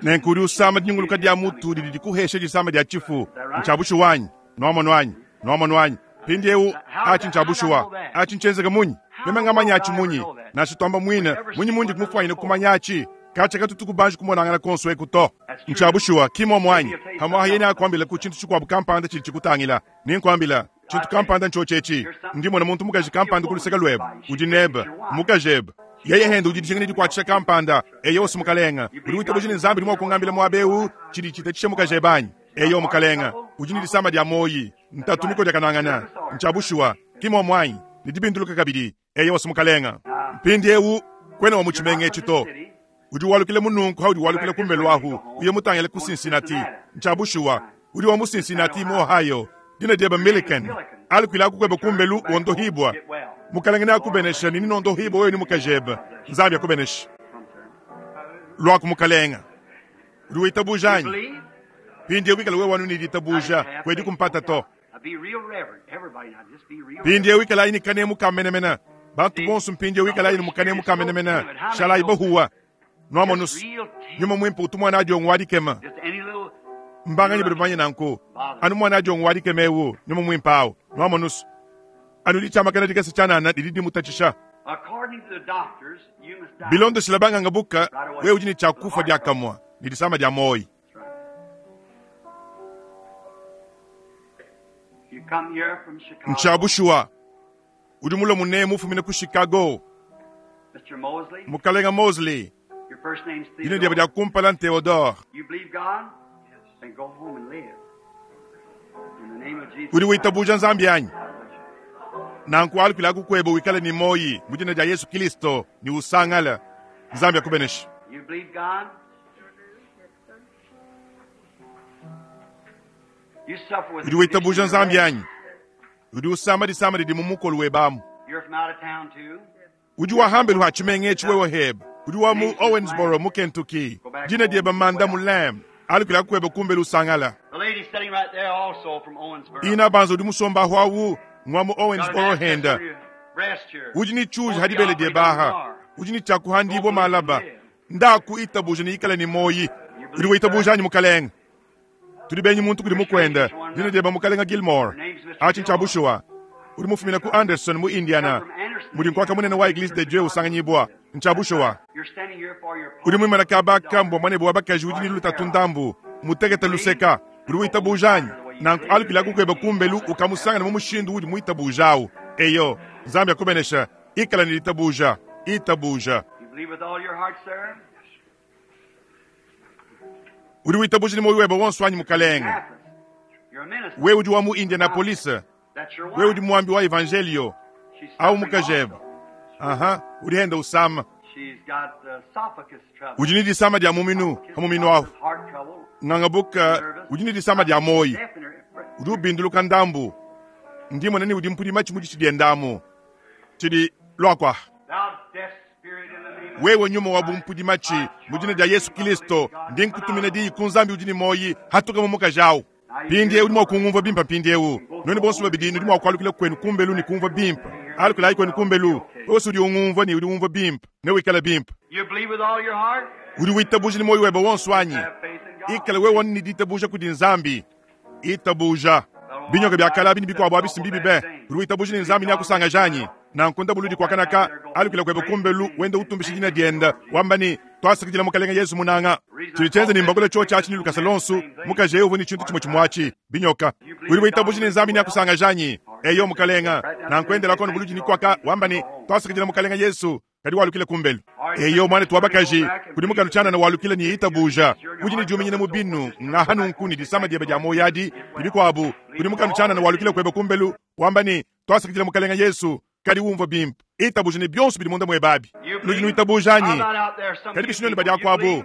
B: Nenku udi usama dinyunguluka dia mutu didi dikuhesha disama dia tshifu. Ntshia bushuwa anyi? Nuamonu anyi? Nuamonu anyi? Mpindieu atshi ntshia bushuwa. Atshi ntshienzeke munyi? Meme ngamanya atshi munyi? Nansha tuamba muine, munyi mundi mufuanyine kumanya atshi? Katshia katutu kubanji kumonangana konso eku to. Ntshia bushuwa, ki mmuomu anyi? Pamu'apa yeye neakuambile ku tshintu tshikuabu kampanda tshidi tshikutangila. Nenkuambila, tshintu kampanda ntshiotshi etshi. Ndi mmona muntu mukaji kampanda ku luseke luebe. Udi nebe. Mmukajebe. Yeye hende udi dijinga ne dikuatshisha kampanda. Eyo, Mukalenge. Udi witabuja ne Nzambi udi mua kungambila muaba eu tshidi tshitatshisha mukajebe anyi? Eyo, Mukalenge. Udi ne disama dia muoyi, ntatu mikodiakanangana. Ntshia bushuwa, ki mmuomu anyi? Ne dibinduluka kabidi. Eyo, Mukalenge. Mpindieu, kuena wa mu tshimenga etshi to. Udi walukila mununku haudi walukila kumbelu ahu, uye mutangile ku Cincinnati. Ntshia bushuwa. Udi wa mu Cincinnati mu Ohio. Dina diebe Milliken. Alukilaku kuebe kumbelu wondohibua. Mukalenge neakubenesha ne ninondohibua wewe ne mukajebe. Nzambi akubeneshe. Luaku Mukalenge. Udi witabuja anyi? Mpindieu wikale wewe anu ne ditabuja, kuedi kumpata to. Mpindieu ikalayi ne kanemu ka menemene. Bantu bonso mpindieu ikalayi ne kanemu ka menemene. Shalayi bahuwa. Nuamonu nyuma muimpe utu muana adiongo wa dikema. Mbanganyi badi bamanye nanku? Anu muana adiongo wa dikema eu, nyuma muimpe au. Nuamonu anu ditshiamakana dikese tshianana didi dimutatshisha. Bilondeshila banganga buka, wewe udi ne tshia kufa diakamue ne disama dia muoyo. Ntshia bushuwa, udi mulue munemu ufumina ku Chicago. Mukalenga Mosley, dina diebe dia kumpala n'Theodore. Udi witabuja Nzambi anyi? Nanku alukilaku kuebe wikale ne muoyi mu dina dia Yesu Kristo ne usangale. Nzambi akubeneshe. Udi witabuja Nzambi anyi? Udi usama disama didi mu mukolo webe amu. Udi wa hambelu ha tshimenga etshi wewe hebe. Udi wa mu Owensboro mu Kentucky. Dina diebe Manda Mulam. Alukila kuebe kumbelu usangala. Ina banza udi musomba awu ngwa mu Owensboro henda. Udi ni chuji hadibele die baha. Udi ni chakuhandibwa malaba. Ndaku itabuja ni ikala ni moyi. Udi witabuja ni mukalenga. Tudi benyi muntu kudi mukwenda. Dina dieba mukalenga Gilmore. Achi nchabushuwa. Udi mufumina ku Anderson mu Indiana. Mudi nkwaka munene wa Eglise de Dieu usanganyibwa. Nchabushuwa. Udi mwimana kabaka mbwa mwane bwa bakaji udi ni lutatu ndambu. Mutegete luseka. Udi witabujanyi. Nanku alukila kukweba kumbelu ukamusangana mu mushindu udi muitabujawu. Eyo, Nzambi akubenesha. Ikala ni litabuja. Itabuja. Udi witabuja ni moyo webe wonso wanyi mukalenga. Wewe udi wa mu Indianapolis. Wewe udi muambi wa evangelio. Au mukajeba. Aha, udi henda usama. Udi ni disama dia muminu, hamuminu ahu. Ngangabuka, udi ni disama dia moyi. Udi ubinduluka ndambu. Ndi mwana ni udi mpudi machi mudi chidi ndamu. Chidi lwakwa. Wewe nyuma wa bumpudi machi mujina dia Yesu Kristo ndi nkutumina di kunzambi udi ni moyi hatuka mumuka jawu. Pindi udi mwa kungumva bimpa pindi eu. Noni bonso babidi nudi mwa kwalukila kwenu kumbelu ni kumva bimpa. Alukila kwenu kumbelu. Wewe udi ungumva ni udi umva bimpa. Ne wikala bimpa. Udi witabuja ni moyi webe wonso wanyi. Ikala wewe ni ditabuja kudi Nzambi. Itabuja. Binyoka bya kalabi ni bikwabo abisimbi bibe. Udi witabuja ni Nzambi ni akusanga janyi. Na nkunda buludi kwa kanaka alukila kwebe kumbelu wenda utumbisha jina dienda wambani twasakidila mukalenga Yesu munanga chilichenze ni mbagula cho chachi ni lukasa lonsu mukaje uvu ni chintu chimwe chimwachi binyoka uli witabuji ni Nzambi ni akusanga janyi eyo mukalenga na nkwendela kono buludi ni kwaka wambani twasakidila mukalenga Yesu kadi walukile kumbelu eyo mwana twabakaji kudi mukanu chana na walukile ni itabuja kuji ni juminyine mubinu ngahanu nkuni disama diebe dia moyadi ibikwabu kudi mukanu chana na walukile kwebe kumbelu wambani twasakidila mukalenga Yesu kadi umva bimpa itabuja ni byonso bidi munda mwebabi nudi nuitabujanyi kadi bishinoni badi akwabo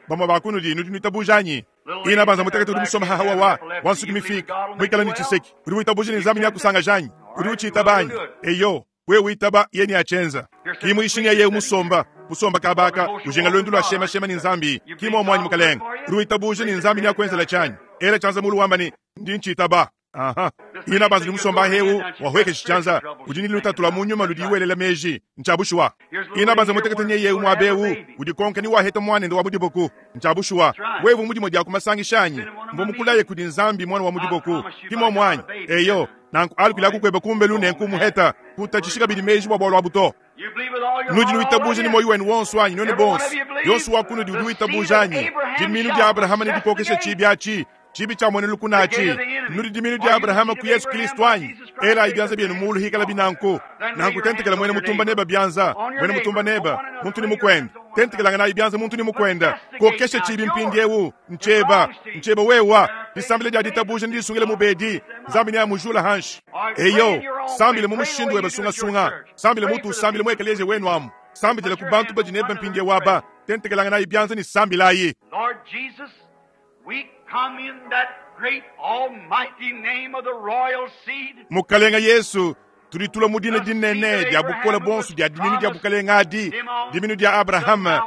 B: bamwe bakunudi nudi nuitabujanyi ina banza mutakati udi musoma hahawa wa wansuki mifika mwikala ni chiseki udi witabuja ni nzambi ni akusanga janyi udi uchiitabanyi eyo wewe uitaba yeni achenza kimu ishinga ye musomba musomba kabaka ujenga lwendu lwa shema shema ni nzambi kimu omwanyi mukalenga udi witabuja ni nzambi ni akwenzela chanyi era chanza mulu wamba ni ndi nchiitaba. Aha. Ina banza musomba heu wahweke chichanza udi ni lutatula munyuma ludi iwelela meji nchabushwa. Ina banza mutekete nye yeu mwabeu udi konka ni waheta mwana ndo wamudiboku nchabushwa. Wewe mudimo dia kumasangishanyi mbo mukulaye kudi Nzambi mwana wa mudiboku kimo mwanyi eyo nanku alukila kukweba kumbelu nenku muheta kutachishika bidi meji bwa bwalwa buto. Nudi nuitabuja ni moyo wenu wonso wanyi none bonso yonso wakunudi udi uitabujanyi diminu dia Abrahama ni dikokesha chibi chibi cha mwene lukunachi nudi diminu dia Abrahama ku Yesu Kristo wanyi ela ibyanza byenu mulu hikala binanku nanku tentekela mwene mutumba neba byanza mwene mutumba neba muntu ni mukwenda tentekela ngana ibyanza muntu ni mukwenda kokesha chibi mpindi eu ncheba ncheba wewa disambile dia ditabuja ndi sungile mubedi Nzambi ni amujula hanshi eyo sambile mumushindu weba sunga sunga sambile mutu sambile mwekeleze wenu amu sambile kubantu bajineba mpindi waba tentekela ngana ibyanza ni sambilayi.
A: Lord Jesus, we come in that great almighty name of the royal seed.
B: Mukalenga Yesu tulitula mudina dinene dia bukola bonso dia diminu dia bukalenga adi diminu dia Abrahama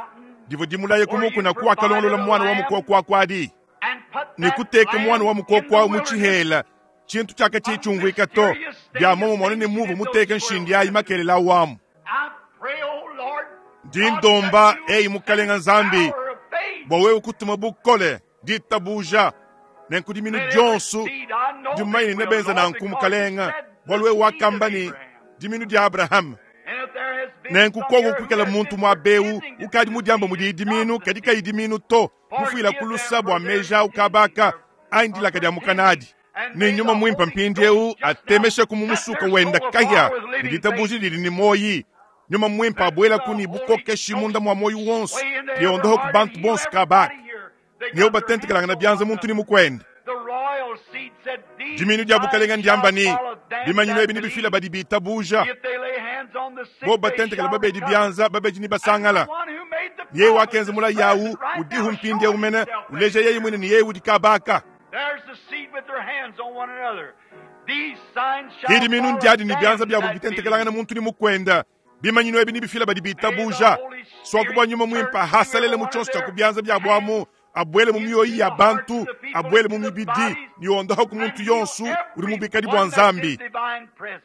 B: divo dimulaye kumuku na kuakalongolola mwana wa mukokwa kwadi nikuteka mwana wa mukokwa muchihela chintu chaka chichungwika to dia momo mwana ni muvu muteke nshindi ayi makelela wamu dindomba eyi mukalenga Nzambi bwa wewe kutuma bukole ditabuja nenkudiminu dyonso dimaini nebenza nanku mukalenga bwalu wewe wakamba ni diminu dia Abraham nenkukongo kwikala muntu mwabeu ukadi mudiamba mudi diminu kadi kayi diminu to mufuila kulusa bwa meja ukabaka aindilaka dia mukanadi ni nyuma mwimpa mpindi eu atemesha kumumusuka wenda kahya niditabuji lili ni moyi nyuma mwimpa abwela kuni bukokeshi munda mwa moyi wonso liondoho ku bantu bonso kabaka niyo batentekelanga na byanza muntu ni mukwenda diminu dia bukalenga ndiamba ni bimanyino ebi ni bifila badi bitabuja bo batentekela babedi byanza babedi ni basangala ye wakenza mula yawu udihu mpindi umene uleja yeye mwene ni yeye udikabaka hidi minu ndiadi ni byanza byabo bitentekelanga na muntu ni mukwenda bimanyino ebi ni bifila badi bitabuja swakubwa nyuma mwimpa hasalele mu chonso cha kubyanza byabwamu Abuele mu mioyo ya bantu, abuele mu mibidi, ne ondoha ku muntu yonso udi mu bikadi bua Nzambi.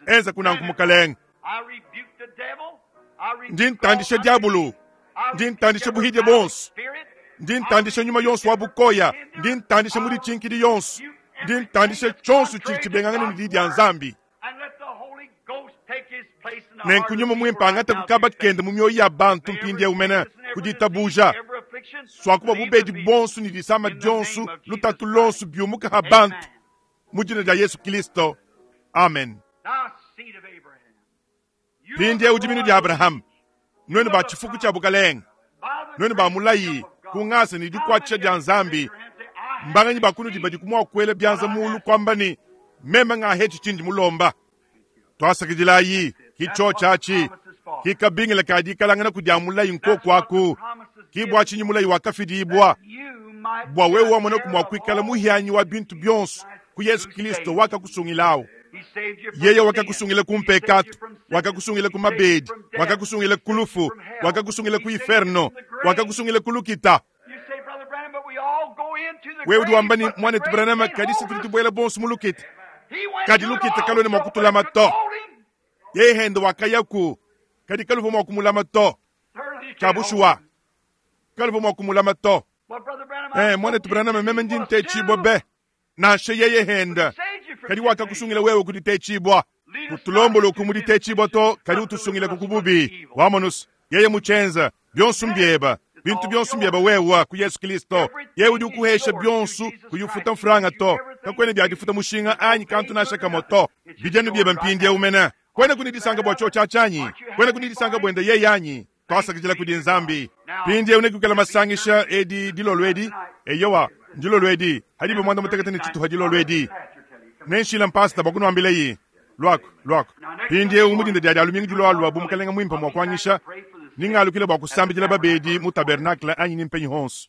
B: Enza kunanku Mukalenge. Ndi ntandisha diabulu, ndi ntandisha buhidie bonso, ndi ntandisha nyuma yonso wa bukoya, ndi ntandisha mudi tshinkidi yonso, ndi ntandisha tshionso tshidi tshibengangana ne di dia Nzambi. Nenku nyuma muimpe angate kukaba kende mu mioyo ya bantu mpindieu mene ku ditabuja, swakuba bubedi bonso ne disama dionso, lutatu lonso biumuka ha bantu mu dina dia Yesu Kristo. Amen. Mpindieu diminu dia Abraham, nuenu ba tshifuku tshia bukalenge, nuenu ba mulayi ku ngasa ne dikuatshisha dia Nzambi, mbanganyi ba kunudi badi kumua kuela bianza mulu kuamba ne meme ngahetshi tshindi mulomba. Twasakidilayi ki tshotshatshi ki kabingila ka dikalangana kudia mulayi nkokuaku ki bua tshinyi mulayi wakafidibua bua wewe wamona kumua kuikala muhianyi wa bintu bionso ku Yesu Kristo wakakusungilawo. Yeye wakakusungila ku mpekatu, wakakusungila ku mabedi, wakakusungila ku lufu, wakakusungila ku inferno, wakakusungila ku lukita. Wewe udi wamba ne mwanetu Branham kadi se tudi tubuela bonso mu lukita, kadi lukita kaluena mua kutulama to. Yeye hende wakayaku, kadi kaluvua mua kumulama to. Tshia kaluvua mua kumulama to. Mwanetu Branham meme ndi ntetshibua be nansha yeye henda, kadi wakakusungila wewe kuditetshibua. Kutulombolo kumuditechibwa to, kadi utusungila kukububi. Wamonus yeye muchenza byonso mbyeba, bintu byonso mbyeba wewa ku Yesu Kristo. Yeye udi ukuhesha byonso kuyufuta mfranga to, kakwene byadifuta mushinga anyi kantu nasha kamo to. Bijanu byeba mpindi umena kwene kunidisanga bwa cho chachanyi, kwene kunidisanga bwenda yeye anyi. Twasakidila kudi Nzambi. Pindi unekukela masangisha edi dilolo edi, eyowa ndilolo edi hadibe mwanda mutekete ne tshituha dilolo edi. Nenshila mpasta bakunuambila yi lwako lwako. Pindi umudinda dia alumingi dilwalwa bu mukalenga mwimpa mwa kuanyisha, ningalukile bua kusambidila babedi mu tabernacle anyi nimpenyi honso.